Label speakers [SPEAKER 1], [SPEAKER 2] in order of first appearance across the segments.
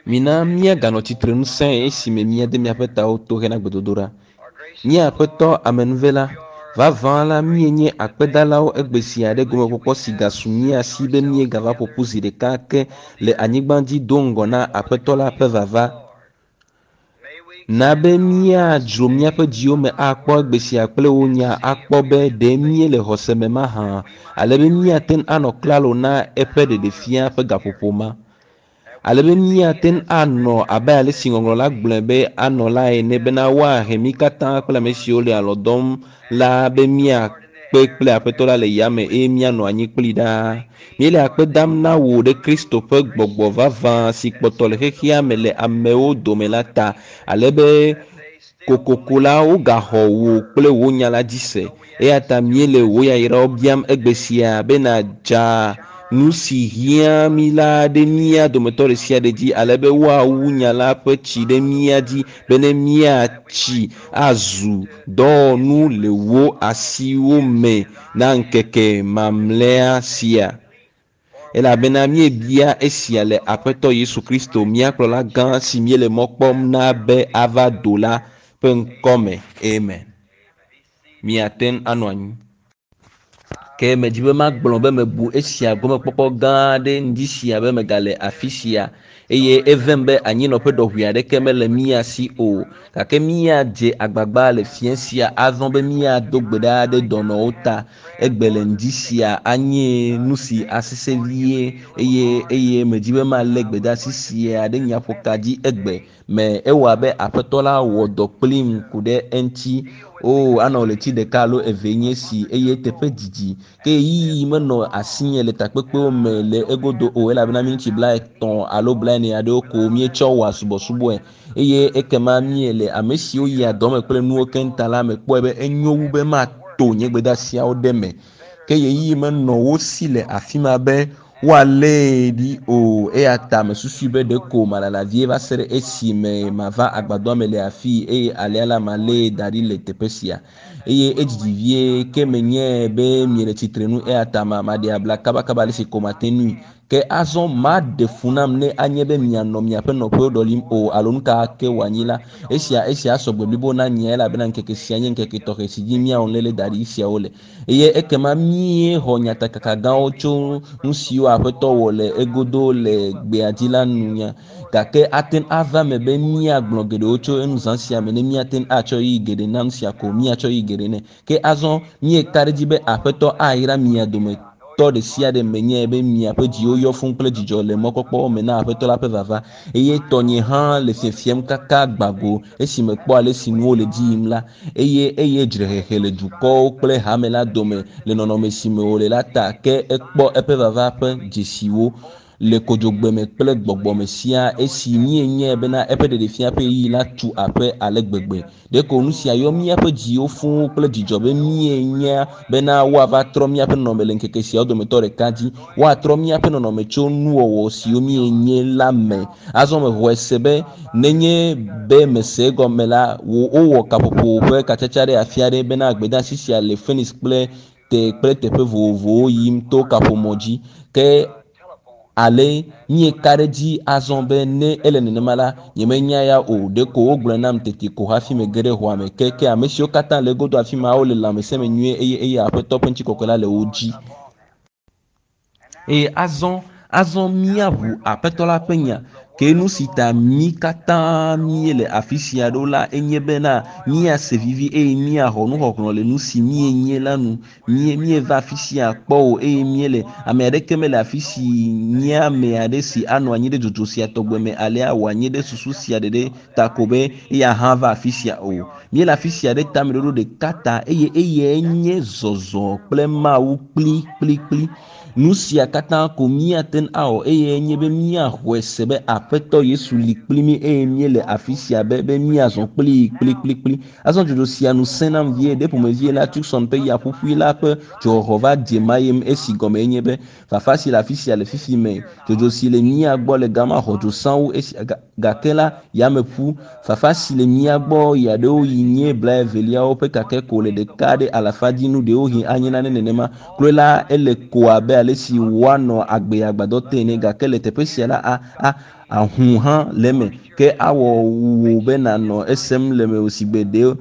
[SPEAKER 1] Mina míaganɔ tsitre ŋusẽ esime míade míaƒe tawo to hena gbedodoɖa. Mía Aƒetɔ amenuvela, vavã la míenye akpedalawo egbe sia ɖe gomekpɔkpɔ si gasu mía si be míegava ƒo ƒu zi ɖeka ake le anyigba dzi do ŋgɔ na Aƒetɔ la ƒe vava. Na be míadzro míaƒe dziwo me akpɔ egbe sia kple wò nya akpɔ be ɖe míele xɔse me mahã, ale be míate ŋu anɔ klalo na eƒe ɖeɖefia ƒe gaƒoƒo ma. Ale be míate ŋu anɔ abe ale si ŋɔŋlɔ la gblɔe be anɔ la ene bena woahe mí katã kple ame siwo le alɔ dɔm la be míakpe kple Aƒetɔ la le yame eye míanɔ anyi kplii ɖaa. Míele akpe dam na wò ɖe Kristo ƒe gbɔgbɔ vavã si kpɔtɔ le xexea me le amewo dome la ta, ale be kokoko la wogaxɔ wò kple wò nya la dzi se. Eya ta míele wò yayrawo biam egbe sia be nàdza nu si hiã mí la ɖe mía dometɔ ɖe sia ɖe dzi ale be woawu nya la ƒe tsi ɖe mía dzi bene míatsi azu dɔwɔnu le wò asiwo me na ŋkeke mamlɛa sia. Elabena míebia esia le Aƒetɔ Yesu Kristo, mía kplɔla gã si míele mɔ kpɔm na be ava do la ƒe ŋkɔ me. Amen. Miate ŋu anɔ anyi. Ke medzi be magblɔ be mebu esia gomekpɔkpɔ gã aɖe ŋdi sia be megale afi sia eye evem be anyinɔƒe ɖɔʋui aɖeke mele mía si o. Gake míadze agbagba le fiẽ sia azɔ be míado gbe ɖa ɖe dɔnɔwo ta. Egbe le ŋdi sia anye nu si asesẽ vie eye eye medzi be malé gbedeasi sia ɖe nyaƒoka dzi egbe me. Ewɔ abe Aƒetɔ la wɔ dɔ kplim ku ɖe eŋuti. Oo, anɔ ɣleti ɖeka alo evee nye esi eye eteƒe didi. Ke ɣeyiɣi menɔ asinye le takpekpewo me le egodo o elabena miniti blaetɔ̃ alo blaene aɖewo ko míetsɔ wɔa subɔsubɔe. Eye ekema míele ame siwo yia dɔ me kple nuwo keŋ ta la mekpɔe be enyo wu be mato nye gbedeasiawo ɖe eme. Ke ɣeyiɣi menɔ wo si le afi ma be woalée ɖi o. Eya ta mesusui be ɖeko malala vie va se ɖe esime mava agbadɔa me le afii eye alea la malée da ɖi le teƒe sia. Eye edzidzi vie ke menyae be miele tsitrenu eya ta ma maɖe abla kabakaba ale si ko mate ŋui. Ke azɔ maɖe fu nam ne anye be mianɔ miaƒe nɔƒewo ɖɔlim o alo nu ka ke wòanyi la. Esia esia asɔ gbe blibo na nyea elabena ŋkeke sia nye ŋkeke tɔxɛ si dzi míawɔ nuléle da ɖi siawo le. Eye ekema míexɔ nyatakaka gãwo tso nu siwo Aƒetɔ wɔ le egodo le gbea dzi la nu nya. Gake ate ŋu ava eme be míagblɔ geɖewo tso enu zã sia me ne míate ŋu atsɔ ɣeyiɣi geɖe na nu sia ko míatsɔ ɣeyiɣi geɖe nɛ. Ke azɔ míeka ɖe edzi be Aƒetɔ ayra mia dometɔ ɖe sia ɖe menyae be miaƒe dziwo yɔ fũu kple dzidzɔ le mɔkpɔkpɔ me na Aƒetɔ la ƒe vava. Eye tɔnye hã le fiefiem kaka gba go esi mekpɔ ale si nuwo le edzi yim la. Eye eye dzrehehe le dukɔwo kple hame la dome le nɔnɔme si me wòle la ta, ke ekpɔ eƒe vava ƒe dzesiwo le kodzogbe me kple gbɔgbɔ me siaa esi míenyae bena eƒe ɖeɖefia ƒe ɣeyiɣi la tu aƒe ale gbegbe. Ɖeko nu sia yɔ míaƒe dziwo fũu kple dzidzɔ be míenya bena woava trɔ míaƒe nɔnɔme le ŋkeke siawo dometɔ ɖeka dzi. Woatrɔ míaƒe nɔnɔme tso nuwɔwɔ siwo míenye la me. Azɔ mexɔe se be nenye be mese egɔme la, wowɔ kaƒoƒo ƒe katsatsa ɖe afi aɖe bena gbedeasi sia le Phoenix kple te kple teƒe vovovowo yim to kaƒomɔ dzi. Ke ale míeka ɖe edzi azɔ be ne ele nenema la, nyemenya ya o. Ɖeko wogblɔe nam tete ko hafi mege ɖe xɔa me. Ke ke ame siwo katã le egodo afi ma wole lãmesẽ me nyuie eye eye Aƒetɔ ƒe ŋutikɔkɔe la le wo dzi. Eye azɔ azɔ míaʋu Aƒetɔ la ƒe nya. Ke nu si ta mí katã míele afi sia ɖo la enye bena míase vivi eye míaxɔ nuxɔxlɔ̃ le nu si míenye la nu. Mí míeva afi sia kpɔ o eye míele ame aɖeke mele afi si nye ame aɖe si anɔ anyi ɖe dzodzo sia tɔgbe me alea wòanyi ɖe susu sia ɖeɖe ta ko be eya hã va afi sia o. Míele afi sia ɖe tameɖoɖo ɖeka ta eye eyae nye zɔzɔ kple Mawu kplikplikpli. Nu sia katã ko míate ŋu awɔ eye nye be míaxɔe se be Aƒetɔ Yesu li kpli mí eye míele afi sia be be míazɔ kplii kplikplikpli. Azɔ dzodzo sia nu sẽ nam vie ɖe ƒomevie la Tucson ƒe yaƒuƒui la ƒe dzoxɔxɔ va dze mayem esi gɔme nye be fafa si le afi sia le fifi me dzodzo si le mía gbɔ le gama xɔ dzo sãwu esi ga. Gake la, yameƒu fafa si le mía gbɔ ɣeaɖewoɣi nye blaeveliawo ƒe kake ko le ɖeka ɖe alafa dzi nu ɖewohĩ anye nane nenema. Kloe la, ele ko abe ale si woanɔ agbe agbadɔ te ene gake le teƒe sia la, a a ahu hã le eme ke awɔ wò be nànɔ esem le mewò sigbe ɖe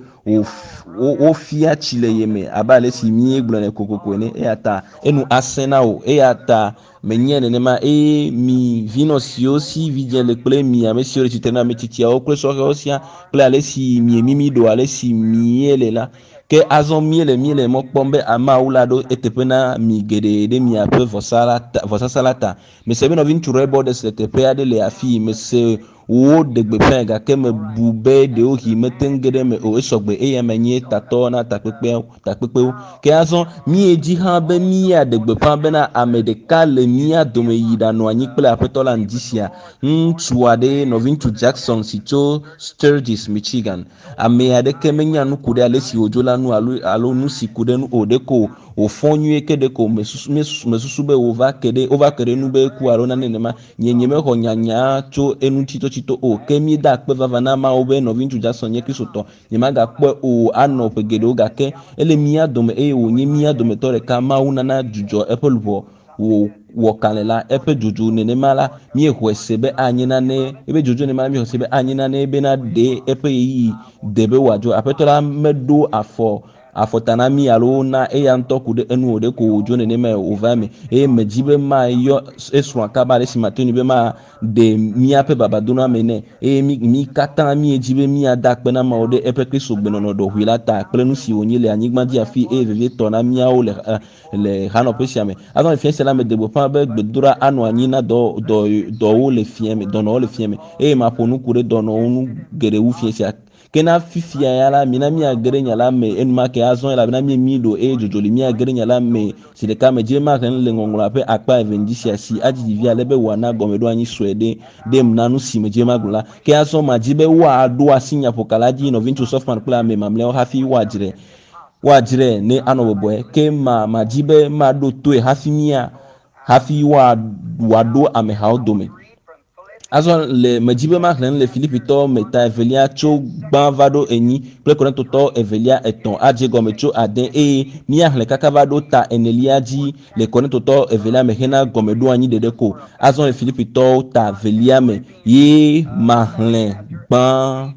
[SPEAKER 1] wofia tsi le ye me abe ale si míegblɔnɛ kokoko ene eya ta enu asẽ na wò eya ta menye nenema eye mi vinɔ siwo si vidzẽ le kple mi ame siwo le tsitre na ame tsitsiawo kple sɔhɛwo sia kple ale si miemimi ɖo ale si miele la ke azɔ míele míele mɔ kpɔm be ameawo la ɖo eteƒe na mi geɖe ɖe miaƒe vɔsasa la ta. Mese be nɔviŋutsu Roy Borders le teƒe aɖe le afii mese woɖe gbeƒãe gake mebu be ɖewohĩ mete ŋu ge ɖe eme o esɔgbe eya me nye tatɔ na takpekpewo. Ke azɔ míedzi hã be míaɖe gbeƒã bena ame ɖeka le mía dome yi ɖanɔ anyi kple aƒetɔ la ŋdi sia. Ŋutsu aɖe nɔviŋutsu Jackson si tso Sturgis, Michigan. Ame aɖeke menya nu ku ɖe ale si wòdzo la nu alo nu si ku ɖe nu o ɖeko wòfɔ nyuie ke ɖeko mesusu be wova ke ɖe nu be eku alo nane nenema. Nye nyemexɔ nyanya tso enu tsitotsito o ke míeda akpe vava na Mawu be nɔviŋutsu Jackson nye Kristotɔ. Nyemagakpɔe o anɔ ƒe geɖewo gake ele mía dome eye wònye mía dometɔ ɖeka. Mawu nana dzudzɔ eƒe luʋɔ wòwɔ kalẽ la eƒe dzodzo nenema la míexɔe se be anye nane ebe dzodzo nenema la míexɔe se be anye nane bena ɖe eƒe ɣeyiɣi de be wòadzo. Aƒetɔ la meɖo afɔta na mí alo na eya ŋutɔ ku ɖe enu o ɖeko wòdzo nenema wòva eme eye medzi be mayɔ esrɔ̃a kaba ale si mate ŋui be maɖe míaƒe babadoname nɛ eye mí katã míedzi be míada akpe na Mawu ɖe eƒe Kristo gbenɔnɔ ɖɔʋui la ta kple nu si wònye le anyigba dzi afi eye vevietɔ na míawo le hanɔƒe sia me. Azɔ le fia sia la mede gbeƒã be gbedoɖa anɔ anyi na dɔwɔwo le fia me, dɔnɔwo le fia me eye maƒo nu ku ɖe dɔnɔwo ŋu geɖe wu fia sia. Ke na fifia ya la mina míage ɖe nya la me enumake azɔ elabena míemi ɖo eye dzodzo li míage ɖe nya la me si ɖeka me dzi maxlẽ nu le ŋɔŋlɔa ƒe akpa eve ŋdi sia si adzidzi vi ale be wòana gɔmeɖoanyi sue ɖe ɖem na nu si me dzi magblɔ la. Ke azɔ madzi be woaɖo asi nyaƒoka la dzi nɔviŋutsu Softman kple ame mamlɛawo hafi woadzrae ne anɔ bɔbɔe. Ke madzi be maɖo toe hafi hafi wòaɖo amehawo dome. Azɔ le medzi be maxlẽ nu le Filipitɔwo me ta evelia tso gbã va ɖo enyi kple Korintotɔwo evelia etɔ̃ adze gɔme tso ade eye míaxlẽ kaka va ɖo ta enelia dzi le Korintotɔwo evelia me hena gɔmeɖoanyi ɖeɖe ko. Azɔ le Filipitɔwo ta velia me ye maxlẽ gbã.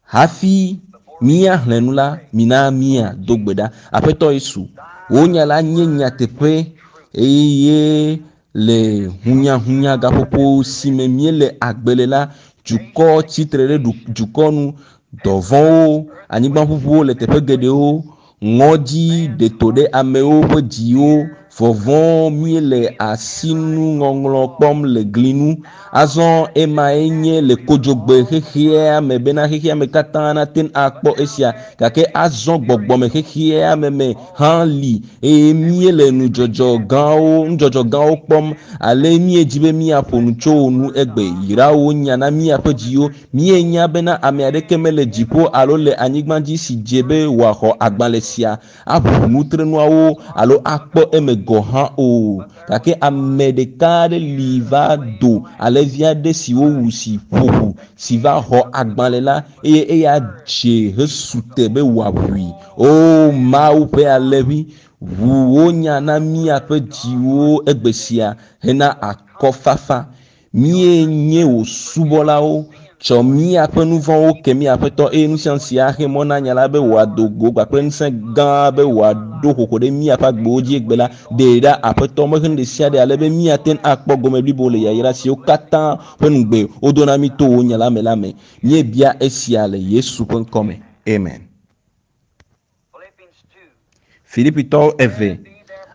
[SPEAKER 1] Hafi míaxlẽ nu la, mina míado gbe ɖa. Aƒetɔ Yesu, wò nya la nye nyateƒe eye le hunyahunya gaƒoƒo si me míele agbe le la, dukɔ tsitre ɖe dukɔ nu, dɔvɔ̃wo, anyigbaʋuʋuwo le teƒe geɖewo, ŋɔdzi ɖe to ɖe amewo ƒe dziwo, vɔvɔ̃ míele asinuŋɔŋlɔ kpɔm le gli nu. Azɔ emae nye le kodzogbe xexea me bena xexea me katã nate ŋu akpɔ esia gake azɔ gbɔgbɔme xexea me me hã li eye míele nudzɔdzɔ gãwo kpɔm ale míedzi be míaƒo nu tso wo nu egbe. Yra wo nya na míaƒe dziwo. Míenya bena ame aɖeke mele dziƒo alo le anyigba dzi si dze be wòaxɔ agbalẽ sia aʋu nutrenuawo alo akpɔ eme gɔ̃ hã o. Gake ame ɖeka aɖe li va do alẽvi aɖe si wowu si ƒo ʋu si va xɔ agbalẽ la eye eya dze hesu te be wòaʋui. O Mawu ƒe alẽvi, ʋu wò nya na míaƒe dziwo egbe sia hena akɔfafa. Míenye wò subɔlawo. Tsɔ míaƒe nu vɔ̃wo ke mía Aƒetɔ eye nu sia nu si axe mɔ na nya la be wòado go kpakple ŋusẽ gã be wòaɖo xoxo ɖe míaƒe agbewo dzi egbe la, ɖee ɖa Aƒetɔ mehe nu ɖe sia ɖe ale be míate ŋu akpɔ gome blibo le yayra siwo katã ƒe ŋugbe wodo na mí to wò nya la me la me. Míebia esia le Yesu ƒe ŋkɔ me. Amen. Filipitɔwo eve.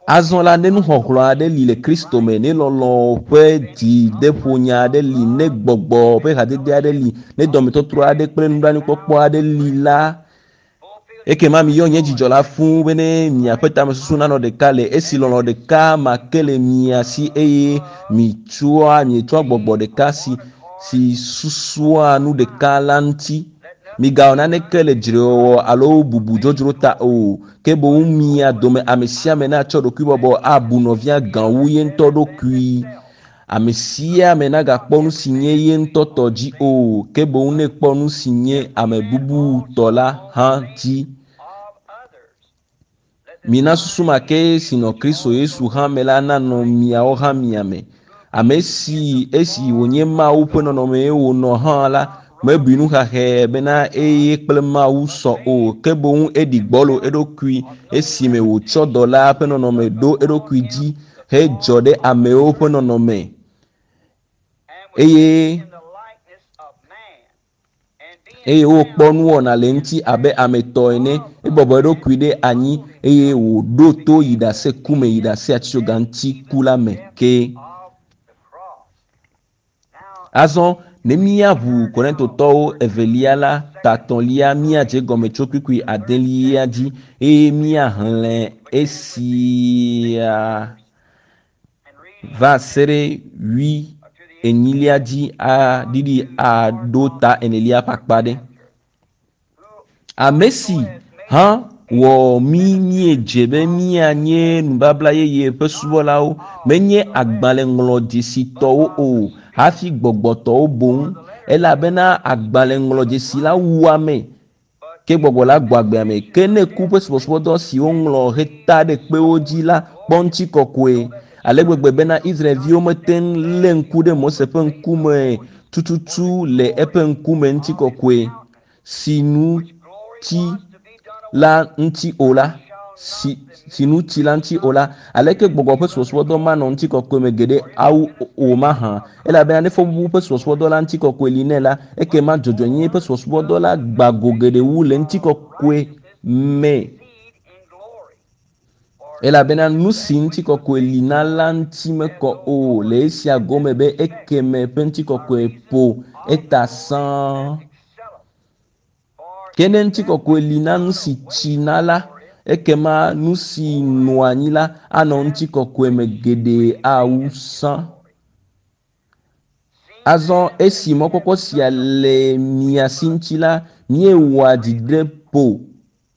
[SPEAKER 1] Azɔ la, ne nuxɔxlɔ̃ aɖe li le Kristo me, ne lɔlɔ̃ ƒe dzideƒonya aɖe li, ne gbɔgbɔ ƒe hadede aɖe li, ne dɔmetɔtrɔ aɖe kple nublanuikpɔkpɔ aɖe li la, ekema miyɔ nye dzidzɔ la fũu bene miaƒe tamesusu nanɔ ɖeka le esi lɔlɔ̃ ɖeka ma ke le mia si eye mietsɔa gbɔgbɔ ɖeka si susua nu ɖeka la ŋuti. Migawɔ naneke le dzrewɔwɔ alo bubu dzodzro ta o, ke boŋ mia dome ame sia ame natsɔ ɖokuibɔbɔ abu nɔvia gã wu ye ŋutɔ ɖokui. Ame sia ame nagakpɔ nu si nye ye ŋutɔ tɔ dzi o, ke boŋ nekpɔ nu si nye ame bubu tɔ la hã dzi. Mina susu ma ke si nɔ Kristo Yesu hã me la nanɔ miawo hã mia me. Ame si esi wònye Mawu ƒe nɔnɔmee wònɔ hã la, mebui nuxaxɛ bena eye kple Mawu sɔ o, ke boŋ eɖi gbɔlo eɖokui esime wòtsɔ dɔla ƒe nɔnɔme ɖo eɖokui dzi hedzɔ ɖe amewo ƒe nɔnɔme eye eye wokpɔ nuwɔna le eŋuti abe ame tɔ ene. Ebɔbɔ eɖokui ɖe anyi eye wòɖo to yi ɖase ku me yi ɖase atitsoga ŋuti ku la me ke. Azɔ ne míaʋu Korintotɔwo evelia la tatɔ̃lia míadze gɔme tso kpukpui adelia dzi eye míaxlẽ esia va se ɖe wui enyilia dzi aɖiɖi aɖo ta enelia ƒe akpa ɖe. Ame si hã wɔ mí míedze be míanye nubabla yeye ƒe subɔlawo, menye agbalẽŋlɔdzesitɔwo o, hafi gbɔgbɔtɔwo boŋ, elabena agbalẽŋlɔdzesi la wua ame, ke gbɔgbɔ la gbɔ agbe ame. Ke ne ku ƒe subɔsubɔdɔ si woŋlɔ heta ɖe kpewo dzi la kpɔ ŋutikɔkɔe ale gbegbe bena Israelviwo mete ŋu lé ŋku ɖe Mose ƒe ŋkume tututu le eƒe ŋkume ŋutikɔkɔe si nu tsi la ŋuti o la, si, si nu tsi la ŋuti o la, aleke gbɔgbɔ ƒe subɔsubɔdɔ manɔ ŋutikɔkɔe me geɖe awu o mahã? Elabena ne fɔbubu ƒe subɔsubɔdɔ la ŋutikɔkɔe li nɛ la, ekema dzɔdzɔenyenye ƒe subɔsubɔdɔ la gba go geɖe wu le ŋutikɔkɔe me. Elabena nu si ŋutikɔkɔe li na la ŋuti mekɔ o le esia gome be ekeme ƒe ŋutikɔkɔe ƒo eta sãa. Ke ne ŋutikɔkɔe li na nu si tsina la, ekema nu si nɔa anyi la anɔ ŋutikɔkɔe me geɖe awu sã. Azɔ esi mɔkpɔkpɔ sia le mia si ŋuti la, míewɔa dzideƒo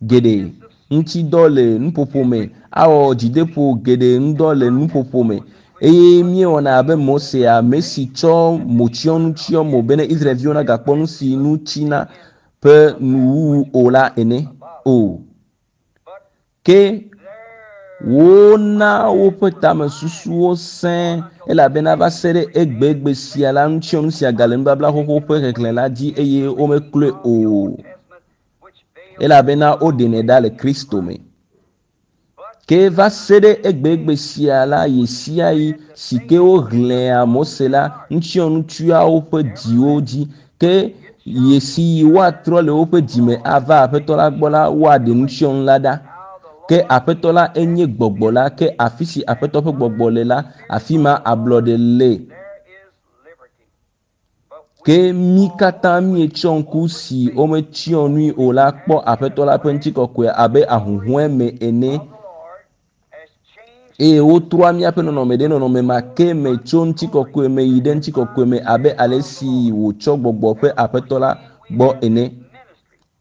[SPEAKER 1] geɖe ŋuti dɔ le nuƒoƒo me, awɔ dzideƒo geɖe ŋudɔ le nuƒoƒo me. Eye míewɔna abe Mose, ame si tsɔ motsyɔnu tsyɔ mo bene Israelviwo nagakpɔ nu si nu tsina ƒe nuwuwu o la ene o. Ke wona woƒe tamesusuwo sẽ elabena va se ɖe egbegbe sia la, nutsyɔnu sia gale nubabla xoxo ƒe xexlẽ la dzi eye womekloe o elabena woɖenɛ ɖa le Kristo me. Ke va se ɖe egbegbe sia la, ɣesiaɣi si ke woxlẽa Mose la, nutsyɔnu tsyɔa woƒe dziwo dzi. Ke ɣesiɣi woatrɔ le woƒe dzime ava Aƒetɔ la gbɔ la, woaɖe nutsyɔnu la ɖa. Ke Aƒetɔ la enye Gbɔgbɔ la, ke afi si Aƒetɔ ƒe Gbɔgbɔ le la, afi ma ablɔɖe le. Ke mí katã míetsɔ ŋku si wometsyɔ nui o la kpɔ Aƒetɔ la ƒe ŋutikɔkɔe abe ahuhɔ̃e me ene. Eye wotrɔa míaƒe nɔnɔme ɖe nɔnɔme ma ke me tso ŋutikɔkɔe me yi ɖe ŋutikɔkɔe me abe ale si wòtsɔ gbɔgbɔ ƒe Aƒetɔ la gbɔ ene.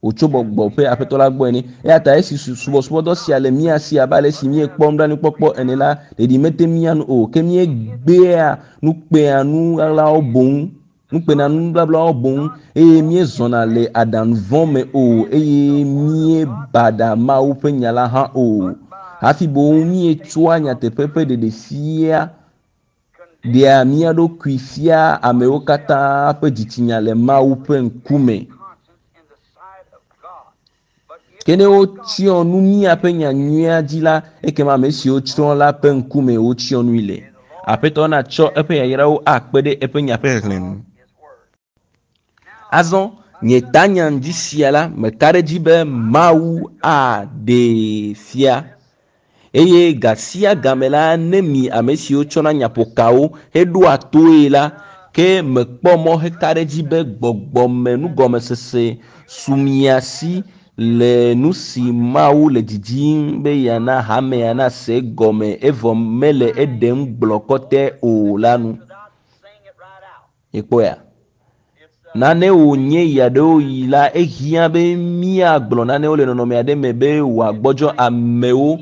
[SPEAKER 1] Wòtso gbɔgbɔ ƒe Aƒetɔ la gbɔ ene. Eya ta esi subɔsubɔdɔ sia le mía si abe ale si míekpɔ nublanuikpɔkpɔ ene la, ɖeɖi mete mía ŋu o, ke míegbea nukpea nu ɣaɣlawo boŋ, nukpena nubablawo boŋ, eye míezɔna le aɖaŋu vɔ̃ me o, eye míebaɖa Mawu ƒe nya la hã o. Hafi boŋ míetsɔa nyateƒe ƒe ɖeɖefia ɖea mía ɖokui fia amewo katã ƒe dzitsinya le Mawu ƒe ŋkume. Ke ne wotsyɔ nu míaƒe nya nyuia dzi la, ekema ame siwo tsrɔ̃ la ƒe ŋkume wotsyɔ nui le. Aƒetɔ natsɔ eƒe yayrawo akpe ɖe eƒe nya ƒe xexlẽ ŋu. Azɔ, nye tanya ŋdi sia la, meka ɖe edzi be Mawu aɖee fia. Eye ga sia game la, ne mi ame siwo tsɔna nyaƒokawo heɖoa toe la, ke mekpɔ mɔ heka ɖe edzi be gbɔgbɔmenugɔmesese su mia si le nu si Mawu le didim be yeana hamea nase egɔme evɔ mele eɖem gblɔ kɔtɛ o la nu. Miekpɔea? Nane wònye ɣeaɖewoɣi la, ehiã be míagblɔ nanewo le nɔnɔme aɖe me be wòagbɔdzɔ amewo.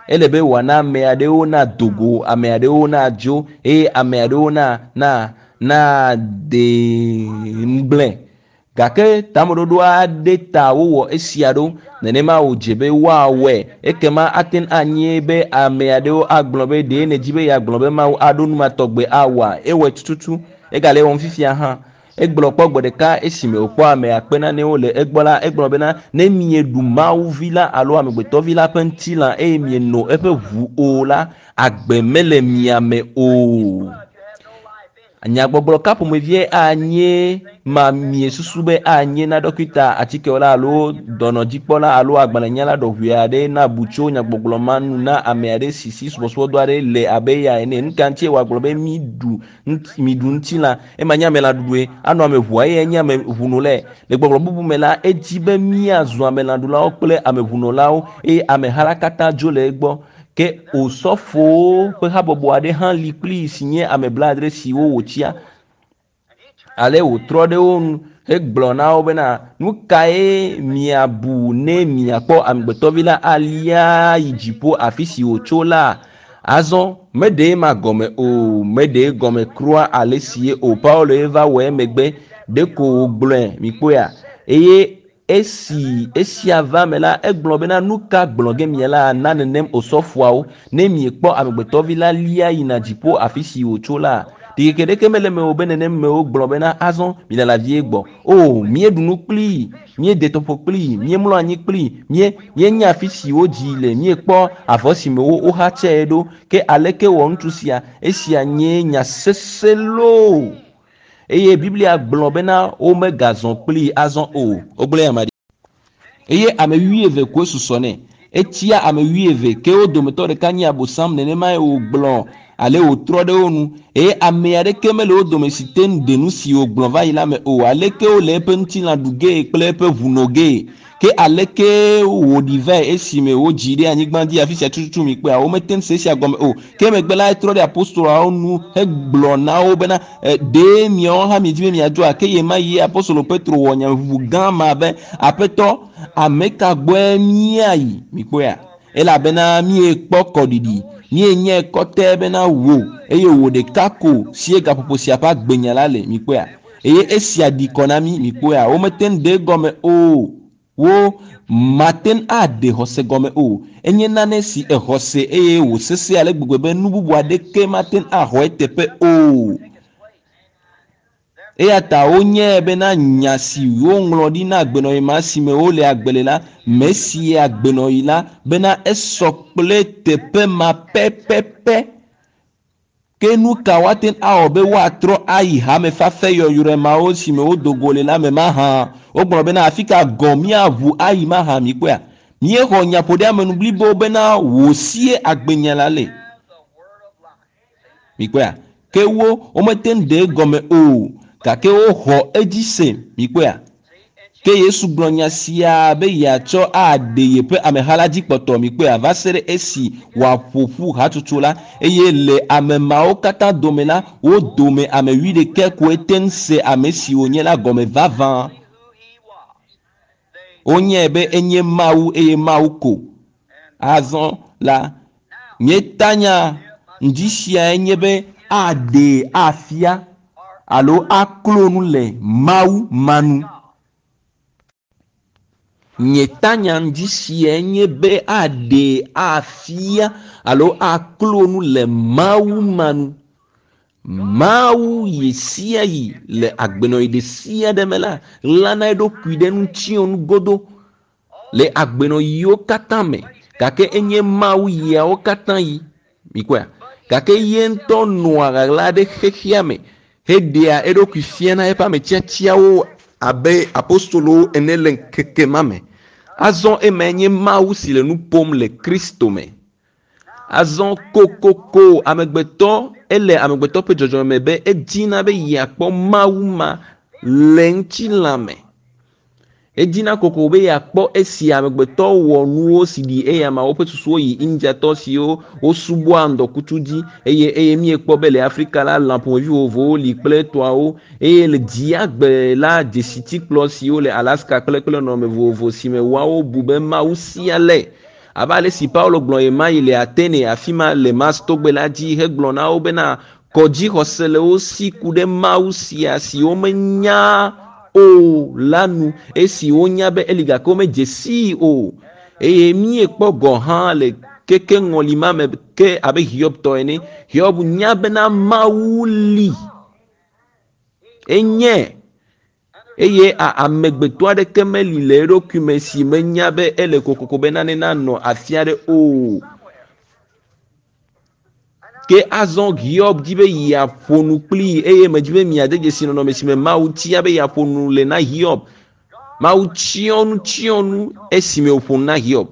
[SPEAKER 1] Ele be wòana ame aɖewo nado go, ame aɖewo nadzo eye ame aɖewo na na nade ŋugblẽ. Gake tameɖoɖo aɖe ta wowɔ esia ɖo. Nenema wòdze be woawɔe. Ekema ate ŋu anye be ame aɖewo agblɔ be ɖe nèdi be yeagblɔ be Mawu aɖo nu ma tɔgbe awɔa? Ewɔe tututu. Egale ewɔm fifia hã. Egblɔ kpɔ gbe ɖeka esime wòkpɔ ame akpe nanewo le egbɔ la, egblɔ bena ne mieɖu Mawu vi la alo amegbetɔvi la ƒe ŋutilã eye mieno eƒe ʋu o la, agbe mele mia me o. Nyagbɔgblɔ ka ƒomevie anye ma miesusu be anye na ɖɔkita atikewɔla alo dɔnɔdzikpɔla alo agbalẽnyala ɖɔʋui aɖe nabu tso nyagbɔgblɔ ma nu na ame aɖe si si subɔsubɔdɔ aɖe le abe eya ene? Nu ka ŋutie wòagblɔ be miɖu miɖu ŋutilã ema nye amelãɖuɖue anɔ ame ʋua eye nye ame ʋunolae? Le gbɔgblɔ bubu me la, edzi be míazu amelãɖulawo kple ameʋunolawo eye ameha la katã dzo le egbɔ. Ke osɔfowo ƒe habɔbɔ aɖe hã li kplii si nye ame blaadre siwo wòtia. Ale wòtrɔ ɖe wo ŋu hegblɔ na wo bena nu kae miabu ne miakpɔ amegbetɔvi la alia yi dziƒo afi si wòtso la? Azɔ meɖe ema gɔme o, meɖe egɔme kura ale si ye o. Paulo ye va wɔ emegbe ɖeko wògblɔe mikpɔea eye esi esia va me la egblɔ bena nu ka gblɔ ge miala na nenem osɔfoawo ne miekpɔ amegbetɔvi la lia yina dziƒo afi si wòtso la? Ɖikeke ɖeke mele eme o be nenem mewo gblɔ bena azɔ milala vie gbɔ. O, míeɖu nu kplii, míede tɔƒo kplii, míemlɔ anyi kplii, mie míenya afi si wodzi le, míekpɔ avɔ si me wo woxatsae ɖo. Ke aleke wɔ ŋutsu sia? Esia nye nya sesẽ loo. Eye Biblia gblɔ bena womegazɔ kplii azɔ o. Wogblẽ ame ɖi. Eye ame wuieve koe susɔ nɛ. Etia ame wuieve ke wo dometɔ ɖeka nye Abosam nenemae wògblɔ ale wòtrɔ ɖe wo nu. Eye ame aɖeke mele wo dome si te ŋu ɖe nu si wògblɔ va yi la me o. Aleke wole eƒe ŋutilã ɖu gee kple eƒe ʋu no gee? Ke aleke wòɖi vae esime wodzi ɖe anyigba dzi afi sia tututu mi kpɔea? Womete ŋu se esia gɔme o. Ke megbe la etrɔ ɖe apostoloawo nu hegblɔ na wo bena ɖe miawo hã miedi be miadzoa? Ke ɣe ma ɣi apostolo Petro wɔ nyameʋuʋu gã ma be Aƒetɔ, ame ka gbɔe míayi? Mikpɔea? Elabena míekpɔ kɔɖiɖi, míenyae kɔtɛ bena wò eye wò ɖeka ko sie gaƒoƒo sia ƒe agbenya la le. Mikpɔea? Eye esia ɖi kɔ na mí. Mikpɔea? Womete ŋu ɖe egɔme o. Wo mate ŋu aɖe xɔse gɔme o. Enye nane si exɔ se eye wòsesẽ ale gbegbe be nu bubu aɖeke mate ŋu axɔ eteƒe o. Eya ta wonyae bena nya si woŋlɔ ɖi na agbenɔɣi ma si me wole agbe le la, me si agbenɔɣi la bena esɔ kple teƒe ma pɛpɛpɛ. Ke nu ka woate ŋu awɔ be woatrɔ ayi hame fafɛ yɔyrɔe mawo si me wodo go le la me mahã? Wogblɔ bena afi ka gɔ̃ míaʋu ayi mahã mikpɔea? Míexɔ nyaƒoɖeamenu blibo bena wò sie agbenya la le. Mikpɔea? Ke wo womete ŋu ɖe egɔme o gake woxɔ edzi se. Mikpɔea? Ke Yesu gblɔ nya sia be yeatsɔ aɖe yeƒe ameha la dzi kpɔtɔ. Mikpɔea? Va se ɖe esi wòaƒo ƒu hatsotso la eye le ame mawo katã dome la, wo dome ame wuiɖekɛ koe te ŋu se ame si wònye la gɔme vavã. Wonyae be enye Mawu eye Mawu ko. Azɔ la, nye tanya ŋdi siae nye be aɖee afia alo aklo nu le Mawu ma nu. Nye tanya ŋdi siae nye be aɖee afia alo aklo nu le Mawu ma nu. Mawu yi sia yi le agbenɔɣi ɖe sia ɖe me la, ɣlana eɖokui ɖe ŋutiɔnu godo le agbenɔɣiwo katã me. Gake enye Mawu yiawo katã yi. Mikpɔea? Gake ye ŋutɔ nɔa ɣaɣla ɖe xexea me heɖea eɖokui fiana eƒe ame tiatiawo abe apostolowo ene le ŋkeke ma me. Azɔ emae nye Mawu si le nu ƒom le Kristo me. Azɔ kokoko amegbetɔ ele amegbetɔ ƒe dzɔdzɔme me be edina be yeakpɔ Mawu ma le ŋutilã me. Edina kokoko be yeakpɔ esi amegbetɔ wɔ nuwo si ɖi eya ma woƒe susuwo yi Indiatɔ siwo wosubɔa ŋdɔkutsu dzi eye eye míekpɔ be le Afrika la lã ƒomevi vovovowo li kple etɔawo eye le dziagbe la dzesitikplɔ siwo le Alaska kple kple nɔnɔme vovovo si me woawo bu be Mawu sia le. Abe ale si Paulo gblɔ ɣemaɣi le Atene, afi ma le Mars togbe la dzi hegblɔ na wo bena kɔdzixɔse le wo si ku ɖe Mawu sia si womenya o la nu, esi wonya be eli gake womedze sii o. Eye míekpɔ gɔ̃ hã le keke ŋɔli ma me ke abe Hiob tɔ ene. Hiob nya bena Mawu li. Enye eye amegbetɔ aɖeke meli le eɖokui me si menya be ele kokoko be nane nanɔ afi aɖe o. Ke azɔ Hiob di be yeaƒo nu kplii eye medi be miade dzesi nɔnɔme si me Mawu tia be yeaƒo nu le na Hiob. Mawu tsyɔ nu tsyɔ nu esime wòƒo nu na Hiob.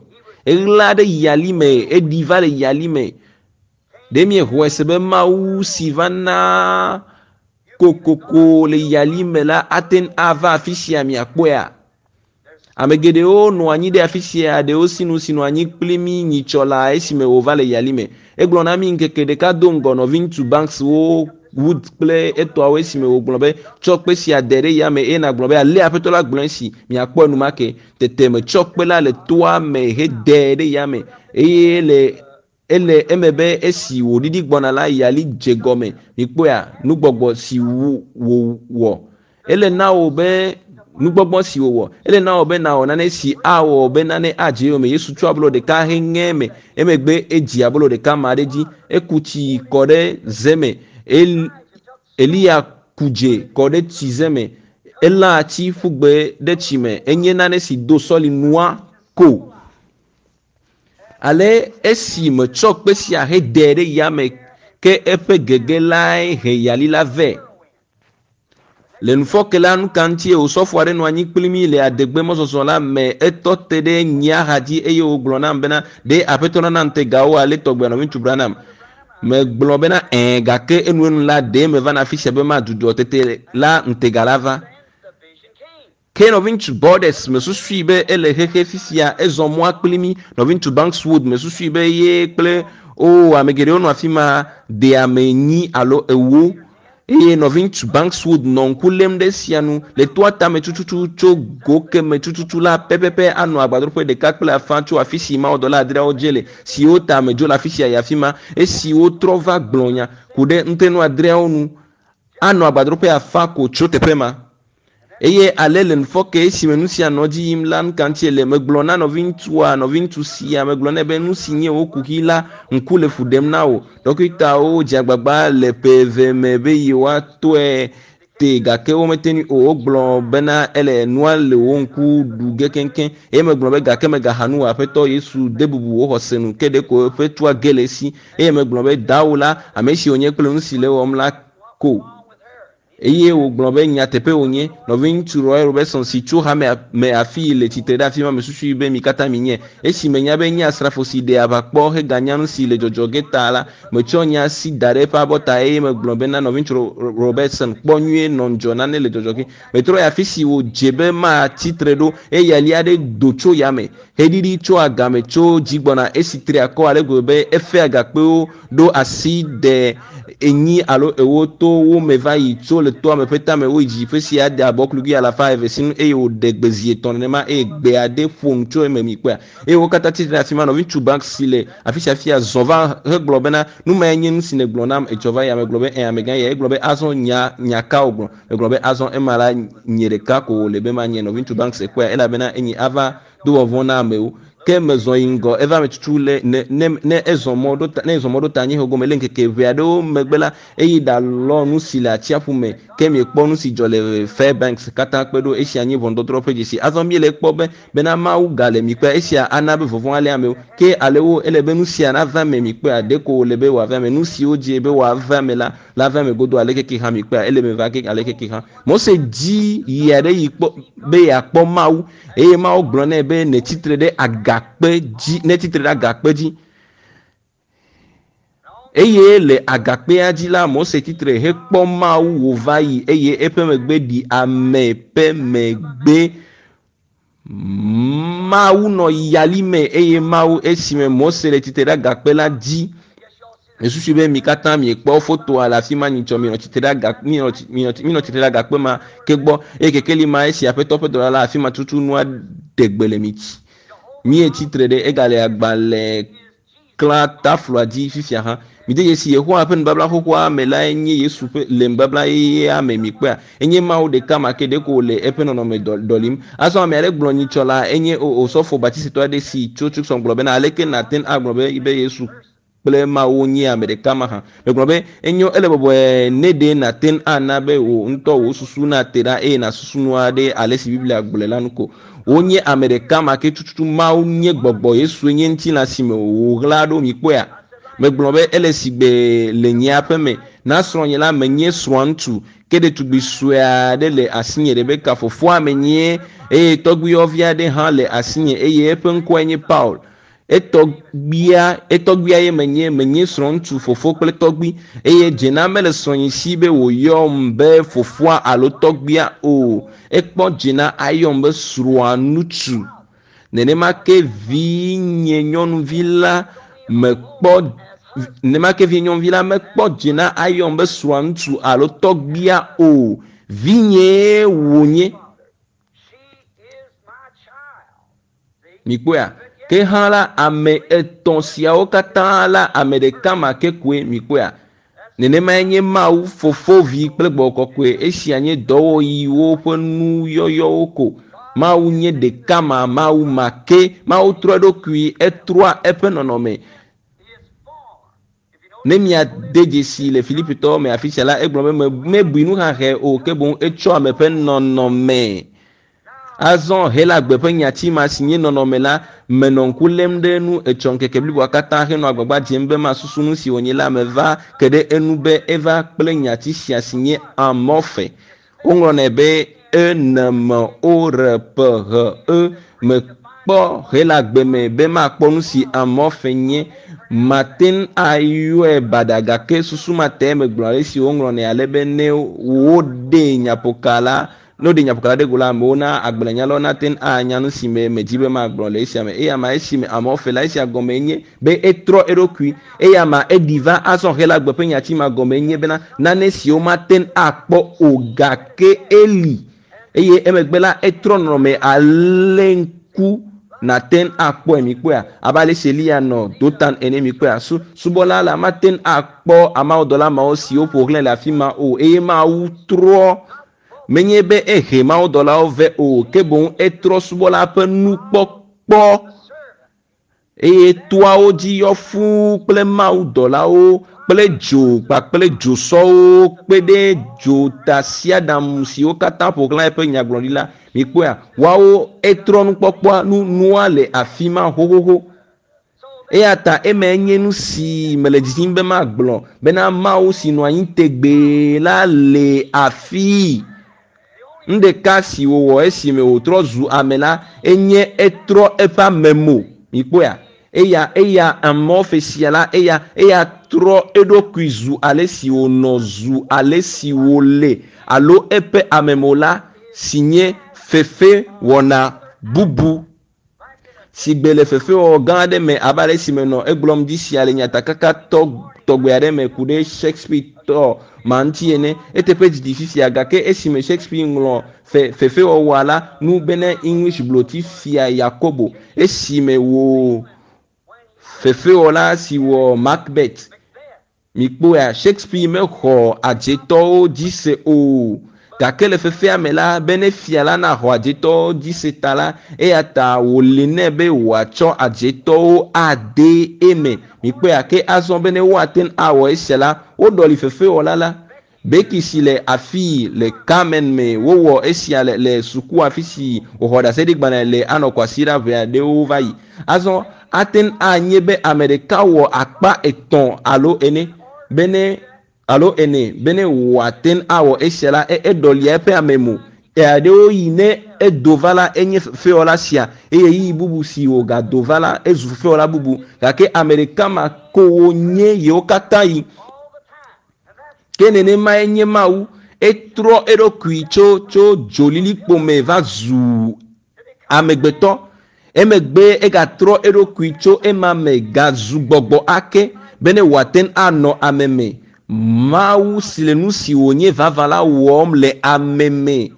[SPEAKER 1] Eɣla ɖe yali me, eɖi va le yali me. Ɖe miexɔe se be Mawu si va na kokoko le yali me la ate ŋu ava afi sia miakpɔea? Ame geɖewo nɔ anyi ɖe afi sia, ɖewo sinu si nɔ anyi kpli mí nyitsɔ laa esime wòva le yali me. Egblɔ na mí ŋkeke ɖeka do ŋgɔ nɔviŋutsu Banks wo Wood kple etɔawo esime wògblɔ be, Tsɔ kpe sia de ɖe yame eye nàgblɔ be, Ale Aƒetɔ la gblɔ esi, miakpɔ enumake. Tete metsɔ kpe la le toa me hedee ɖe yame eye le Ele eme be esi wòɖiɖi gbɔna la, yali dze gɔme. Mikpɔea? Nugbɔgbɔ si wòwɔ. Ele na wò be nugbɔgbɔ si wòwɔ. Ele na wò be nàwɔ nane si awɔ be nane adze eyome. Yesu tsɔ abolo ɖeka heŋe eme. Emegbe edzi abolo ɖeka ma ɖe edzi. Eku tsi kɔ ɖe ze me. El, Eliya ku dze kɔ ɖe tsize me. Elã atsi ƒu gbe ɖe tsi me. Enye nane si do sɔli nua ko. Ale esi metsɔ kpe sia hedee ɖe yame ke eƒe gege lae he yali la vɛ. Le ŋufɔke la, nuka ŋutie osɔfo aɖe nɔ anyi kpli mí le adegbe mɔzɔzɔ la me? Etɔ te ɖe nye axa dzi eye wògblɔ nam bena, Ɖe Aƒetɔ nana ŋutegawo ale tɔgbe nɔviŋutsu Branham? Megblɔ bena, Ɛ̃, gake enuenu la, ɖe mevana afi sia be madudɔ tete la ŋutega la va. Ke nɔviŋutsu Borders mesusui be ele xexe fifia, ezɔ mɔa kpli mí. Nɔviŋutsu Banks Wood mesusui be ye kple, oo, ame geɖewo nɔ afi ma, de ame enyi alo ewo. Eye nɔviŋutsu Banks Wood nɔ ŋku lém ɖe esia nu, le toa tame tututu tso go keme tututu la pɛpɛpɛ anɔ agbadroƒe ɖeka kple afã tso afisi mawudɔla adreawo dze le, siwo ta medzo le afisia yi afima, esi wotrɔ va gblɔ nya ku ɖe ŋutenu adreawo nu, anɔ agbadroƒe afã ko tso teƒe ma. Eye ale le ŋufɔke esime nu sia nɔ edzi yim la, nu ka ŋutie le? Megblɔ na nɔviŋutsua, nɔviŋutsu sia, megblɔ nɛ be nu si nye wò kuxi la, ŋku le fu ɖem na wò. Ɖɔkitawo dze agbagba le ƒe eve me be yewoatɔe te gake womete ŋui o. Wogblɔ bena ele nua le wò ŋku ɖu ge keŋkeŋ. Eye megblɔ be gake mègaxa nu o, Aƒetɔ Yesu de bubu wò xɔse nu. Ke ɖeko eƒe tua ge le esi. Eye megblɔ be, Dawò la, ame si wònye kple nu si le ewɔm la ko. Eye wògblɔ be, Nyateƒee wònye, Nɔviŋutsu Roy Roberson si tso hamea me afii le tsitre ɖe afima mesusui be mi katã minyɛ. Esi menya be enye asrafo si ɖea aʋa kpɔ heganya nusi le dzɔdzɔ ge ta la, metsɔ nye asi da ɖe eƒe abɔta eye megblɔ bena, Nɔviŋutsu Robertson, kpɔ nyuie, nɔ ŋudzɔ, nane le dzɔdzɔ ge. Metrɔ yi afisi wòdze be matsi tre ɖo eye yali aɖe do tso yame heɖiɖi tso agame tso dzi gbɔna esi tri akɔ ale gbegbe be efe agakpewo ɖo asi de enyi alo ewo to wo me va yi tso le toa me ƒe tame woyi dzi ƒe sia de abɔklugui alafa eve sinu eye wòɖe gbe zi etɔ̃ nenema eye gbe aɖe ƒo nu tso eme mikpɔea eye wo katã tsi tre ɖe afi ma nɔviŋutsu Banks si le afi sia fia zɔ va hegblɔ bena nu mae nye nu si nègblɔ nam etsɔ va yi megblɔ be ẽ amegã ya egblɔ be azɔ nya nya ka wògblɔ megblɔ be azɔ ema la nye ɖeka ko wòle be manye nɔviŋutsu Banks ekpɔea elabena enyi ava do vɔvɔ̃ na amewo. Ke mezɔ yi ŋgɔ, eva eme tutu le ne, ne, ne ezɔ mɔ ɖo ta, ne ezɔ mɔ ɖo ta anyiehe gome le ŋkeke ʋɛ aɖewo megbe la, eyi ɖalɔ nu si le atsiaƒu me. Ke miekpɔ nu si dzɔ le Fairbanks katã kpe ɖo. Esia nye ʋɔnudɔdrɔ̃ ƒe dzesi. Azɔ míele ekpɔ be, bena Mawu gale mi kpea, esia ana be vɔvɔ̃ alé amewo. Ke ale wo, ele be nu sia nava eme mi kpea, ɖeko wòle be wòava eme. Nu siwo dze be wòava eme la, lava eme godoo aleke ke hã mi kpea, ele eme va ge aleke ke hã. Mose dzi yi aɖe yi kpɔ be yeakpɔ Mawu eye Mawu gblɔ nɛ be netsi tre ɖe agakpe dzi, netsi tre ɖe agakpe dzi. Eye le agakpea dzi la, Mose tsi tre hekpɔ Mawu wòva yi eye eƒe megbe ɖi ame ƒe megbe. Mawu nɔ yali me eye Mawu esime Mose le tsitre ɖe agakpe la dzi. Mesusu be mi katã miekpɔ fotoa le afi ma nyitsɔ minɔ tsitre ɖe aga minɔ minɔ minɔ tsitre ɖe agakpe ma ke gbɔ eye kekeli ma esi Aƒetɔ ƒe dɔla la afi ma tutu nua ɖe gbe le mi tsi. Míetsi tre ɖe egale agbalẽ klã tafloa dzi fifia hã. Mide dzesi Yehowa ƒe nubabla xoxoa me lae nye Yesu ƒe le nubabla yeyea me mikpɔea. Enye Mawu ɖeka ma ke ɖeko wòle eƒe nɔnɔme ɖɔlim. Azɔ ame aɖe gblɔ nyitsɔ la enye osɔfo Baptistitɔ aɖe si tso Tucson gblɔ bena aleke nàte ŋu agblɔ be be Yesu kple Mawu nye ame ɖeka mahã. Megblɔ be enyo ele bɔbɔe ne ɖe nàte ŋu ana be wò ŋutɔ wò susu nate ɖa eye nàsusu nua ɖe ale si Biblia gblɔe la nu ko. Wonye ame ɖeka ma ke tututu Mawu nye gbɔgbɔ Yesue nye ŋutilã si me wòɣla ɖo mikpɔea. Megblɔ be ele sigbe le nye aƒe me na srɔ̃nye la menye srɔ̃a ŋutsu ke ɖetugbi sue aɖe le asinye Rebeka fofoa menye eye tɔgbuiyɔvi aɖe hã le asinye eye eƒe ŋkɔe nye Paul. Etɔgbia etɔgbia ye menye menye srɔ̃ŋutsu fofo kple tɔgbui eye dzena mele srɔ̃nye si be wòyɔm be fofoa alo tɔgbia o. Ekpɔ dzena ayɔm be srɔ̃a ŋutsu. Nenema ke vinye nyɔnuvi la mekpɔ nenema ke vinye nyɔnuvi la mekpɔ dzena ayɔm be srɔ̃a ŋutsu alo tɔgbia o. Vinyee wònye. Mikpɔea? Ke hã la ame etɔ̃ siawo katã la ame ɖeka ma ke koe mikpɔea? Nenemae nye Mawu, Fofo, Vi kple Gbɔgbɔ Kɔkɔe. Esia nye dɔwɔɣiwo ƒe nuyɔyɔwo ko. Mawu nye ɖeka ma, Mawu ma ke. Mawu trɔ eɖokui, etrɔa eƒe nɔnɔme. Ne miade dzesi le Filipitɔwo me afi sia la, egblɔ be mebui nuxaxɛ o, ke boŋ etsɔ ame ƒe nɔnɔme. Azɔ Helagbe ƒe nyati ma si nye nɔnɔme la, menɔ ŋku lém ɖe enu etsɔ ŋkeke bliboa katã henɔ agbagba dzem be masusu nu si wònye la meva ke ɖe enu be eva kple nyati sia si nye amorphe. Woŋlɔnɛ be E N M O R P H E. Mekpɔ Helagbe me be makpɔ nu si amorphe nye. Mate ŋu ayɔe baɖa gake susu ma tae megblɔ ale si woŋlɔnɛ ale be ne woɖee nyaƒoka la ne woɖe nyaƒoka la ɖe go la amewo na agbalẽnyalawo nate ŋu anya nu si me medzi be magblɔ le esia me. Eya ma esime amorphe la esia gɔme nye be etrɔ eɖokui. Eya ma eɖi va azɔ Helagbe ƒe nyati ma gɔme nye bena nane si womate ŋu akpɔ o gake eli. Eye emegbe la etrɔ nɔnɔme ale ŋku nàte ŋu akpɔe mikpɔea abe ale si Eliya nɔ Dotan ene mikpɔea. Su subɔla la mate ŋu akpɔ amawudɔla mawo siwo ƒo xlãe le afi ma o eye Mawu trɔ menye be ehe mawudɔlawo vɛ o ke boŋ etrɔ subɔla ƒe nukpɔkpɔ eye toawo dzi yɔ fũu kple mawudɔlawo kple dzo kpakple dzosɔwo kpe ɖe dzotasiaɖam siwo katã ƒo xlã eƒe nyagblɔɖi la. Mikpɔea woawo etrɔ nukpɔkpɔa nu nua le afi ma xoxoxo. Eya ta emae nye nu si mele didim be magblɔ bena Mawu si nɔ anyi tegbee la le afii. Nu ɖeka si wòwɔ esime wòtrɔ zu ame la enye etrɔ eƒe amemo. Mikpɔea? Eya eya amorphe sia la eya eya trɔ eɖokui zu ale si wònɔ zu ale si wòle alo eƒe amemo la si nye fefewɔna bubu. Sigbe le fefewɔwɔ gã aɖe me abe ale si menɔ egblɔm dzi sia le nyatakaka tɔgbe aɖe me ku ɖe Shakespeare tɔ ma ŋuti ene. Eteƒe didi fifia gake esime Shakespeare ŋlɔ fe fefewɔwɔa la nu bene English gbloti fia Yakobo esime wò fefewɔla si wɔ Macbeth. Mikpɔea Shakespeare mexɔ adzetɔwo dzi se o. Gake le fefea me la bene fia la naxɔ adzetɔwo dzi se ta la eya ta wòli nɛ be wòatsɔ adzetɔwo ade eme. Mikpɔea ke azɔ bene woate ŋu awɔ esia la woɖɔli fefewɔla la. Becky si le afii le Carmen me wowɔ esia le le suku afi si wòxɔ ɖaseɖigbalẽ le anɔ kwasiɖa ʋɛ aɖewo va yi. Azɔ ate ŋu anye be ame ɖeka wɔ akpa etɔ̃ alo ene bene alo ene bene wòate ŋu awɔ esia la eɖɔlia eƒe amemo. Aɖewo yi ne edo va la enye fefewɔla sia eye ɣeyiɣi bubu si wògado va la ezu fefewɔla bubu gake ame ɖeka ma ko wonye yewo katã yi. Ke nenemae nye Mawu etrɔ eɖokui tso tso dzolilikpo me va zu amegbetɔ. Emegbe egatrɔ eɖokui tso ema me gazu gbɔgbɔ ake bene wòate ŋu anɔ ame me. Mawu si le nu si wònye vavã la wɔm le ame me.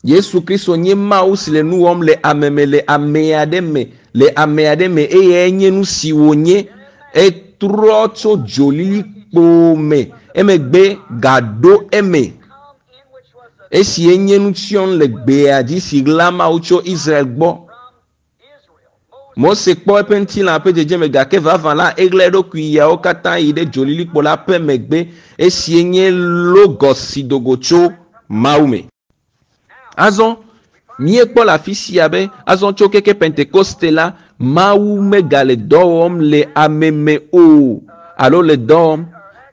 [SPEAKER 1] Yesu Kristo nye Mawu si le nu wɔm le ame me le ame aɖe me le ame aɖe me eyae nye nu si wònye. Etrɔ tso dzolilikpo me emegbe gaɖo eme. Esi enye nutsyɔnu le gbea dzi si ɣla Mawu tso Israel gbɔ. Mose kpɔ eƒe ŋutilã ƒe dzedzeme gake vavã la eɣla eɖokui yawo katã yi ɖe dzolilikpo la ƒe megbe esie nye logos si do go tso Mawu me. Azɔ míekpɔ le afi sia be azɔ tso keke Pentekoste la, Mawu megale dɔ wɔm le ame me o alo le dɔ wɔm.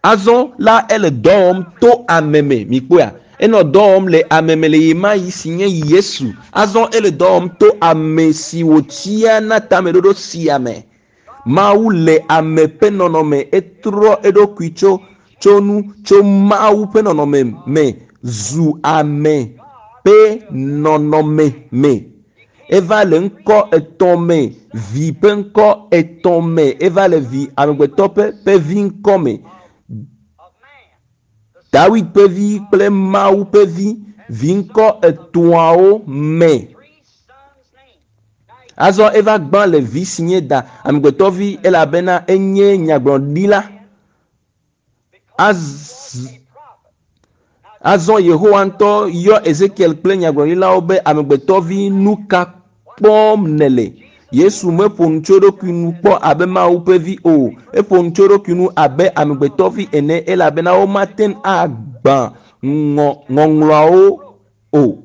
[SPEAKER 1] Azɔ la ele dɔ wɔm to ame me. Mikpɔea? Enɔ dɔ wɔm le ame me le ɣemaɣi si nye Yesu. Azɔ ele dɔ wɔm to ame si wòtia na tameɖoɖo sia me. Mawu le ame ƒe nɔnɔme etrɔ eɖokui tso tso nu tso Mawu ƒe nɔnɔme me zu ame ƒe nɔnɔme me. Eva le ŋkɔ etɔ̃ me, vi ƒe ŋkɔ etɔ̃ me. Eva le vi amegbetɔ ƒe ƒe vi ŋkɔ me. Dawid ƒe vi kple Mawu ƒe vi, vi ŋkɔ etɔ̃awo me. Azɔ eva gbã le vi si nye da amegbetɔvi elabena enye nyagblɔɖila. Az azɔ Yehowa ŋutɔ yɔ Ezekiel kple nyagblɔɖilawo be amegbetɔvi nu ka kpɔm nèle? Yesu meƒo nu tso eɖokui nu kpɔ abe Mawu ƒe vi o. Eƒo nu tso eɖokui nu abe amegbetɔvi ene elabena womate ŋu agbã ŋɔ ŋɔŋlɔawo o.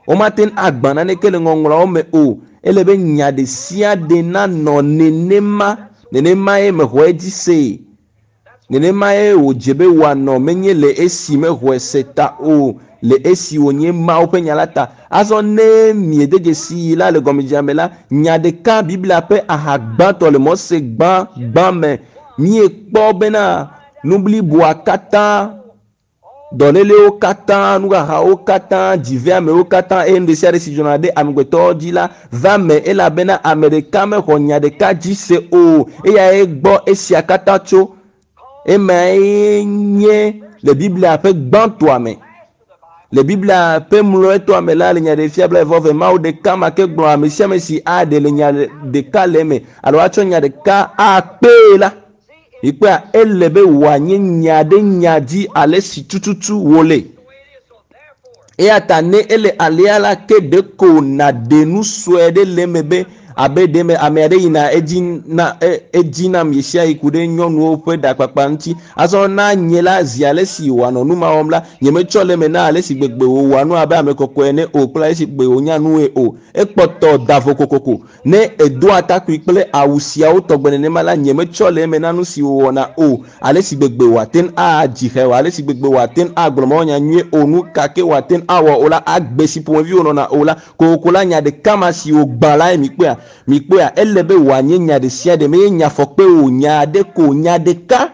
[SPEAKER 1] Womate ŋu agbã naneke le ŋɔŋlɔawo me o. Ele be nya ɖe sia ɖe nanɔ nenema. Nenemae mexɔe dzi see. Nenemae wòdze be wòanɔ menye le esi mexɔe se ta o, le esi wònye Mawu ƒe nya la ta. Azɔ ne miede dzesii la le gɔmedzedzea me la, nya ɖeka Biblia ƒe aha gbãtɔ le Mose gbã gbã me míekpɔ bena nu bliboa katã Dɔlélewo katã, nuxaxawo katã, dziveamewo katã eye nu ɖe sia ɖe si dzɔna ɖe amegbetɔwo dzi la va eme elabena ame ɖeka mexɔ nya ɖeka dzi se o. Eyae gbɔ esia katã tso. Emae nye le Biblia ƒe gbãtɔa me. Le Biblia ƒe mlɔetɔa me la, le Nyaɖeɖefia blaeve Mawu ɖeka ma ke gblɔ ame sia ame si aɖe le nya ɖeka le eme alo atsɔ nya ɖeka akpee la, Mikpɔea, ele be wòanye nya ɖe nya dzi ale si tututu wòle. Eya ta ne ele alea la, ke ɖeko nàɖe nu sue ɖe le eme be abe ɖe me ame aɖe yina edzi na e, edzi nam ɣesiaɣi ku ɖe nyɔnuwo ƒe ɖakpakpa ŋuti. Azɔ na nye la, zi ale si wòanɔ nu ma wɔm la, nyemetsɔ le eme na ale si gbegbe wòwɔa nu abe ame kɔkɔe ene o kple ale si gbegbe wònya nue o. Ekpɔtɔ da vo kokoko. Ne èdoa atakpui kple awu siawo tɔgbe nenema la, nyemetsɔ le eme na nu si wòwɔna o, ale si gbegbe wòate ŋu adzi xe o, ale si gbegbe wòate ŋu agblɔ mawunya nyuie o, nu ka ke wòate ŋu awɔ o la, agbe si ƒomevi wònɔna o la, kokoko la, nya ɖeka ma si wògbã lae mikpɔea? Mikpɔea? Ele be wòanye nya ɖesiaɖe, menye nya fɔkpe o, nya aɖe ko, nya ɖeka.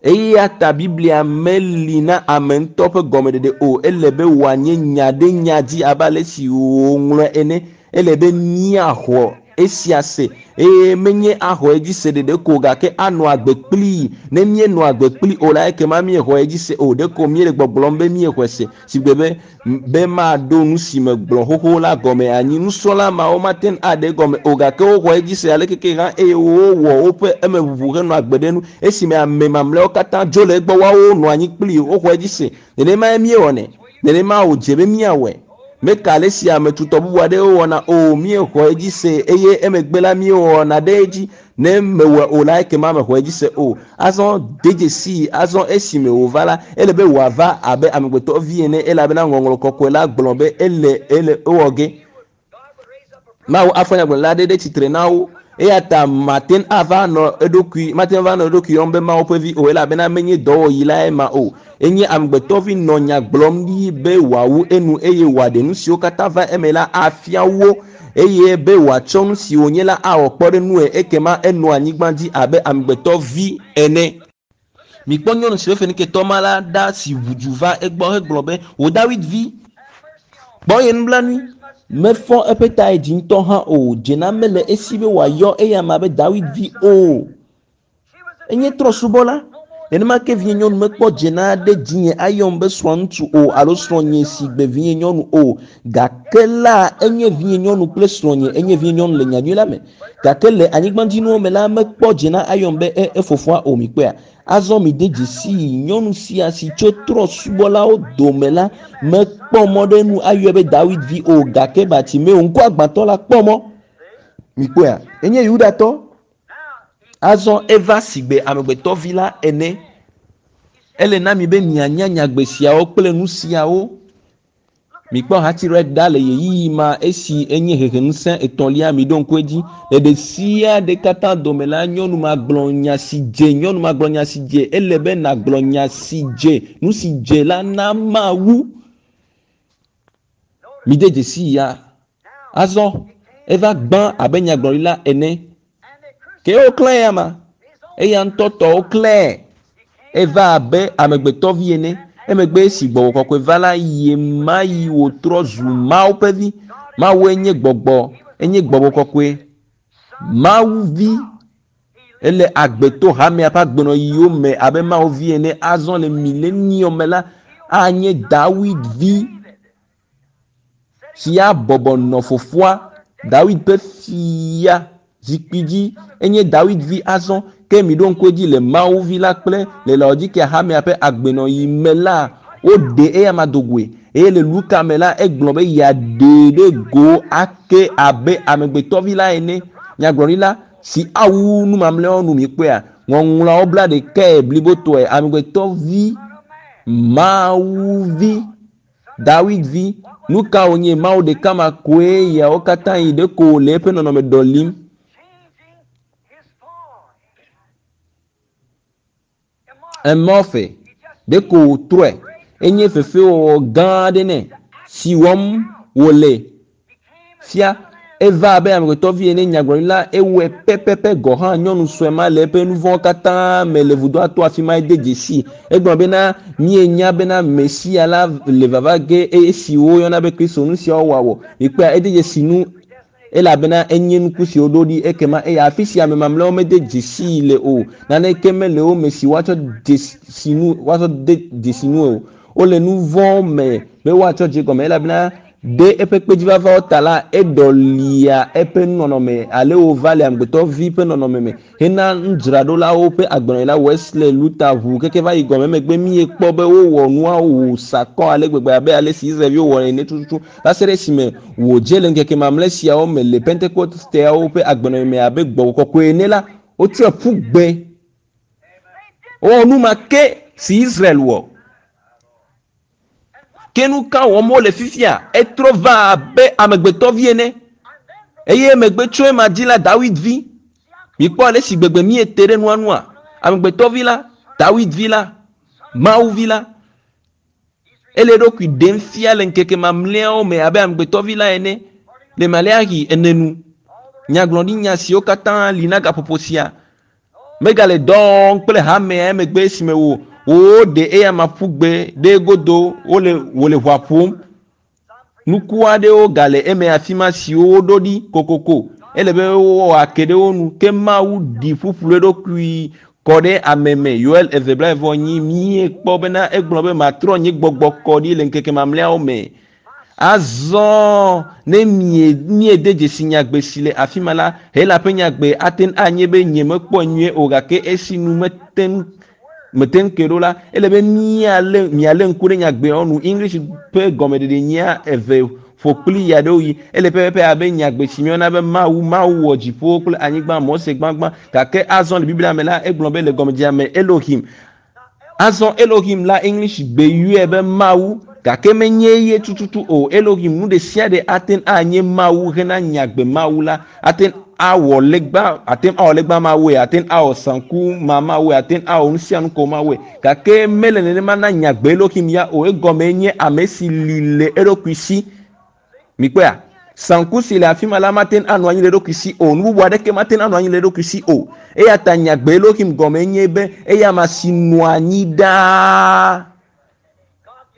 [SPEAKER 1] Eya ta Biblia meli na ame ŋutɔ ƒe gɔmeɖeɖe o. Ele be wòanye nya ɖe nya dzi abe ale si wòŋlɔe ene. Ele be míaxɔ esia se eye menye axɔ edzi se ɖeɖe ko o, gake anɔ agbe kplii. Ne míenɔ agbe kplii o la, ekema míexɔ edzi se o. Ɖeko míele gbɔgblɔm be míexɔe se, si gbe be be maɖo nu si megblɔ xoxo la gɔme anyi. Nusrɔ̃la mawo mate ŋu aɖe egɔme o, gake woxɔ edzi se alekeke hã eye wowɔ woƒe emeʋuʋu henɔ agbe ɖe enu. Esime ame mamlɛawo katã dzo le egbɔ, woawo nɔ anyi kplii, woxɔ edzi se. Nenemae míewɔnɛ. Nenema wòdze be míawɔe. Meka ale si ame tutɔ bubu aɖewo wɔna o, míexɔ edzi se eye emegbe la míewɔna ɖe edzi. Ne mewɔe o la, ekema mexɔ edzi se o. Azɔ de dzesii, azɔ esime wòva la, ele be wòava abe amegbetɔ vi ene, elabena Ŋɔŋlɔ Kɔkɔe la gblɔ be ele, ele ewɔ ge. Mawu afɔ nyagblɔɖila aɖe ɖe tsitre na wo. Eya ta mate ŋu ava nɔ eɖokui, mate ŋu ava nɔ eɖokui yɔm be Mawu ƒe vi o, elabena menye dɔwɔɣi lae ma o. Enye amegbetɔvi nɔ nya gblɔm ɖi be wòawu enu eye wòaɖe nu siwo katã va eme la afia wo, eye be wòatsɔ nu si wònye la awɔ kpɔɖeŋue, ekema enɔa anyigba dzi abe amegbetɔvi ene. Mikpɔ nyɔnu si ƒe feniketɔ ma la ɖa si ʋu du va egbɔ hegblɔ be, Wò Dawid vi, kpɔ nye nublanui. Mefɔ eƒe ta yi dzi ŋutɔ hã o. Dzena mele esi be wòayɔ eyama be Dawid vi o. Enye trɔ̃subɔla. Nenema ke vinye nyɔnu mekpɔ dze na ɖe dzinye ayɔm be srɔ̃ŋutsu o alo srɔ̃nye si gbe vinye nyɔnu o. Gake la enye vinye nyɔnu kple srɔ̃nye enye vinye nyɔnu le nyanyui la me. Gake le anyigbadzinuwo me la mekpɔ dze na ayɔm be e efofoa o mikpɔea. Azɔ mi de dzesi nyɔnu sia si tso trɔ̃subɔlawo dome la mekpɔ mɔ ɖe nu ayɔe be Dawid vi o gake Bartimeo ŋkuagbãtɔ la kpɔ mɔ. Mikpɔea? Enye Yudatɔ. Azɔ eva sigbe amegbetɔvi la ene. Ele na mi be mianya nyagbe siawo kple nu siawo. Mikpɔ hati ɖe ɖa le ɣeyiɣi ma esi enye heheŋusẽ etɔ̃lia mi ɖo ŋku edzi. Le ɖe sia ɖe katã dome la, nyɔnu ma gblɔ nya si dze, nyɔnu ma gblɔ nya si dze. Ele be nàgblɔ nya si dze, nu si dze la na Mawu. Mi de dzesi ya. Azɔ eva gbã abe nyagblɔɖila ene. Ke woklã ya ma. Eya ŋutɔ tɔwo klãe. Eva abe amegbetɔvi ene. Emegbe esi gbɔgbɔ kɔkɔe va la, ye ma yi wòtrɔ zu Mawu ƒe vi. Mawue nye gbɔgbɔ, enye gbɔgbɔ kɔkɔe. Mawu vi ele agbe to hamea ƒe agbenɔyiwo me abe Mawu vi ene. Azɔ le milenium me la, anye Dawid vi si abɔbɔ nɔ fofoa Dawid ƒe fia zikpui dzi. Enye Dawid vi azɔ. Ke mi ɖo ŋku edzi le Mawu vi la kple le Laodikea hamea ƒe agbenɔyi me la, woɖe eya ma do goe. Eye le Luka me la, egblɔ be yeaɖee ɖe go ake abe amegbetɔvi la ene. Nyagblɔɖila si awu nu mamlɛawo nu mikpɔea, ŋɔŋlɔawo bla ɖekae blibotɔe. Amegbetɔvi, Mawu vi, Dawid vi. Nu ka wònye Mawu ɖeka ma koe yawo katã yi ɖeko wòle eƒe nɔnɔme ɖɔlim. Emorphe ɖeko wòtrɔe. Enye fefewɔwɔ gã aɖe nɛ si wɔm wòle fia. Eva abe amegbetɔvi ene nyagblɔɖila ewɔe pɛpɛpɛ gɔ hã nyɔnu sue ma le eƒe nu vɔ̃wo katã me le vudoa to afi ma ede dzesi. Egblɔ bena mienya bena Mesia la le vava ge esi woyɔna be Kristo nu siawo wɔawɔ. Mikpɔea ede dzesi nu elabena enye nuku si woɖo ɖi ekema eye afi si ame mamlɛawo mede dzesii le o. Naneke mele wo me si woatsɔ dzesi nu woatsɔ de dzesi nu o. Wole nu vɔ̃ me be woatsɔ dze gɔme elabena ɖe eƒe kpedzivavawo ta la, eɖɔlia eƒe nɔnɔme ale wòva le amegbetɔvi ƒe nɔnɔme me hena nudzraɖolawo ƒe agbenɔɣi la Wesley, Luther ʋu keke va yi gɔme emegbe míekpɔ be wowɔ nuawo wòsakɔ ale gbegbe abe ale si Israelviwo wɔ ene tututu va se ɖe esime wòdze le ŋkeke mamlɛ siawo me le Pentekosteawo ƒe agbenɔɣi me abe gbɔgbɔ kɔkɔe ene la, wotsɔe ƒu gbe. Wowɔ nu ma ke si Israel wɔ. Ke nu ka wɔm wole fifia? Etrɔ va abe amegbetɔvi ene. Eye emegbe tso ema dzi la, Dawid vi. Mikpɔ ale si gbegbe míete ɖe nua nua. Amegbetɔvi la, Dawid vi la, Mawu vi la. Ele eɖokui ɖem fia le ŋkeke mamlɛawo me abe amegbetɔvi la ene le Maleaxi ene nu. Nyagblɔɖinya siwo katã li na gaƒoƒo sia megale dɔ wɔm kple hamea emegbe esime wo woɖe eya ma ƒu gbe ɖe egodo wole wòle ʋua ƒom. Nuku aɖewo gale eme afi ma siwo woɖo ɖi kokoko. Ele be woake ɖe wo nu. Ke Mawu ɖi ƒuƒlu eɖokui kɔ ɖe ame me. Yoel eve blaeve nyi míekpɔ bena egblɔ be matrɔ nye gbɔgbɔ kɔ ɖi le ŋkeke mamlɛawo me. Azɔ ne mie míede dzesi nyagbe si le afi ma la, Hela ƒe nyagbe ate ŋu anye be nye mekpɔe nyuie o gake esi nu mete ŋu mete ŋu ke ɖo la, ele be míalé mialé ŋku ɖe nyagbeawo nu. English ƒe gɔmeɖeɖe nyea eve ƒo kpli ya ɖewo yi. Ele pɛpɛpɛ abe nyagbe si míeyɔna be Mawu, Mawu wɔ dziƒowo kple anyigba, Mose gbãgbã. Gake azɔ le Biblia me la, egblɔ be le gɔmedzedzea me Elohim. Azɔ Elohim la English gbe yɔe be Mawu gake menye ye tututu o. Elohim nu ɖe sia ɖe ate ŋu anye Mawu hena nyagbe Mawu la. Ate ŋu awɔ legba, ate ŋu awɔ legba mawue, ate ŋu awɔ sanku ma mawue, ate ŋu awɔ nu sia nu ko mawue. Gake mele nenema na nyagbe Elohim ya o. Egɔme nye ame si li le eɖokui si. Mikpɔea? Sanku si le afi ma la mate ŋu anɔ anyi le eɖokui si o. Nu bubu aɖeke mate ŋu anɔ anyi le eɖokui si o. Eya ta nyagbe Elohim gɔme nye be eya ma si nɔa anyi ɖaa.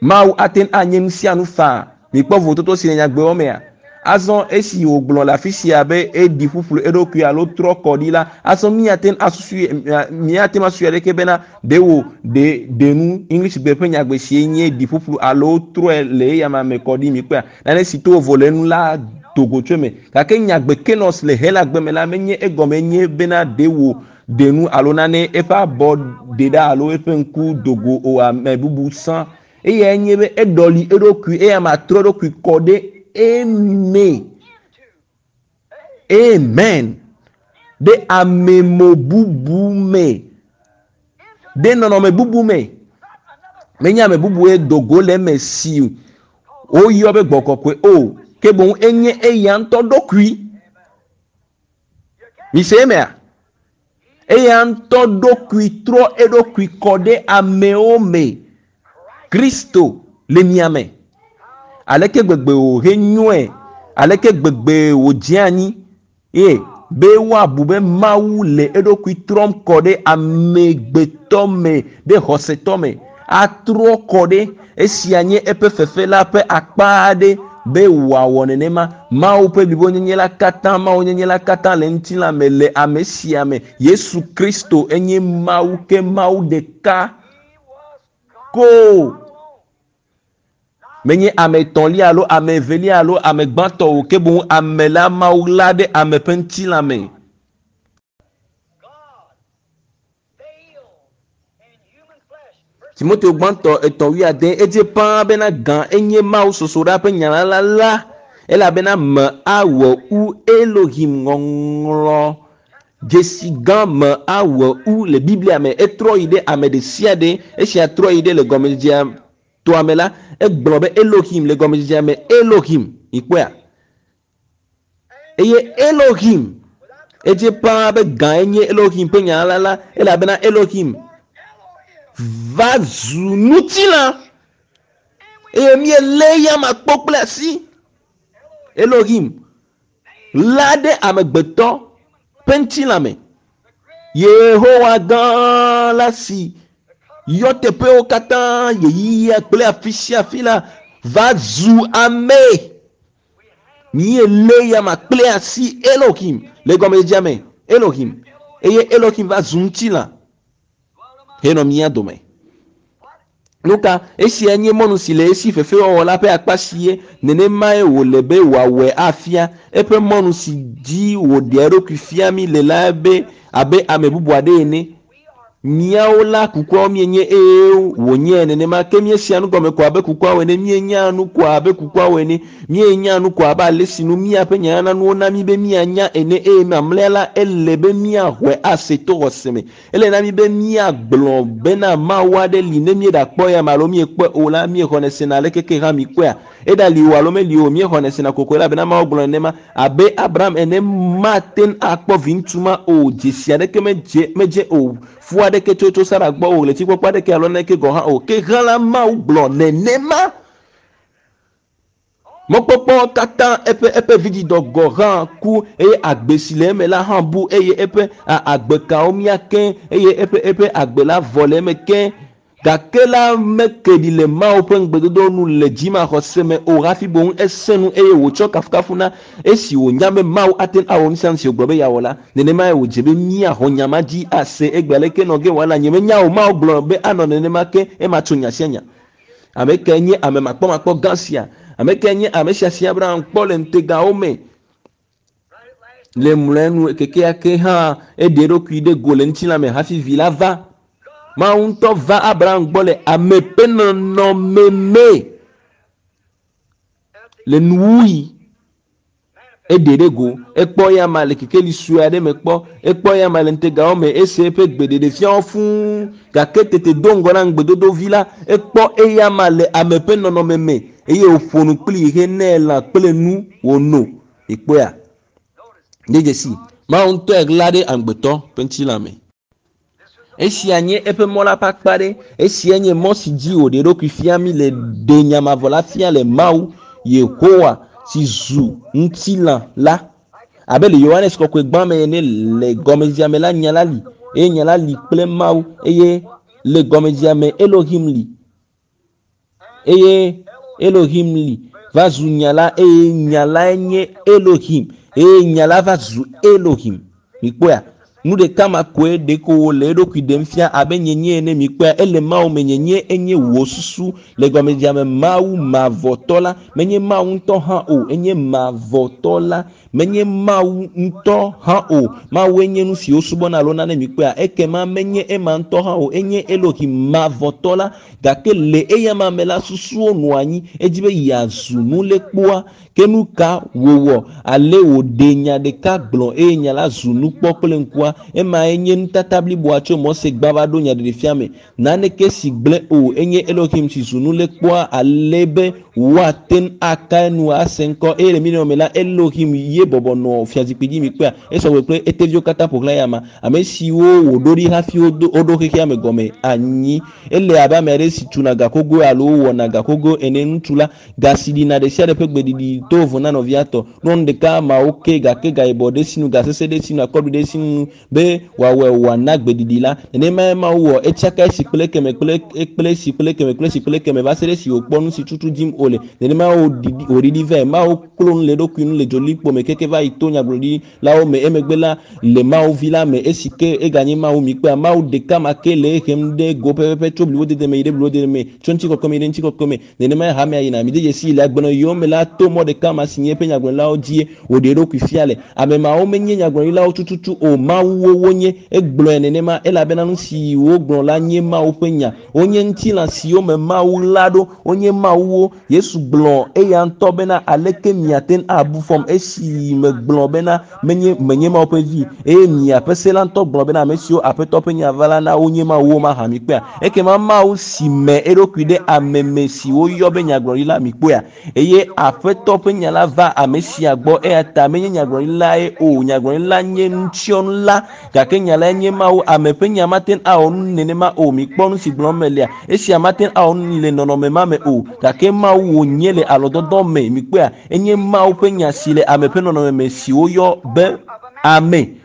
[SPEAKER 1] Mawu ate ŋu anye nu sia nu faa. Mikpɔ vovototo si le nyagbewo mea? Azɔ esi wògblɔ le afi sia be eɖi ƒuƒlu eɖokui alo trɔ kɔ ɖi la, azɔ míate ŋu asusui míate ŋu asusui aɖeke bena ɖe wò ɖe ɖe nu English gbe ƒe nyagbe sie nye ɖi ƒuƒlu alo trɔe le eyama me kɔ ɖi mikpɔea nane si to vovo le enu la do go tso eme. Gake nyagbe kenos le Hela gbe me la menye egɔme nye bena ɖe wò ɖe nu alo nane eƒe abɔ ɖe ɖa alo eƒe ŋku do go o ame bubu sã. Eyae nye be eɖɔli eɖokui eya ma trɔ eɖokui kɔ ɖe eme. Amen. Ɖe amemo bubu me. Ɖe nɔnɔme bubu me. Menye ame bubue do go le eme si woyɔ be gbɔ kɔkɔe o. Ke boŋ enye eya ŋutɔ ɖokui. Mise emea? Eya ŋutɔ ɖokui trɔ eɖokui kɔ ɖe amewo me. Kristo le mia me. Aleke gbegbe wòhe nyɔe, aleke gbegbe wòdze anyi ye be woabu be Mawu le eɖokui trɔm kɔ ɖe amegbetɔ me, ɖe xɔsetɔ me. Atrɔ kɔ ɖe esia nye eƒe fefe la ƒe akpa aɖe be wòawɔ nenema. Mawu ƒe blibonyenye la katã, Mawunyenye la katã le ŋutilã me le ame sia me. Yesu Kristo enye Mawu ke Mawu ɖeka ko. Menye ame etɔ̃lia alo ame evelia alo ame gbãtɔ o ke boŋ ame la Mawu la ɖe ame ƒe ŋutilã me. Timoteo gbãtɔ etɔ̃ wuiade edze ƒãa bena gã enye Mawu sosoɖa ƒe nya la la elabena me awɔ u Elohim ŋɔŋlɔ dzesi gã me awɔ u le Biblia me. Etrɔ yi ɖe ame ɖe sia ɖe esia trɔ yi ɖe le gɔmedzedzea toa me la egblɔ be Elohim le gɔmedzedzea me Elohim ikpɔea eye Elohim edze ƒãa be gã enye Elohim ƒe nya la la elabena Elohim va zu ŋutilã eye míelé eyama kpɔ kple asi. Elohim la ɖe amegbetɔ ƒe ŋutilã me. Yehowa gã la si yɔ teƒewo katã ɣeyiɣia kple afi sia afi la va zu ame. Míelé eyama kple asi Elohim le gɔmedzedzea me Elohim eye Elohim va zu ŋutilã henɔ mía dome. Nu ka? Esia nye mɔnu si le esi fefewɔwɔ la ƒe akpa si ye nenemae wòle be wòawɔe afia. Eƒe mɔnu si dzi wòɖea eɖokui fia mí le la be abe ame bubu aɖe ene. Míawo la kukuawo míenye eye wònye nenema ke míesea nu gɔme ko abe kukuawo ene, míenyaa nu ko abe kukuawo ene, míenyaa nu ko abe ale si nu míaƒe nyanyananuwo na mí be míanya ene eye mamlɛa la ele be míaxɔe ase to xɔse me. Ele na mí be míagblɔ bena Mawu aɖe li ne míeɖakpɔ eyama alo míekpɔe o la, míexɔnɛ sena aleke ke hã míkpɔea. Eɖali o alo meli o, míexɔnɛ sena kokoe elabena Mawu gblɔ nenema. Abe Abraham ene mate ŋu akpɔ viŋutsu ma o, dzesi aɖeke medze medze o, fu aɖeke tso tso Sara gbɔ o, ɣletikpɔkpɔ aɖeke alo naneke gɔ̃ hã o. Ke hã la, Mawu gblɔ nenema. Mɔkpɔkpɔ katã eƒe eƒe vidzidɔ gɔ̃ hã ku eye agbe si le eme la hã bu eye eƒe agbekawo mia keŋ eye eƒe eƒe agbe la vɔ le eme keŋ. Gake la meke ɖi le Mawu ƒe ŋugbedodo nu le dzimaxɔse me o hafi boŋ esẽ nu eye wòtsɔ kafukafu na esi wònya be Mawu ate ŋu awɔ nu sia nu si wògblɔ be yeawɔ la. Nenemae wòdze be míaxɔ nya ma dzi ase egbea. Aleke nɔ ge wòala? Nyemenya o. Mawu gblɔ be anɔ nenema ke ema tso nya sia nya. Ame kae nye ame makpɔmakpɔ gã sia? Ame kae nye ame sia si Abraham kpɔ le ŋutegawo me? Le mlɔenu kekeake hã eɖe eɖokui ɖe go le ŋutilã me hafi vi la va. Mawu ŋutɔ va Abraham gbɔ le ame ƒe nɔnɔme me le nuwuɣi. Eɖe ɖe go, ekpɔ eyama le kekeli sue aɖe me kpɔ, ekpɔ eyama le ŋutegawo me, ese eƒe gbeɖeɖefiawo fũu, gake tete do ŋgɔ na ŋugbedodo vi la, ekpɔ eyama le ame ƒe nɔnɔme me, eye wòƒo nu kplii henɛ lã kple nu wòno. Èkpɔea? De dzesi, Mawu ŋutɔe ɣla ɖe amegbetɔ ƒe ŋutilã me. Esia nye eƒe mɔ la ƒe akpa aɖe. Esia nye mɔ si dzi wòɖe eɖokui fia mí le ɖe nya mavɔ la fia le Mawu, Yehowa, si zu ŋutilã la. Abe le Yohanes Kɔkɔe gbã me ene, le gɔmedzedzea me la, nya la li, eye nya la li kple Mawu, eye le gɔmedzedzea me Elohim li. Eye Elohim li. va zu nya la eye nya lae nye Elohim eye nya la va zu Elohim. Mikpɔea? Nu ɖeka ma koe ɖeko wòle eɖokui ɖem fia abe nyenye ene mikpɔea ele Mawu me nyenye enye wò susu le gɔmedzedzea me Mawu mavɔtɔ la menye Mawu ŋutɔ hã o enye mavɔtɔ la menye Mawu ŋutɔ hã o Mawue nye nu si wosubɔna alo nane mikpɔea ekema menye ema ŋutɔ hã o enye Elohim mavɔtɔ la gake le eyama me la susuwo nɔ anyi edzi be yeazu nulekpoa ke nu ka wòwɔ ale wòɖe nya ɖeka gblɔ eye nya la zu nukpɔ kple ŋkua emae nye nutata bliboa tso Mose gbã va ɖo nyaɖeɖefia me naneke si gblẽ o enye Elohim si zu nulekpoa ale be woate ŋu aka enu ase ŋkɔ eye le miliyɔn me la Elohim ye bɔbɔ nɔ fiazikpui dzi mikpɔea esɔgbe kple eteviwo katã ƒo xlã eyama ame siwo wòɖo ɖi hafi woɖo xexea me gɔme anyi ele abe ame aɖe si tuna gakogoe alo wɔna gakogoe ene ŋutsu la ga si ɖina ɖe sia ɖe ƒe gbeɖiɖi to vovo na nɔvia tɔ nyɔnu ɖeka mawo ke gake gayibɔ ɖe sinu gasese ɖe sinu akɔbli ɖe sinu be wòawɔe wòana gbeɖiɖi la nenemae Mawu wɔ etsaka esi kple ekeme kple kple esi kple ekeme kple esi kple ekeme va se ɖe esi wòkpɔ nu si tutu dim wòle nenemae wòɖiɖi vɛ Mawu klo nu le eɖokui nu le dzolikpo me keke va yi to nyagblɔɖilawo me emegbe la le Mawu vi la me esi ke eganye Mawu mikpɔea Mawu ɖeka ma ke le ehem ɖe go pɛpɛpɛ tso blibodede me yi ɖe blibodede me tso ŋutikɔkɔe me yi ɖe ŋutikɔkɔe me nenemae hamea yina mi de dzesi le agbenɔyiwo me la to mɔ ɖeka ma si nye eƒe nyagblɔɖilawo dzie wòɖe eɖokui fia le ame mawo menye nyagblɔɖilawo tututu o mawuwo wonye egblɔe nenema elabena nu si wogblɔ la nye Mawu ƒe nya wonye ŋutilã siwo me Mawu la ɖo wonye mawuwo Yesu gblɔ eya ŋutɔ bena aleke miate ŋu abu fɔm esi megblɔ bena menye menye Mawu ƒe vi eye miaƒe se la ŋutɔ gblɔ bena ame siwo Aƒetɔ ƒe nya va la na wonye mawuwo mahã mikpɔea ekema Mawu si me eɖokui ɖe ame me si woyɔ be nyagblɔɖila mikpɔea eye Aƒetɔ ƒe nya la va ame sia gbɔ eya ta menye nyagblɔɖilae o nyagblɔɖila nye nutsyɔnu la gake nya lae nye Mawu ame ƒe nya mate ŋu awɔ nu nenema o mikpɔ nu si gblɔm melia esia mate ŋu awɔ nu le nɔnɔme ma me o gake Mawu wònye le alɔdɔdɔ me mikpɔea enye Mawu ƒe nya si le ame ƒe nɔnɔme me si woyɔ be ame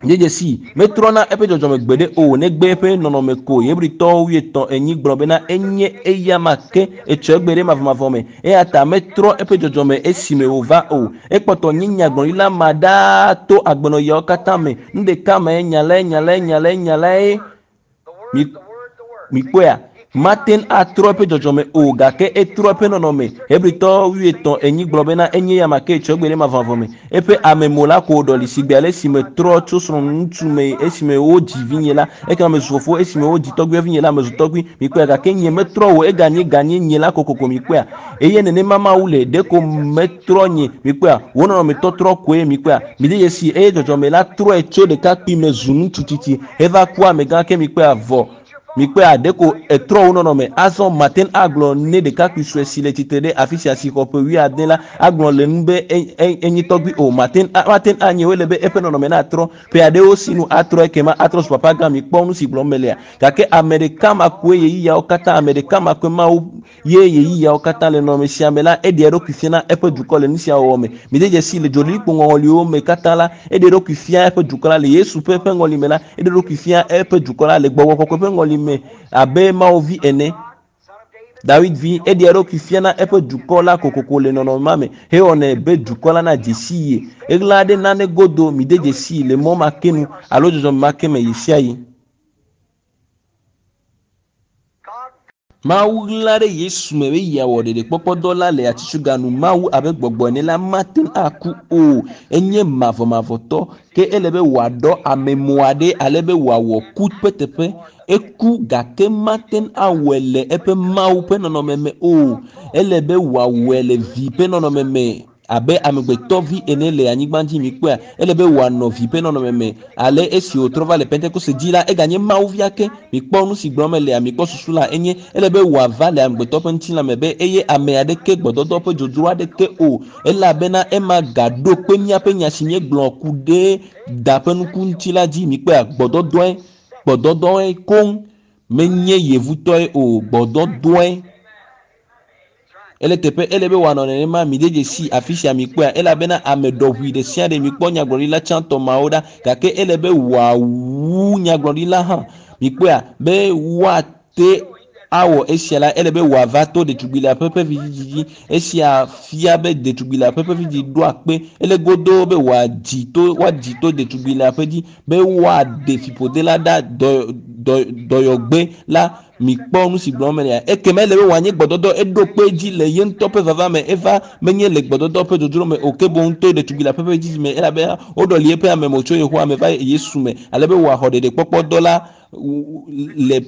[SPEAKER 1] dzedzesi metrɔna eƒe dzɔdzɔme gbeɖe o negbe eƒe nɔnɔme ko Hebritɔwo wuietɔ̃ enyi gblɔ bena enye eyama ke etsɔ egbe ɖe mavɔmavɔ me eya ta metrɔ eƒe dzɔdzɔme esime wòva o ekpɔtɔ nye nyagblɔɖila ma ɖaa to agbenɔyiawo katã me nu ɖeka mae nya lae nya lae nya lae nya lae mikpɔea mate ŋu atrɔ eƒe dzɔdzɔme o gake etrɔ eƒe nɔnɔme Hebritɔ wuietɔ̃ enyi gblɔ bena enye yama ke etsɔ egbe ɖe mavɔmavɔ me eƒe amemo la ko ɖɔli sigbe ale esime trɔ tso srɔ̃ŋutsu me esime wodzi vinye la ekema mezu fofo esime wodzi tɔgbuia vinye la mezu tɔgbui mikpɔea gake nye metrɔ o eganye ganye nye la kokoko mikpɔea eye nenema Mawu le ɖeko metrɔ nye mikpɔea wo nɔnɔmetɔtrɔ koe mikpɔea mide dzesi eye dzɔdzɔme la trɔe tso ɖekakpui me zu ŋutsu tsitsi heva ku amegã ke mikpɔea vɔ mikpɔea ɖeko etrɔ wo nɔnɔme azɔ mate ŋu agblɔ ne ɖekakpui sue si le tsitre ɖe afi sia si xɔ ƒe wuiade la agblɔ le nu be enye tɔgbui o mate ŋu anye wole be eƒe nɔnɔme natrɔ ƒe aɖewo sinu atrɔ ekema atrɔ zu papa gã mikpɔ nu si gblɔm melia gake ame ɖeka ma koe ɣeyiɣiawo katã ame ɖeka ma koe Mawu ye ɣeyiɣiawo katã le nɔnɔme sia me la eɖe eɖokui fia na eƒe dukɔ le nu sia wɔwɔ me mide dzesi le dzoɖilikpo ŋɔŋɔliwo me katã la eɖe eɖokui fia eƒe dukɔ la le Yesu ƒe ƒe ŋɔli me la eɖe eɖokui fia eƒe dukɔ la le gbɔgbɔ kɔkɔe ƒe ŋɔli me abe Mawu vi ene Dawid vi eɖe eɖokui fia na eƒe dukɔ la kokoko le nɔnɔme ma me hewɔnɛ be dukɔ la na dzesi ye eɣla ɖe nane godo mide dzesi le mɔ ma ke nu alo dzɔdzɔme ma ke me ɣesiaɣi. Mawu ɣla ɖe Yesu me be yeawɔ ɖeɖekpɔkpɔdɔ la le atsitsoga nu Mawu abe gbɔgbɔ ene la mate ŋu aku o enye mavɔmavɔtɔ ke ele be wòaɖɔ amemo aɖe ale be wòawɔ ku ƒe teƒe eku gake mate ŋu awɔe le eƒe Mawu ƒe nɔnɔme me o ele be wòawɔe le vi ƒe nɔnɔme me abe amegbetɔvi ene le anyigba dzi mikpɔea ele be wòanɔ vi ƒe nɔnɔme me ale esi wòtrɔ va le Pentekoste dzi la eganye Mawu via ke mikpɔ nu si gblɔm melea mikpɔ susu la enye ele be wòava le amegbetɔ ƒe ŋutilã me be eye ame aɖeke gbɔdɔdɔ ƒe dzodzro aɖeke o elabena ema gaɖo kpe míaƒe nya si míegblɔ ku ɖe da ƒe nuku ŋuti la dzi mikpɔea gbɔdɔdɔe gbɔdɔdɔe koŋ menye yevutɔe o gbɔdɔdɔe ele teƒe ele be wòanɔ nenema mi de dzesi afi sia mikpɔea elabena ame ɖɔʋui ɖe sia ɖe mikpɔ nyagblɔɖila tsãtɔ mawo ɖa gake ele be wòawu nyagblɔɖila hã mikpɔea be woate awɔ esia la, ele be wòava to ɖetugbi le aƒe ƒe vidzidzi dzi. Esia fia be ɖetugbi le aƒe ƒe vidzidzi ɖo akpe. Ele godoo be wòadzi to woadzi to ɖetugbi le aƒe dzi be woaɖe fiƒode la ɖa dɔ dɔ dɔyɔgbe la. Mikpɔ nu si gblɔm melea. Ekema ele be wòanye gbɔdɔdɔ eɖo kpe dzi le ye ŋutɔ ƒe vava me. Eva menye le gbɔdɔdɔ ƒe dzodzro me o ke boŋ to ɖetugbi le aƒe ƒe vidzidzi me elabena woɖɔli eƒe ame me tso Yehowa me va Yesu me ale be wòaxɔ ɖeɖekpɔkpɔ dɔ la le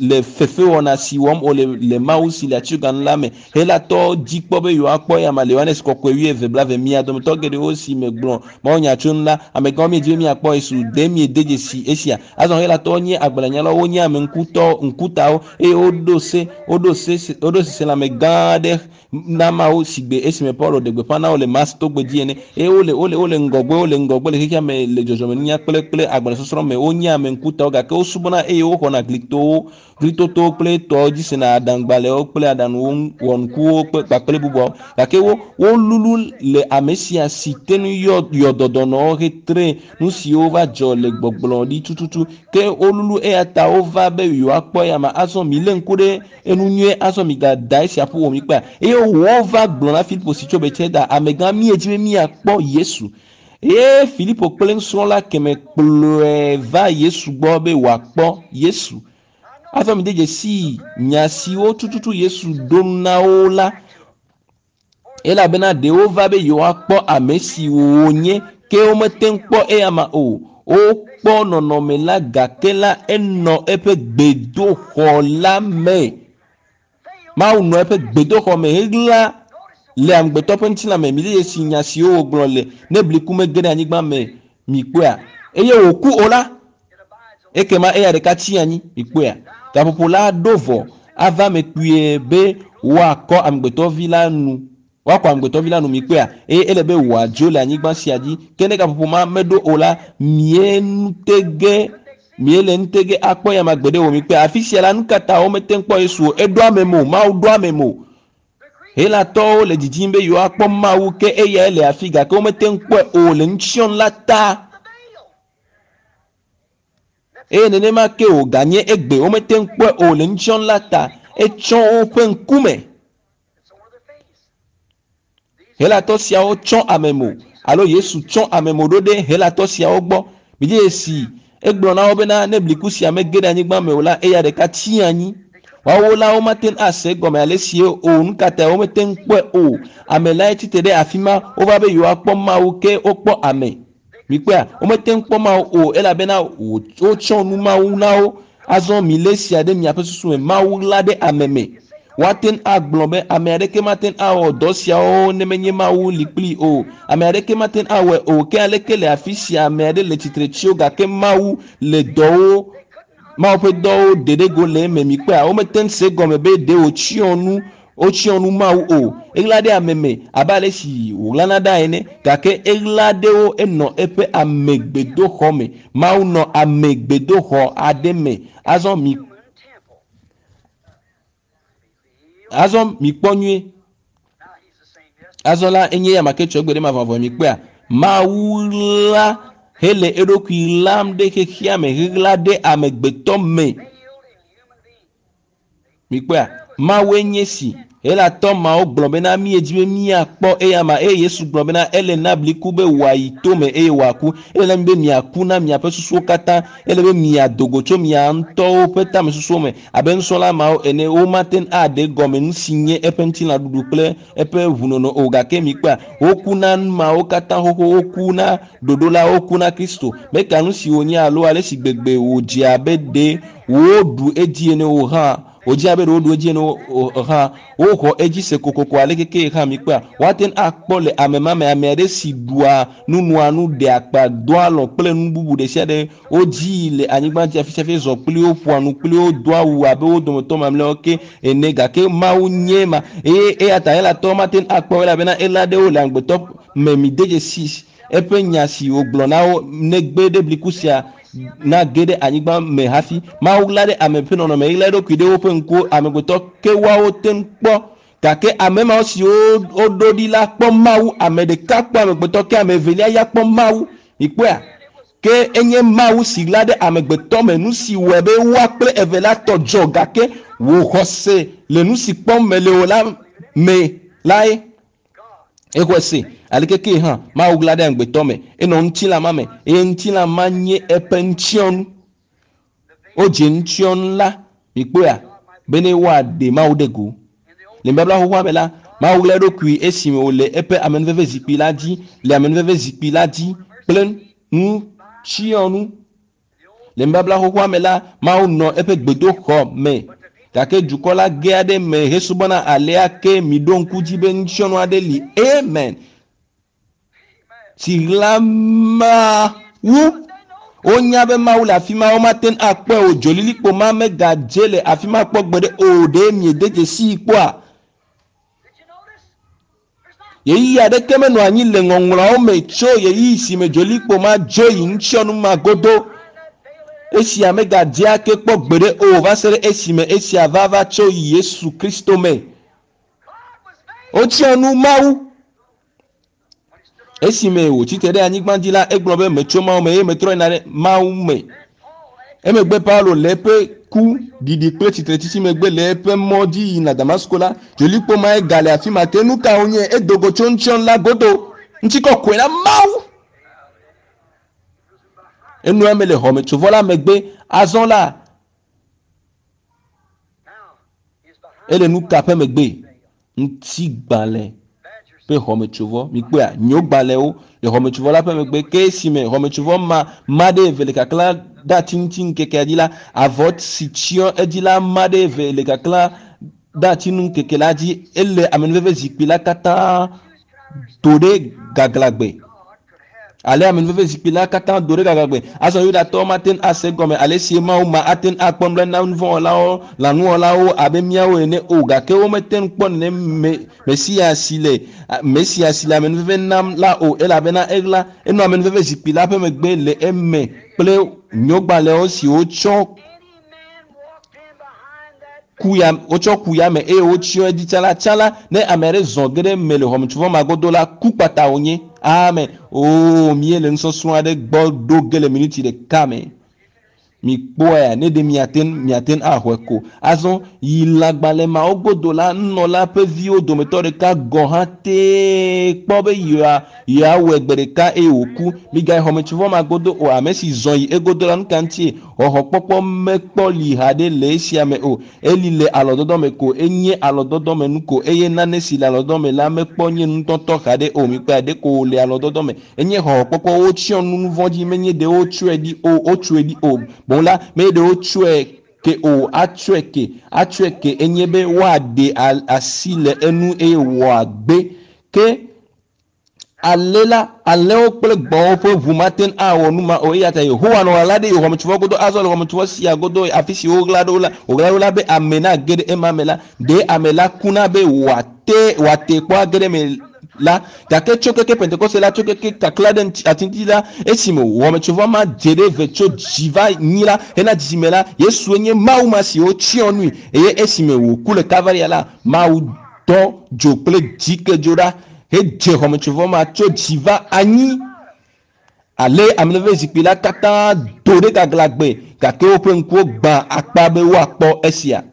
[SPEAKER 1] le fefewɔna si wɔm wole le Mawu si le atsyoganu la me. Helatɔwo dzi kpɔ be yewoakpɔ eya ma le Yohanes kɔkɔe wuieve blaeve. Mia dometɔ geɖewo si megblɔ mawunya tso nu la, amegãwo miedi be miakpɔ Yesu. Ɖe miede dzesi esia? Azɔ Helatɔwo nye agbalẽnyalawo, wonye ame ŋkutɔ ŋkutawo eye woɖo se woɖo se woɖo seselãme gã aɖe na Mawu sigbe esime Paulo ɖe gbeƒã na wo le Mars togbe dzi ene. Eye wole wole wole ŋgɔgbe wole ŋgɔgbe le xexea me le dzɔdzɔmenunya kple kple agbalẽsɔsrɔ̃ me. Wonye ame ŋkutawo gake wosubɔna eye woxɔna glitowo glitotowo kple tɔwo dzi sena aɖaŋugbalẽwo kple aɖaŋuwo wɔnukuwo kple kpakple bubuawo. Gake wo wolulu le ame sia si te ŋu yɔ yɔ dɔdɔnɔwo hetre nu siwo va dzɔ le gbɔgblɔ ɖi tututu. Ke wolulu eya ta wova be yewoakpɔ eya ma. Azɔ milé ŋku ɖe enu nyuie azɔ migada esia ƒu wɔ mi kpea. Eye wova gblɔ na Filipo si tso Betsaida, amegã míedzi be míakpɔ Yesu. Eye Filipo kple nusrɔ̃la keme kplɔe va Yesu gbɔ be wòakpɔ Yesu. Azɔ mi de dzesi nya siwo tututu Yesu ɖo na wo la elabena ɖewo va be yewoakpɔ ame si wònye ke womete ŋu kpɔ eya ma o. Wokpɔ nɔnɔme la gake la enɔ eƒe gbedoxɔ la me. Mawu nɔ eƒe gbedoxɔ me heɣla le amegbetɔ ƒe ŋutilã me. Mi de dzesi nya siwo wògblɔ le ne bliku mege ɖe anyigba me mikpɔea eye wòku o la ekema eya ɖeka tsi anyi mikpɔea. Gaƒoƒo la ɖo vɔ ava me kpuie be woakɔ amegbetɔvi la nu woakɔ amegbetɔvi la nu mikpɔea eye ele be wòadzo le anyigba sia dzi ke ne gaƒoƒo ma meɖo o la mie nutege mie le nutege akpɔ ya ma gbeɖe o mikpɔea. Afi sia la nu ka ta womete ŋu kpɔ Yesu o eɖo ame me o Mawu ɖo ame me o. Helatɔwo le didim be yewoakpɔ Mawu ke eyae le afi gake womete ŋu kpɔe o le nutsyɔnu la ta. Eye nenema ke wòganye egbe womete ŋu kpɔe o le nutsyɔnu la ta. Etsɔ woƒe ŋkume. Helatɔ siawo tsɔ ame mo alo Yesu tsɔ ame mo ɖo ɖe Helatɔ siawo gbɔ. Midze dzesi egblɔ na wo bena ne bliku sia mege ɖe anyigba me o la eya ɖeka tsi anyi. Woawo la womate ŋu ase egɔme ale si o. Nu ka ta womete ŋu kpɔe o. Ame lae tsitre ɖe afi ma. Wova be yewoakpɔ Mawu ke wokpɔ ame. Mikpɔea womete ŋu kpɔ Mawu o elabena wotsɔ nu Mawu na wo. Azɔ milé sia ɖe miaƒe susu me. Mawu ɣla ɖe ame me. Woate ŋu agblɔ be ame aɖeke mate ŋu awɔ dɔ siawo ne menye Mawu li kplii o. Ame aɖeke mate ŋu awɔe o. Ke aleke le afi sia ame aɖe le tsitre tsi wo gake Mawu le dɔwo Mawu ƒe dɔwo ɖe ɖe go le eme mikpɔea womete ŋu se gɔme be ɖe wòtsyɔ nu wotsyɔ nu Mawu o. Eɣla ɖe ame me abe ale si wòɣlana ɖa ene gake eɣla ɖe wo enɔ eƒe amegbedoxɔ me. Mawu nɔ amegbedoxɔ aɖe me. Azɔ mi azɔ mikpɔ nyuie. Azɔ la enye ya ma ke tsɔ egbe ɖe mavɔmavɔ mikpɔea. Mawu la hele eɖokui ɣlam ɖe xexea me heɣla ɖe amegbetɔ me. Mikpɔea Mawue nye si Helatɔ mawo gblɔ bena míedzi be míakpɔ eya ma eye Yesu gblɔ bena ele na bliku be wòayi tome eye wòaku. Ele na mi be miaku na miaƒe susuwo katã. Ele be miado go tso mia ŋutɔwo ƒe tamesusuwo me abe nusrɔ̃la mawo ene. Womate ŋu aɖe gɔme nu si nye eƒe ŋutilãɖuɖu kple eƒe ʋunono o gake mikpɔa woku na nu mawo katã xoxo. Woku na ɖoɖo la, woku na Kristo. Meka nu si wònye alo ale si gbegbe wòdze abe ɖe woɖu edzi ene o hã wòdze abe ɖe woɖu edzi ene o hã woxɔ edzi se kokoko ale keke hã mikpɔa woate ŋu akpɔ le ame ma me ame aɖe si ɖua nu nua nu ɖea akpa doa alɔ kple nu bubu ɖe sia ɖe wodzi le anyigba dzi afi sia afi zɔ kpli wo ƒoa nu kpli wo doa awu abe wo dometɔ mamlɛawo ke ene gake Mawu nye ma eye eya ta Helatɔwo mate ŋu akpɔ elabena ela ɖewo le amegbetɔ me mi de dzesi eƒe nya si wògblɔ na wo negbe ɖe bliku sia nage ɖe anyigba me hafi. Mawu ɣla ɖe ame ƒe nɔnɔme ɣla eɖokui ɖe woƒe ŋkuwo amegbetɔ ke woawo te ŋu kpɔ gake ame mawo siwo woɖo ɖi la kpɔ Mawu. Ame ɖeka kpɔ amegbetɔ ke ame evelia ya kpɔ Mawu. Mikpɔea? Ke enye Mawu si ɣla ɖe amegbetɔ me, nu si wɔe be woa kple eve la tɔ dzɔ gake wò xɔse le nu si kpɔm mele o la me lae. Exɔe se aleke ke hã Mawu ɣla ɖe amegbetɔ me, enɔ ŋutilã ma me eye ŋutilã ma nye eƒe ŋutsiɔnu. Wodze ŋutsiɔnu la, mikpɔea, bene woaɖe Mawu ɖe go. Le nubabla xoxoa me la, Mawu ɣla eɖokui esime wòle eƒe amenuveve zikpui la dzi, le amenuveve zikpui la dzi kple ŋutsiɔnu. Le nubabla xoxoa me la, Mawu nɔ eƒe gbedoxɔ me gake dukɔ la ge aɖe me hesubɔna alea ke miɖo ŋku dzi be ŋutsiɔnu aɖe li. Amen. Si ɣla Mawu. Wonya be Mawu le afi ma, womate ŋu akpɔe o. Dzolilikpo ma megadze le afi ma kpɔ gbeɖe o. Ɖe miede dzesii kpɔa? Ɣeyiɣi aɖeke menɔ anyi le ŋɔŋlɔawo me tso ɣeyiɣi si me dzolilikpo ma dzo yi ŋutsiɔnu ma godo. Esia megadze ake kpɔ gbeɖe o va se ɖe esime esia va va tso yi Yesu Kristo me. Wotsyɔ nu Mawu. Esime wòtsi tre ɖe anyigba dzi la, egblɔ be metso Mawu me eye metrɔ yina ɖe Mawu me. Emegbe Paulo le eƒe ku ɖiɖi kple tsitretsitsi megbe le eƒe mɔ dzi yina Damasko la, dzolikpo mae gale afi ma ke nu ka wònye? Edo go tso ŋutsiɔnu la godo. Ŋutikɔkɔe na Mawu. Enɔa me le xɔmetsovɔ la megbe. Azɔ la, ele nu ka ƒe megbe? Ŋutigbalẽ ƒe xɔmetsovɔ. Mikpɔea, nyogbalẽwo le xɔmetsovɔ la ƒe megbe. Ke esime xɔmetsovɔ ma ma ɖe eve le kaklã ɖe ati ŋuti ŋkekea dzi la, avɔ si tsyɔ edzi la ma ɖe eve le kaklã ɖe ati nu ŋkeke la dzi. Ele amenuveve zikpui la katã do ɖe gaglãgbe. Ale amenuveve zikpui la katã do ɖe gaglãgbe. Azɔ Yudatɔwo mate ŋu ase gɔme ale si Mawu ma ate ŋu akpɔ nublanui na nuvɔ̃wɔlawo, lãnuwɔlawo abe míawo ene o. Gake womete ŋu kpɔ nenem Mesia si le Mesia si le amenuveve nam la o, elabena eɣla enɔ amenuveve zikpui la ƒe megbe le eme kple nyogbalẽwo si wotsɔ ku ya wotsɔ ku ya me eye wotsyɔ edzi tsã la. Tsã la, ne ame aɖe zɔ ge ɖe eme le xɔmetsovɔ ma godo la, ku kpata wònye. Amen. Oo, míele nusɔsrɔ̃ aɖe gbɔ ɖo ge le minuti ɖeka me. Mikpɔea, ne ɖe miate ŋu miate ŋu axɔe ko. Azɔ yi lãgbalẽ mawo godo la, nunɔla ƒe viwo dometɔ ɖeka gɔ̃ hã tee kpɔ be yewoa yeawɔe gbe ɖeka eye wòku. Migayi xɔmetsovɔ ma godo o. Ame si zɔ yi egodo la, nu ka ŋutie? Xɔxɔkpɔkpɔ mekpɔ li haɖe le esia me o. Eli le alɔdɔdɔ me ko. Enye alɔdɔdɔ me nu ko eye nane si le alɔdɔdɔ me la mekpɔ nye nutɔtɔ haɖe o. Mikpɔe ɖe ko wòle alɔdɔdɔ me. Enye xɔxɔkpɔkpɔ wotsyɔ nu nu vɔ̃ dzi menye ɖe wotsɔe ɖi o wotsɔe ɖi o. Boŋ la menye ɖe wotsɔe ke o atsɔe ke atsɔe ke enye be woaɖe asi le enu eye wòagbe. Ke ale la alẽwo kple gbɔ̃wo ƒe ʋu mate ŋu awɔ nu ma o. Eya ta Yehowa nɔ ɣaɣla ɖe xɔmetsovɔ godo azɔ le xɔmetsovɔ sia godo afi si woɣla ɖo la wòɣla ɖo la be ame nage ɖe ema me la, ɖe ame la kuna be wòate wòate kpɔ age ɖe eme la. Gake tso keke Pentekoste la tso keke kakla ɖe ati ŋuti la, esime xɔmetsovɔ ma dze ɖe eve tso dzi va nyi la hena dzidzime la, Yesue nye Mawu ma si wotsyɔ nui eye esime wòku le Kalvaria la, Mawu dɔ dzo kple dzikedzo ɖa hedze xɔmetsovɔ ma tso dzi va anyi. Ale amenuveve zikpui la katã do ɖe gaglãgbe gake woƒe ŋkuwo gbã akpa be woakpɔ esia.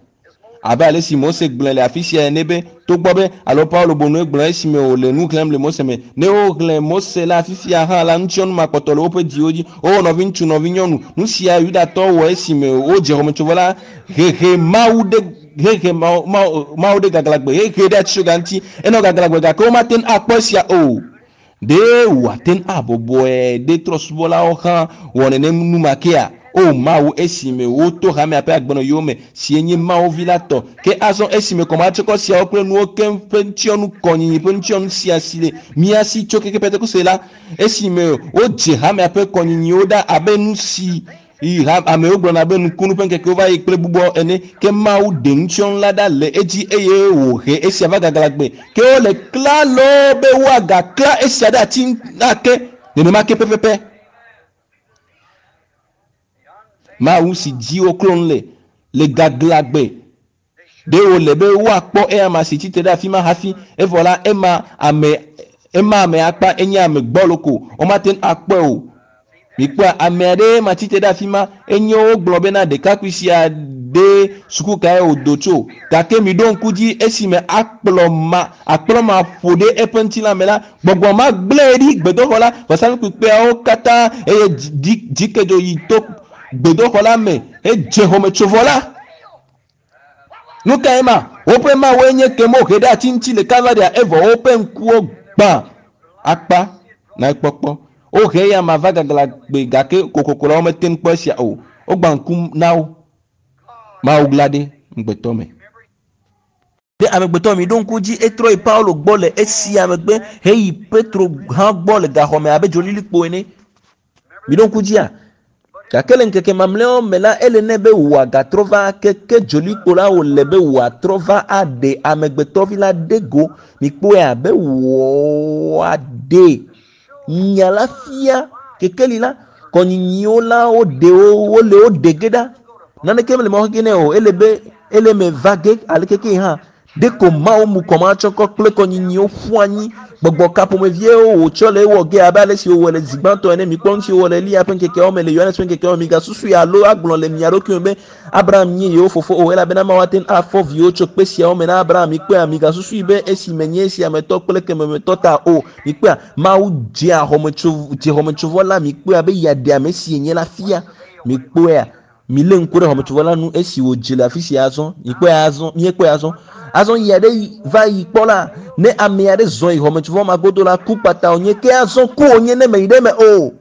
[SPEAKER 1] Abe ale si Mose gblɔe le afi sia ene be togbɔ be alo Paulo bonue gblɔ esime wòle nu xlẽm le Mose me. Ne woxlẽ Mose la fifia hã la, ŋutsiɔnu ma kpɔtɔ le woƒe dziwo dzi. O nɔviŋutsu, nɔvinyɔnu, nu sia Yudatɔwo wɔ esime wodze xɔmetsovɔ la hehe Mawu ɖe hehe Mawu ɖe gaglãgbe hehe ɖe atitsoga ŋuti. Enɔ gaglãgbe gake womate ŋu akpɔ esia o. Ɖe wòate ŋu abɔbɔe ɖe trɔ̃subɔlawo hã wɔ nenem nu ma kea? O Mawu, esime woto hamea ƒe agbenɔɣiwo me, si enye Mawu vi la tɔ. Ke azɔ esime kɔmatsikɔ siawo kple nuwo keŋ ƒe ŋutsiɔnu kɔnyinyi ƒe ŋutsiɔnu sia si le mía si tso keke Pentekoste la, esime wodze hamea ƒe kɔnyinyiwo ɖa abe nu si amewo gblɔna be nukunu ƒe ŋkekewo va yi kple bubuawo ene, ke Mawu ɖe ŋutsiɔnu la ɖa le edzi eye wòhe esia va gaglãgbe. Ke wole klalo be woagaklã esia ɖe ati ake nenema ke pɛpɛpɛ. Mawu si dzi woklɔ nu le le gaglãgbe. Ɖe wòle be woakpɔ eyama si tsitre ɖe afi ma hafi evɔ la ema ame ema ame akpa enye ame gbɔlo ko womate ŋu akpɔe o. Mikpɔa ame aɖe ma tsitre ɖe afi ma enye wogblɔ bena ɖekakpui sia ɖe suku kae wòdo tso gake miɖo ŋku dzi esime akplɔ ma akplɔ ma ƒo ɖe eƒe ŋutilã me la gbɔgbɔ ma gblẽe ɖi gbedoxɔ la vɔsamlekpuikpeawo katã eye dzikedzo yi to gbedoxɔ la me hedze xɔmetsovɔ la. Nu kae ma? Woƒe mawue nye ke wohe ɖe ati ŋuti le Kalvaria evɔ woƒe ŋkuwo gbã akpa na ekpɔkpɔ. Wohe eya ma va gaglãgbe gake kokoko la womete ŋu kpɔ esia o. Wogbã ŋku na wo. Mawu ɣla ɖe ŋugbetɔ me. Ɖe amegbetɔ mi ɖo ŋku dzi etrɔ yi Paulo gbɔ le esia megbe heyi Petro hã gbɔ le gaxɔme abe dzolilikpo ene. Mi ɖo ŋku dzia? Gake le ŋkeke mamlɛawo me la, ele nɛ be wòagatrɔ va ake ke dzolikpo la wòle be wòatrɔ va aɖe amegbetɔvi la ɖe go. Mikpɔe abe wòaɖe nya la fia kekeli la. Kɔnyinyiwo la woɖe wo wole wo ɖe ge ɖa. Naneke mele mɔ xexe nɛ o. Ele be ele me va ge aleke ke hã. Ɖeko Mawu mu kɔmatsɔkɔ kple kɔnyinyiwo ƒu anyi. Gbɔgbɔ ka ƒomeviewo wòtsɔ le ewɔ ge abe ale si wòwɔ le zi gbãtɔ ene. Mikpɔ nu si wòwɔ le Eliya ƒe ŋkekeawo me, le Yohanes ƒe ŋkekeawo me. Migasusui alo agblɔ le mia ɖokui me be Abraham nye yewo fofo o, elabena Mawu ate ŋu afɔ viwo tso kpe siawo me na Abraham. Mikpɔea? Migasusui be esi menye esia me tɔ kple keme me tɔ ta o. Mikpɔea? Mawu dzea xɔmetso dze xɔmetsovɔ la. Mikpɔea be yeaɖe ame si yenye la fia. Mikpɔea? Milé ŋku ɖe xɔmetsovɔ la nu esi wòdze le afi sia azɔ. Mikpɔe azɔ, míekpɔe azɔ. Azɔ yi aɖe va yi kpɔ la, ne ame aɖe zɔ yi xɔmetsovɔ ma godo la, ku kpata wònye. Ke azɔ ku wònye ne meyi ɖe eme o.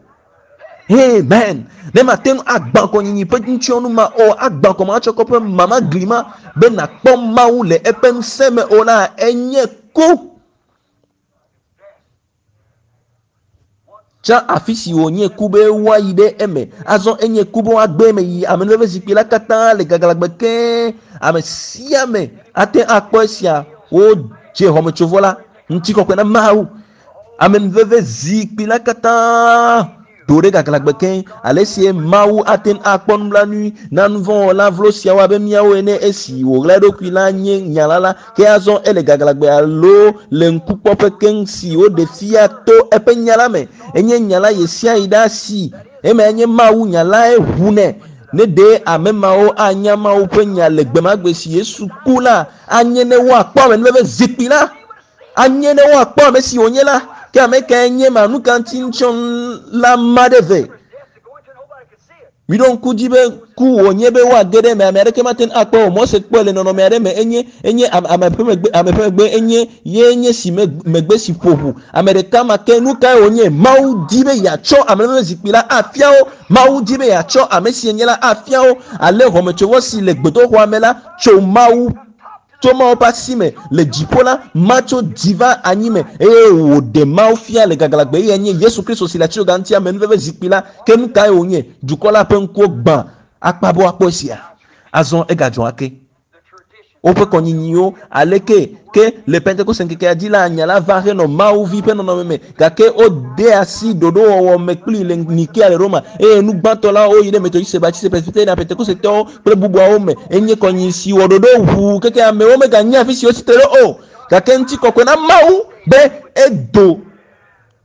[SPEAKER 1] Amen. Ne mate ŋu agbã kɔnyinyi ƒe ŋutsiɔnu ma o, agbã kɔmatsɔkɔ ƒe mama gli ma be nàkpɔ Mawu le eƒe ŋusẽ me o la, enye ku. Tsã afi si wònye ku be woayi ɖe eme. Azɔ enye ku be woagbe eme yi amenuveve zikpui la katã le gaglãgbe keŋ. Ame sia ame ate ŋu akpɔ esia. Wodze xɔmetsovɔ la. Ŋutikɔkɔe na Mawu. Amenuveve zikpui la katã do ɖe gaglãgbe keŋ. Ale sie Mawu ate ŋu akpɔ nublanui na nuvɔ̃wɔla vlo siawo abe míawo ene esi wòɣla eɖokui la nye nya la la, ke azɔ ele gaglãgbe alo le ŋkukpɔƒe keŋ si woɖe fia to eƒe nya la me. Enye nya la ɣesiaɣi ɖaa si emae nye Mawu nya lae ʋu nɛ. Ne ɖe ame mawo anya Mawu ƒe nya le gbemagbe si Yesu ku la, anye ne woakpɔ amenuveve zikpui la. Anye ne woakpɔ ame si wònye la, ke ame kae nye ma? Nu ka ŋuti ŋutsɔnu la ma ɖe ve? Miɖo ŋku dzi be ku wònye be woage ɖe eme, ame aɖeke mate ŋu akpɔ o. Mose kpɔe le nɔnɔme aɖe me, enye, enye ame ƒe megbe, ame ƒe megbe, enye ye nye si me, megbe si ƒo ʋu. Ame ɖeka ma ke, nu kae wònye? Mawu di be yeatsɔ ame ƒe zikpui la afia wo. Mawu di be yeatsɔ ame si enye la afia wo. Ale xɔmetsovɔ si le gbedoxɔa me la tso Mawu Tso Mawu ƒe asi me le dziƒo la, matso dzi va anyi me, eye wòɖe Mawu fia le gaglãgbe, eyae nye Yesu Kristo si le atitsoga ŋuti amenuveve zikpui la. Ke nu kae wònye? Dukɔ la ƒe ŋkuwo gbã akpa be woakpɔ esia. Azɔ egadzɔ ake. Woƒe kɔnyinyiwo, aleke ke le Pentekoste ŋkekea dzi la, nya la va henɔ Mawu Vi ƒe nɔnɔme me, gake wode asi ɖoɖowɔwɔ me kplii le Nikea le Roma, eye nu gbãtɔ la, woyi ɖe Metodiste, Baptiste, Presbyterian, Pentekostetɔwo, kple bubuawo me. Enye kɔnyinyi si wɔ ɖoɖo ʋuu keke amewo meganya afi si wotsi tre ɖo o. Gake ŋutikɔkɔe na Mawu be edo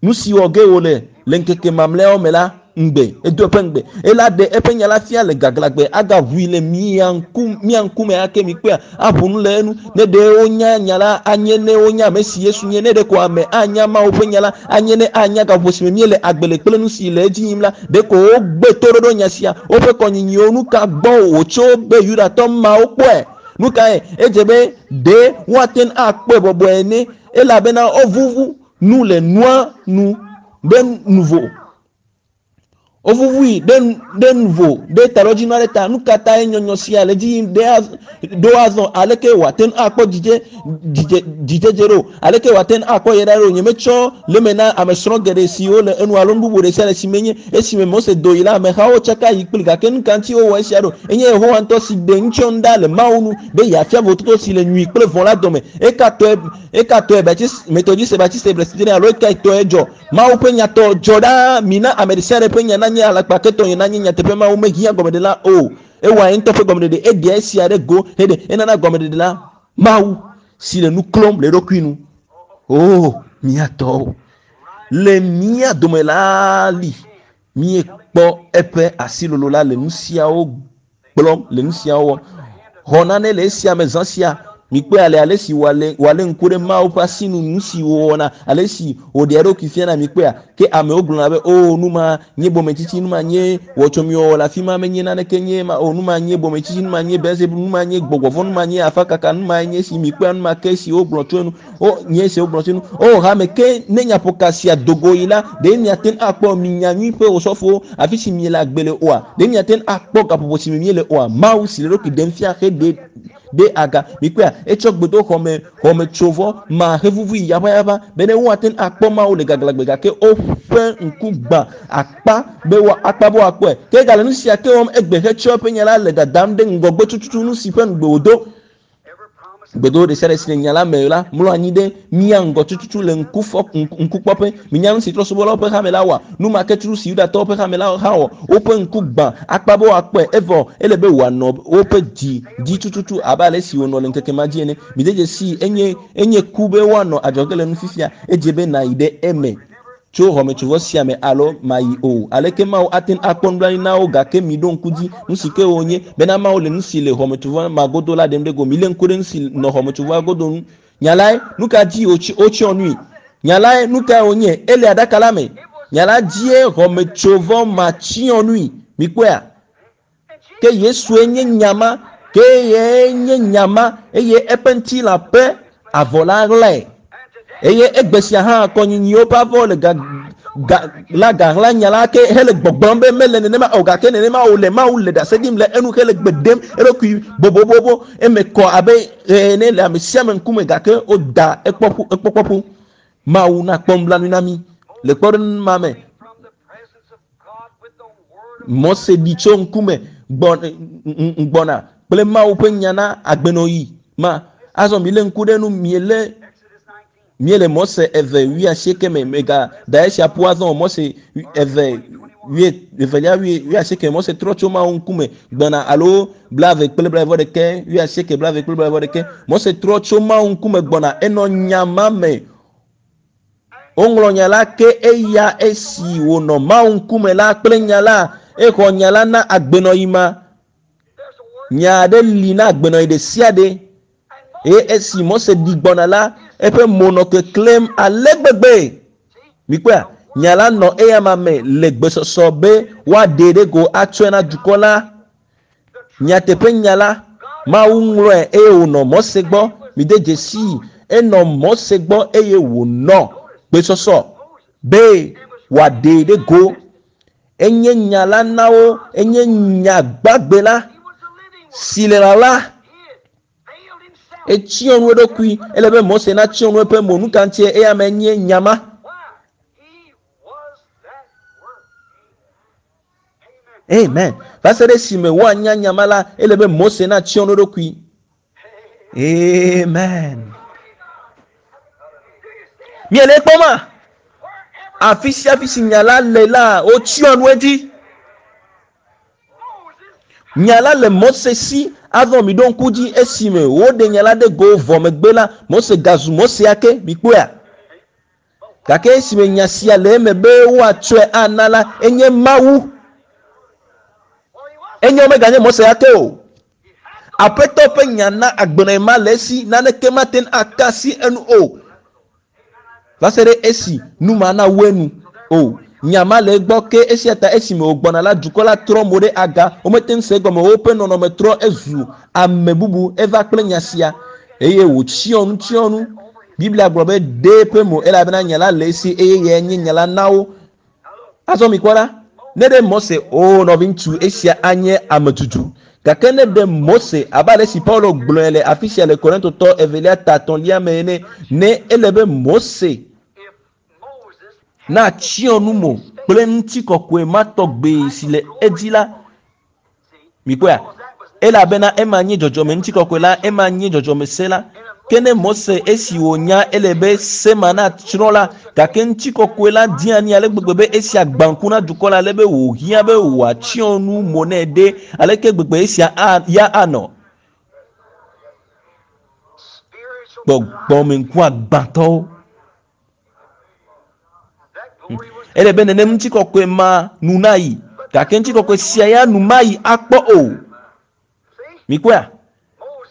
[SPEAKER 1] nu si wɔ ge wòle le ŋkeke mamlɛawo me la ŋugbe. Edo eƒe ŋugbe. Ela ɖe eƒe nya la fia le gaglãgbe, agaʋui le mia ŋku, mía ŋkume ake. Mikpɔea? Aƒo nu le enu. Ne ɖe wonya nya la, anye ne wonya ame si Yesu nye. Ne ɖeko ame anya Mawu ƒe nya la, anye ne anya gaƒoƒo si me míele agbe le kple nu si le edzi yim la. Ɖeko wogbe toɖoɖo nya sia. Woƒe kɔnyinyiwo, nu ka gbɔ wòtso be Yudatɔ mawo kpɔe? Nu kae? Edze be ɖe woate ŋu akpɔe bɔbɔe ene, elabena wovuvu nu le nua nu ɖe nuvo. Wovuvui ɖe ɖe nuvo ɖe taɖodzinu aɖe ta. Nu ka tae nyɔnyɔ sia le edzi yim ɖe ɖo azɔ? Aleke wòate ŋu akpɔ dzidze dzidze dzidzedze ɖo? Aleke wòate ŋu akpɔ yayra ɖo? Nyemetsɔ le eme na ame srɔ̃ geɖe siwo le enu alo nu bubu ɖe sia ɖe si menye. Esime Mose do yi la, amehawo tsaka yi kpli. Gake nu ka ŋuti wowɔ esia ɖo? Enye Yehowa ŋutɔ si ɖe ŋutsɔnu ɖa le Mawu nu be yeafia vovototo si le nyui kple vɔ̃ la dome. Eka tɔe eka tɔe Baptiste, Methodiste, Baptiste, Presbyterian alo ekae tɔe dzɔ? Mawu ƒe nya tɔ dzɔ ɖaa. Mina ame ɖe sia ɖe ƒe nya nanye alakpa, ke tɔnye nanye nyateƒe. Mawu mehiã gɔmeɖela o. Ewɔa ye ŋutɔ ƒe gɔmeɖeɖe. Eɖea esia ɖe go heɖe enana gɔmeɖeɖe la Mawu si le nu klɔm le eɖokui nu. Oo, mía tɔwo le mía dome la li. Míekpɔ. Míakpɔ eƒe asilolo la le nu siawo gblɔm, le nu siawo wɔm. Xɔ nane le esia me zã sia. Mikpɔe ale ale si wòale wòalé ŋku ɖe Mawu ƒe asinu, nu si wòwɔna, ale si wòɖea eɖokui fiana. Mikpɔea? Ke amewo gblɔna be, O, nu ma nye bometsitsi, nu ma nye wɔtsɔmiwɔwɔ le afi ma, menye naneke nye ema o, nu ma nye bometsitsi, nu ma nye Beelzebub, nu ma nye gbɔgbɔ vɔ̃, nu ma nye afakaka, nu mae nye esi. Mikpɔea? Nu ma ke si wogblɔ tso enu. O, nye esi wogblɔ tso enu. O, hame, ke ne nyaƒoka sia do go yi la, ɖe miate ŋu akpɔ mi nyanyui ƒe osɔfowo, afi si miele agbe le oa? Ɖe miate ŋu akpɔ gaƒoƒo si me míele oa? Mawu si le eɖokui ɖem fia heɖe ɖe aga. Mikpɔea? Etsɔ gbedoxɔ me xɔmetsovɔ ma hevuvui yaʋayaʋa bene woate ŋu akpɔ Mawu le gaglãgbe gake woƒe ŋku gbã akpa be woa, akpa be woakpɔe. Ke egale nu sia ke wɔm egbe hetsɔ eƒe nya la le dadam ɖe ŋgɔgbe tututu nu si ƒe ŋugbe wòdo. Gbedowo ɖesiaɖe si le nya la me la mlɔ anyi ɖe mía ŋgɔ tututu le ŋkufɔ, ŋkukpɔƒe. Minya nu si trɔ̃subɔlawo ƒe hame la wɔa? Nu ma ke tutu si Yudatɔwo ƒe hame la hã wɔ. Woƒe ŋku gbã akpa be woakpɔe, evɔ ele be wòanɔ woƒe dzi dzi tututu abe ale si wònɔ le ŋkeke ma dzi ene. Mide dzesii, enye, enye ku be woanɔ adzɔge le nu fifia. Edze be nàyi ɖe eme. Tso xɔmetsovɔ sia me alo mayi o. Aleke Mawu ate ŋu akpɔ nublanui na wo? Gake miɖo ŋku dzi, nusi ke wònye, bena Mawu le nusi le xɔmetsovɔ ma godo la ɖem ɖe go. Milé ŋku ɖe nusi nɔ xɔmetsovɔa godo ŋu. Nya lae, nuka dzi wotsyɔ nui? Nya lae, nukae wònye? Ele aɖaka la me. Nya la dzie xɔmetsovɔ ma tsyɔ nui. Mikpɔea? Ke Yesue nye nya ma, ke eyae nye nya ma, eye eƒe ŋutilã ƒe avɔ la ɣlae. Eye egbe sia hã kɔnyinyiwo ƒe avɔ le ga, ga, la gaɣla nya la ke hele gbɔgblɔm be mele nenema o, gake nenema wòle. Mawu le ɖase ɖim le enu hele gbe ɖem eɖokui bobobobo, eme kɔ abe ɣe ene le ame sia ame ŋkume, gake woda ekpɔƒu, ekpɔkpɔƒu. Mawu nakpɔ nublanui na mí le kpɔɖeŋu ma me. Mose ɖi tso ŋkume gbɔna kple Mawu ƒe nya na agbenɔɣi ma. Azɔ milé ŋku ɖe nu miele miele Mose eve wuiasieke me. Mega da esia ƒu azɔ o. Mose eve wui evelia wui wuiasieke. Mose trɔ tso Mawu ŋkume gbɔna alo blave kple blaeve ɖekɛ wuiasieke blave kple blaeve ɖekɛ. Mose trɔ tso Mawu ŋkume gbɔna enɔ nya ma me. Woŋlɔ nya la ke eya esi wònɔ Mawu ŋkume la kple nya la, exɔ nya la na agbenɔɣi ma. Nya aɖe li na agbenɔɣi ɖe sia ɖe. Eye esi Mose ɖi gbɔna la, eƒe mo nɔ keklẽm ale gbegbe. Mikpɔea? Nya la nɔ eyama me le gbesɔsɔ be woaɖee ɖe go atsɔe na dukɔ la. Nyateƒe nya la, Mawu ŋlɔe eye wònɔ Mose gbɔ. Mide dzesii, enɔ Mose gbɔ eye wònɔ gbesɔsɔ be wòaɖee ɖe go. Enye nya la na wo, enye nya gbagbe la si le ɣaɣla. Etsyɔ nu eɖokui. Ele be Mose natsyɔ nu eƒe mo. Nu ka ŋutie eya me nye nya ma? Amen. Va se ɖe esime woanya nya ma la, ele be Mose natsyɔ nu eɖokui. Amen. Miele ekpɔma? Afi sia afi si nya la le la, wotsyɔ nu edzi. Nya la le Mose si. Azɔ miɖo ŋku dzi esime woɖe nya la ɖe go vɔ megbe la, Mose gazu Mose ake. Mikpɔea? Gake esime nya sia le eme be woatsɔe ana la, enye Mawu. Enye womeganye Mose ya ke o. Aƒetɔ ƒe nya na agbenɔɣi ma le esi naneke mate ŋu aka asi enu o. Va se ɖe esi nu ma nawu enu o. Nya ma le egbɔ ke esia ta esime wògbɔna la, dukɔ la trɔ mo ɖe aga. Womete ŋu se egɔme o. Woƒe nɔnɔme trɔ ezu ame bubu. Eva kple nya sia eye wòtsyɔ nu tsyɔ nu. Biblia gblɔ be ɖe eƒe mo elabena nya la le esi eye eyae nye nya la na wo. Azɔ mikpɔ ɖa, ne ɖe Mose, oo nɔviŋutsu, esia anye ame tutu. Gake ne ɖe Mose, abe ale si Paulo gblɔe le afi sia le Korintotɔ evelia ta etɔ̃lia me ene, ne ele be Mose natsyɔ nu mo kple ŋutikɔkɔe ma tɔgbe si le edzi la, Mikpɔea? Elabena ema nye dzɔdzɔme ŋutikɔkɔe la, ema nye dzɔdzɔme se la. Ke ne Mose esi wònya ele be se ma natsrɔ̃ la, gake ŋutikɔkɔe la di anyi ale gbegbe be esia gbã ŋku na dukɔ la ale be wòhiã be wòatsyɔ nu mo nɛ ɖe, aleke gbegbe esia a, ya anɔ? Gbɔgbɔmeŋkuagbãtɔwo. Ele be nenem ŋutikɔkɔe ma nu nayi. Gake ŋutikɔkɔe sia ya nu mayi akpɔ o. Mikpɔea?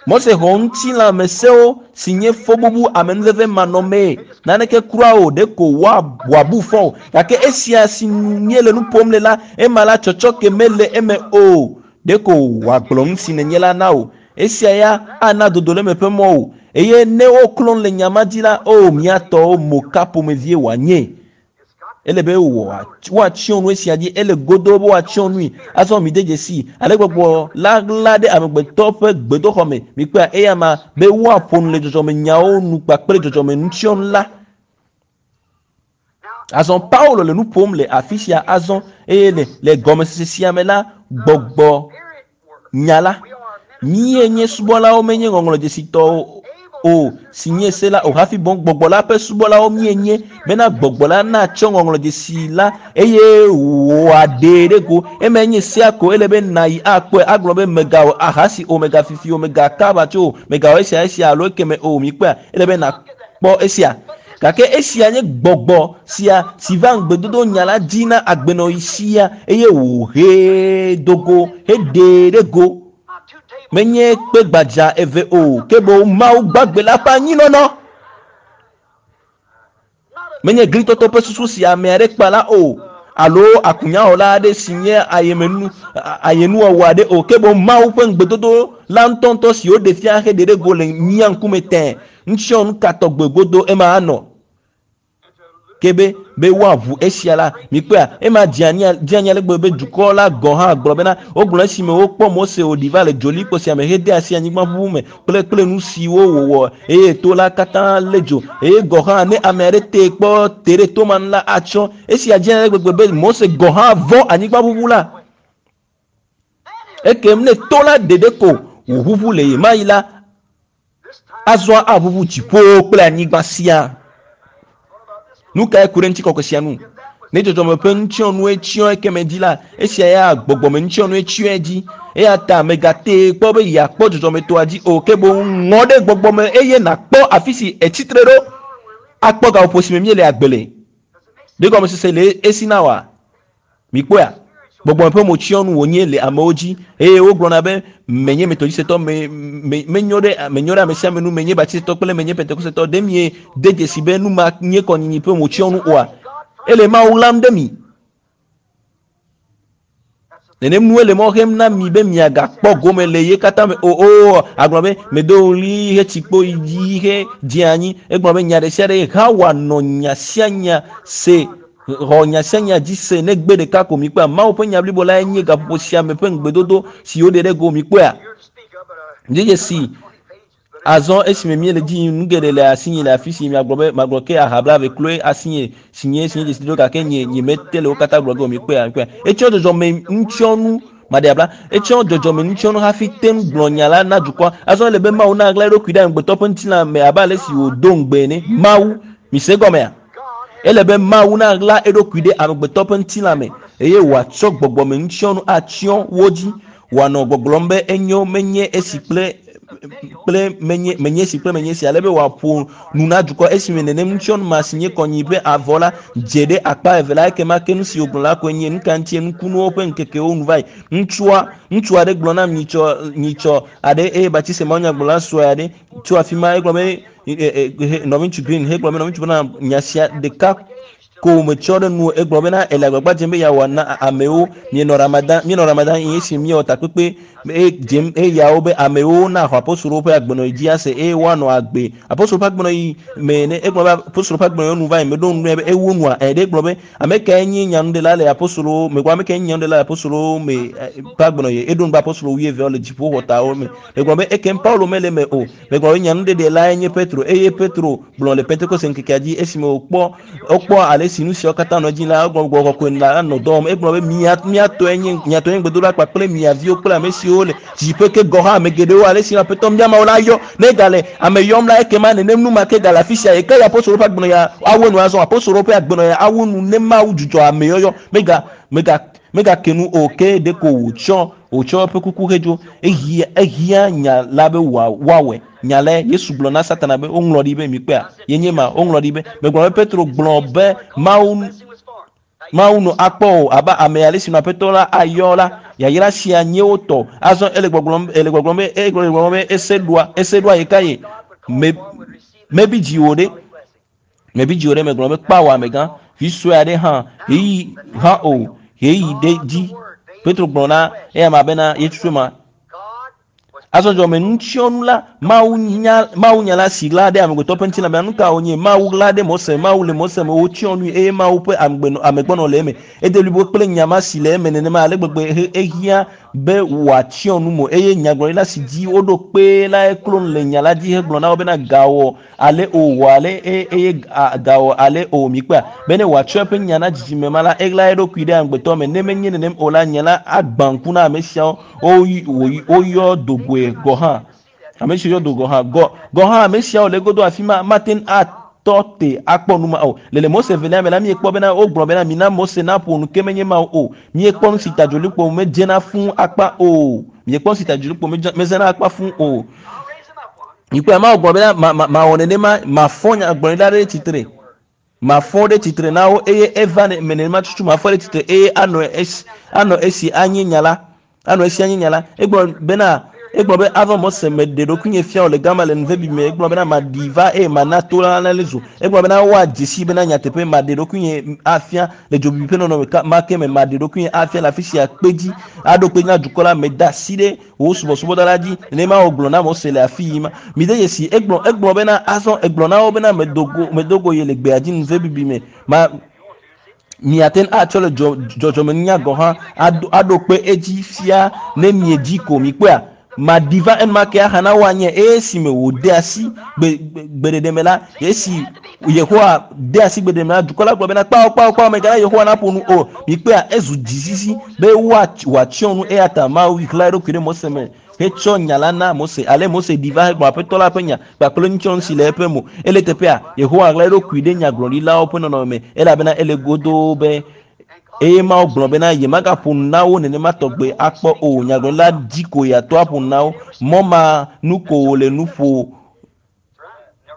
[SPEAKER 1] Mose xɔ ŋutilãmesewo si nye fɔbubu amenuveve manɔmee, naneke kura o, ɖeko wòabu fɔ o. Gake esia si nu míele nu ƒom le la, ema la tsɔtsɔke mele eme o. Ɖeko wòagblɔ nu si nènye la na wò. Esia ya ana dodoleme ƒe mɔ wò. Eye ne woklɔ nu le nya ma dzi la, oo, mía tɔwo, mo ka ƒomevie wòanye? Ele be woatsyɔ nu esia dzi. Ele godoo be woatsyɔ nui. Azɔ mide dzesii, ale gbɔgbɔ la ɣla ɖe amegbetɔ ƒe gbedoxɔ me. Mikpɔea, eya ma be woaƒo nu le dzɔdzɔmenyawo nu kpakple dzɔdzɔmenutsyɔnu la. Azɔ Paulo le nu ƒom le afi sia azɔ eye le le gɔmesese sia me la, gbɔgbɔ nya la. Míe nye subɔlawo menye ŋɔŋlɔdzesitɔwo o, si nye se la o hafi boŋ gbɔgbɔ la ƒe subɔlawo míenye, bena gbɔgbɔ la natsɔ ŋɔŋlɔdzesi la eye wòaɖee ɖe go. Emae nye sea ko ele be nàyi akpɔe agblɔ be mègawɔ ahasi o, mègafifi o, mègaka aʋatso o, mègawɔ esia esia alo ekeme o. Mikpɔea? Ele be nàkpɔ esia. Gake esia nye gbɔgbɔ sia si va ŋugbedodo nya la dzi na agbenɔɣi sia eye wòhee do go heɖee ɖe go. Menye kpe gbadza eve o, ke boŋ Mawu gbagbe la ƒe anyinɔnɔ. Menye glitɔtɔ ƒe susu si ame aɖe kpa la o, alo akunyawɔla aɖe si nye ayemenu, ayenuwɔwɔ aɖe o, ke boŋ Mawu ƒe ŋugbedodo la ŋutɔŋutɔ si woɖe fia heɖe ɖe go le mía ŋkume tẽe. Ŋutsiɔ nu ka tɔgbe godo ema anɔ? Ke be, be woaʋu esia la, mikpɔea, ema dze anyi, dze anyi ale gbegbe be dukɔ la gɔ̃ hã gblɔ bena, wogblɔ esime wokpɔ Mose wòɖi va le dzolikpo sia me hede asi anyigba ʋuʋu me kple, kple nu siwo wòwɔ eye to la katã lé dzo. Eye gɔ̃ hã ne ame aɖe tee kpɔ te ɖe to ma nu la, atsrɔ̃. Esia dze anyi ale gbegbe be Mose gɔ̃ hã vɔ̃ anyigba ʋuʋu la. Ekem ne to la ɖeɖe ko wòʋuʋu le ɣemaɣi la, Azɔ aʋuʋu dziƒowo kple anyigba siaa. Nu kae ku ɖe ŋutikɔkɔe sia ŋu? Ne dzɔdzɔme ƒe nutsyɔnue tsyɔ ekeme dzi la, esia ya gbɔgbɔmenutsyɔnue tsyɔe dzi. Eya ta mègatee kpɔ be yeakpɔ dzɔdzɔmetɔa dzi o, ke boŋ ŋɔ ɖe gbɔgbɔ me eye nàkpɔ afi si ètsi tre ɖo akpɔ gaƒoƒo si me míele agbe le. Ɖe gɔmesese le esi na wòa? Mikpɔea? Gbɔgbɔme ƒe motsyɔnu wònye le amewo dzi eye wogblɔna be menye metodisetɔ, me, me, menyo ɖe, menyo ɖe ame sia ame nu, menye baptisetɔ kple menye pentekosetɔ. Ɖe miede dzesi be nu ma nye kɔnyinyi ƒe motsyɔnu oa? Ele Mawu ɣlam ɖe mi. Nenem nue le mɔ xem na mi be miagakpɔ gome le ye katã me o. Oo, agblɔ be, medo ɣli hetsi kpo yi dzi hedze anyi. Egblɔ be nya ɖe sia ɖe Xawa nɔ nya sia nya se Xɔ nya sia nya dzi se negbe ɖeka ko. Mikpɔea? Mawu ƒe nya blibo lae nye gaƒoƒo sia me ƒe ŋugbedodo si woɖe ɖe go. Mikpɔea? De dzesi azɔ esime míele dzi yim, nu geɖe le asinye le afi si miagblɔ be magblɔ ke aha blaeve kloe asinye si nye si nye dzesidodo gake nye nyemete le wo katã gblɔ ge o. Mikpɔea? Mikpɔea? Etsɔ dzɔdzɔme ŋutsiɔnu maɖeabla. Etsɔ dzɔdzɔme ŋutsiɔnu hafi te ŋu gblɔ nya la na dukɔa. Azɔ ele be Mawu naɣla eɖokui ɖe amegbetɔ ƒe ŋutilã me abe ale si wòdo ŋugbe ene. Mawu, mise egɔmea? Ele be Mawu naɣla eɖokui ɖe amegbetɔ ƒe ŋutilã me eye wòatsɔ gbɔgbɔmeŋutsyɔnu atsyɔ wo dzi, wòanɔ gbɔgblɔm be enyo menye esi kple kple menye menye esi kple menye esi, ale be wòaƒo nu na dukɔ. Esime nenem ŋutsyɔnu ma si nye kɔnyi ƒe avɔ la dze ɖe akpa eve la, ekema ke nu si wògblɔ la koe nye, Nuka ŋutie nukunuwo ƒe ŋkekewo nu va yi? Ŋutsua ŋutsu aɖe gblɔ nam nyitsɔ nyitsɔ aɖe eye Batise mawunyagblɔla sue aɖe tso afi ma egblɔ be nɔviŋutsu Green hegblɔ be nɔviŋutsu bena nya sia ɖeka ko metsɔ ɖe nu egblɔ bena ele agbagba dzem be yeawɔ na amewo mienɔ Ramadan mienɔ Ramadan eye esi miewɔ takpekpe eye dzem eyawo be amewo naxɔ apostolowo ƒe agbenɔɣi dzi ase eye woanɔ agbe apostolo ƒe agbenɔɣi me ene egblɔ be apostolo ƒe agbenɔɣi nu va yi meɖo nu be ewu nua ɛ ɖe egblɔ be Ame kae nye nyanuɖela le apostolowo me? Ame kae nye nyanuɖela le apostolowo me ƒe agbenɔɣi? Eɖo ŋu be apostolo wuieveawo le dziƒoxɔtawo me. Megblɔ be ekem Paulo mele eme o. Megblɔ be nyanuɖeɖe lae nye Petro eye Petro gblɔ le Pentekoste ŋkekea dzi esime wòkpɔ wokpɔ ale si nu siawo katã nɔ edzi la, egblɔ gbɔgbɔ kɔkɔe la nɔ dɔ wɔm. Egblɔ be mia mia tɔe nye mia tɔe nye gbedoɖa kpakple mia viwo kple ame siwo le Dziƒe ke gɔ̃ hã ame geɖewo ale si Aƒetɔ mía Mawu la yɔ. Ne egale ame yɔm la, ekema nenem nu ma ke gale afi sia. Ɣekaɣi apostolowo ƒe agbenɔɣia awu enu azɔ? Apostolowo ƒe agbenɔɣia awu enu ne Mawu dzudzɔ ameyɔyɔ. Mega, mega, megake nu o, ke ɖeko wòtsɔ, wòtsɔ eƒe kuku hedzo. Ehiã, ehiã nya la be wòa, woawɔe. Nya lae. Yesu gblɔ na Satana be, Woŋlɔ ɖi be, mikpɔea? Ye nye ema. Woŋlɔ ɖi be. Megblɔ be Petro gblɔ be Mawu. Mawu nɔ akpɔ o abe ame ale si nɔ aƒetɔ la ayɔ la yayra sia nye wo tɔ azɔ ele gbɔgblɔm ele gbɔgblɔm be ele gbɔgblɔm be ese ɖoa ese ɖoa yi ka ye me mebi dziwò ɖe mebi dziwò ɖe megblɔ be kpawo amegã vi sue aɖe hã ɣeyiɣi hã o ɣeyiɣi ɖe dzi Petro gblɔ na eya ma bena yetutu ma azɔ dzɔme nutsyɔnu la mawu nya mawu nya la si ɣla ɖe amegbetɔ ƒe ŋutilã me nu ka wònye mawu ɣla ɖe Mose mawu le Mose me wotsyɔ nui eye mawu ƒe amegbɔnɔ le eme ede blibo kple nya ma si le eme nenema ale gbegbe ehiã be wòatsyɔ nu mo eye nyagblɔɖila si dzi woɖo kpe la eklo nu le nya la dzi hegblɔ na wo bena gawɔ ale o wɔ ale eye gawɔ ale o mikpea bene wòatsɔ eƒe nya na dzidzime ma la eɣla eɖokui ɖe amegbetɔ me ne menye nenem o la nya la agbã ŋku na ame siawo woyɔ dogoe gɔ hã ame siwo yɔ do gɔ hã gɔ gɔ hã ame siawo le godo afi ma mate ŋu atɔ te akpɔ nu ma o le le Mose velia me la miekpɔ bena wogblɔ bena mina Mose naƒo nu ke menye Mawu o miekpɔ nu si ta dzolikpo medzena fũu akpa o miekpɔ nu si ta dzolikpo medzena akpa fũu o mikpɔe Mawu gblɔ bena ma ma mawɔ nenema mafɔ nyagblɔɖila ɖe tsitre mafɔ ɖe tsitre na wo eye eva me nenema tutu mafɔ ɖe tsitre eye anɔ esi anɔ esi anye nya la anɔ esi anye nya la egblɔ bena egblɔ be ava Mose meɖe ɖokuinye fia wo le gama le nuvevi me egblɔ bena maɖi va eye mana to la le zu egblɔ bena woadze si bena nyateƒe maɖe ɖokuinye afia le dzobibi ƒe nɔnɔme ma ke me maɖe ɖokuinye afia le afi sia kpe dzi aɖo kpe na dukɔ la meda asi ɖe wò subɔsubɔdɔ la dzi nenema wògblɔ na Mose le afi yi ma mide dzesi egblɔ egblɔ bena azɔ egblɔ na wo bena medogo medogo ye le gbea dzi nuvebibi me ma miate ŋu atsɔ le dzɔdzɔmenunya gɔ hã aɖo kpe edzi fia ne miedzi ko mikpɔea maɖi va enumake aha na woanye eye esime wòde asi gbeɖeɖe me la esi Yehowa de asi gbeɖeɖe me la dukɔ la gblɔ bena kpawo kpawo kpawo megana Yehowa naƒo nu o mikpɔea ezu dzisisi be wòatsyɔ nu eya ta Mawu ɣla eɖokui ɖe Mose me hetsɔ nya la na Mose ale Mose ɖi va hegblɔ aƒetɔ la ƒe nya kpakple nutsyɔnu si le eƒe mo ele teƒea Yehowa ɣla eɖokui ɖe nyagblɔɖilawo ƒe nɔnɔme me elabena ele godoo be eye Mawu gblɔ bena yemagaƒo nu na wo nenema tɔgbe akpɔ o nyagblɔɖila dzi ko yeato aƒo nu na wo mɔ ma nu ko wòle nu ƒo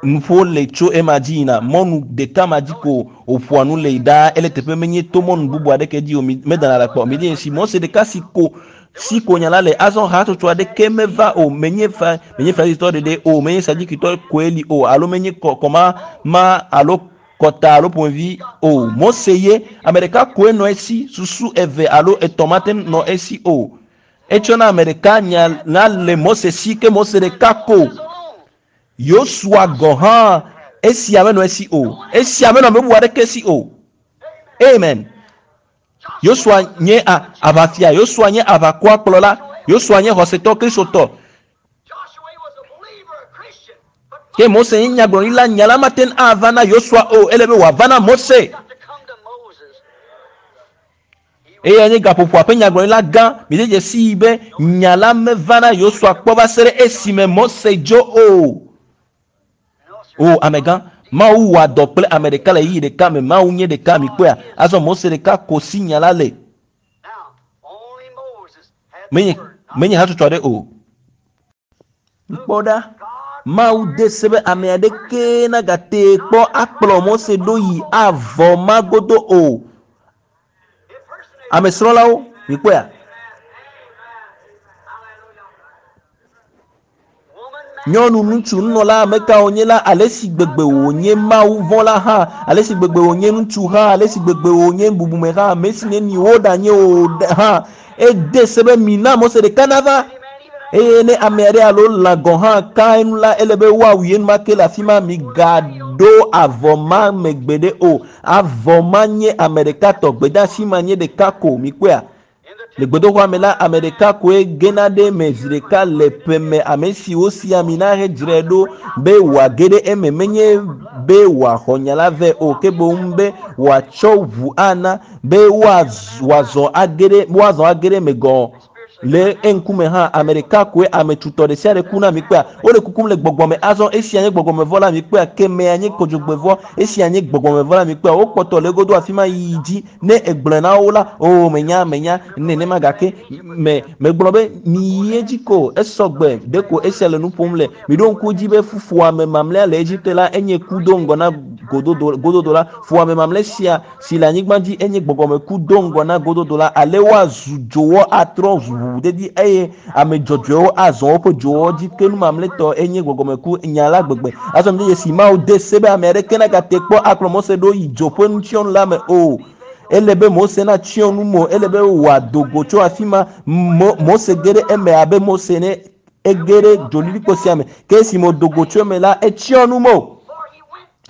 [SPEAKER 1] nuƒo le tso ema dzi yina mɔnu ɖeka ma dzi ko wòƒoa nu le ɖaa ele teƒe menye to mɔnu bubu aɖeke dzi o medana le kpɔ mi si Mose ɖeka si ko si ko nya la le azɔ hatsotso aɖeke meva o menye fa menye farisitɔ ɖeɖe o menye sadukitɔ koe li o alo menye kɔma ma alo kɔta alo ƒomevi o Mose ye ame ɖeka koe nɔ esi susu eve alo etɔ̃ mate nɔ esi o etsɔ na ame ɖeka nya la le Mose si ke Mose ɖeka ko Yosua gɔ hã esia menɔ esi o esia menɔ ame bubu aɖeke si o amen Yosua nye aʋafia Yosua nye aʋakɔa kplɔla Yosua nye xɔsetɔ kristotɔ ke Mose nye nyagblɔɖila nya la mate ŋu ava na Yosua o ele be wòava na Mose eye nye gaƒoƒoa ƒe nyagblɔɖila gã mide dzesi be nya la meva na Yosua kpɔ va se ɖe esime Mose dzo o o amegã Mawu wɔa dɔ kple ame ɖeka le ɣeyiɣi ɖeka me Mawu nye ɖeka mikpɔea azɔ Mose ɖeka ko si nya la le menye menye hatsotso aɖe o kpɔ ɖa Mawu de se be ame aɖeke nagate kpɔ akplɔ Mose ɖo yi avɔ ma godo o ame srɔ̃lawo mikpɔea nyɔnu ŋutsu nunɔla ame ka wònye la ale si gbegbe wònye Mawu vɔ̃la hã ale si gbegbe wònye ŋutsu hã ale si gbegbe wònye bubume hã ame si neni woɖanye o hã ede se be mina Mose ɖeka nava eye ne ame aɖe alo lã gɔ̃ hã ka enu la ele be woawui enumake le afi ma migaɖo avɔ ma megbe ɖe o avɔ ma nye ame ɖeka tɔ gbedeasi ma nye ɖeka ko mikpɔea le gbedoxɔa me la ame ɖeka koe gena ɖe eme zi ɖeka le ƒe me ame si wosi ami na hedzrae ɖo be wòage ɖe eme menye be wòaxɔ nya la vɛ o ke boŋ be wòatsɔ ʋu ana be woazɔ age ɖe woazɔ age ɖe eme gɔ Le eŋkume hã ame ɖeka koe ame tutɔ ɖe sia ɖe kuna mikpɔa. Wole kukum le gbɔgbɔ me azɔ esia nye gbɔgbɔmevɔ la mikpɔa kemea nye kodzogbevɔ esia nye gbɔgbɔmevɔ la mikpɔa wokpɔtɔ le egodo afi ma yiyi dzi ne egblɔe na wo la o menya menya nenema gake me megblɔ be miyi edzi ko esɔgbe ɖeko esia le nu ƒom le miɖo ŋku dzi be fufuame mamlɛa le Egipte la enye ku do ŋgɔ na gododo gododo la fuame mamlɛ sia si le anyigba dzi enye gbɔgbɔmeku do ŋgɔ na gododo la ale woazu dzowɔ atrɔ ʋuʋudedi eye ame dzɔdzɔewo azɔ woƒe dzowɔ dzi ke nu mamlɛtɔ enye gbɔgbɔmeku nya la gbegbe azɔ mi dzesi Mawu de se be ame aɖeke nagate kpɔ akplɔ Mose ɖo yi dzo ƒe nutsyɔnu la me o. Ele be Mose natsyɔ nu mo, ele be wòado go tso afi ma. Mo, Mose ge ɖe eme abe Mose ne ege ɖe dzolilikpo sia me. Ke esime wòdo go tso eme la, etsyɔ nu mo.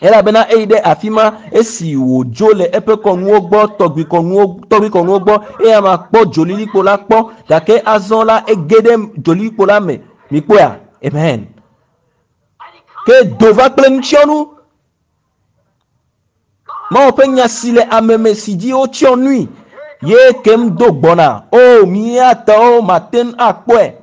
[SPEAKER 1] Elabena eyi ɖe afi ma esi wòdzo le eƒe kɔnuwo gbɔ, tɔgbui kɔnuwo, tɔgbui kɔnuwo gbɔ, eya ma kpɔ dzolilikpo la kpɔ, gake azɔ la ege ɖe dzolilikpo la me. Mikpɔea? Amen. Ke do va kple nutsyɔnu. Mawu ƒe nya si le ame me si dzi wotsyɔ nui ye kem do gbɔna. O, míatɔwo mate ŋu akpɔe.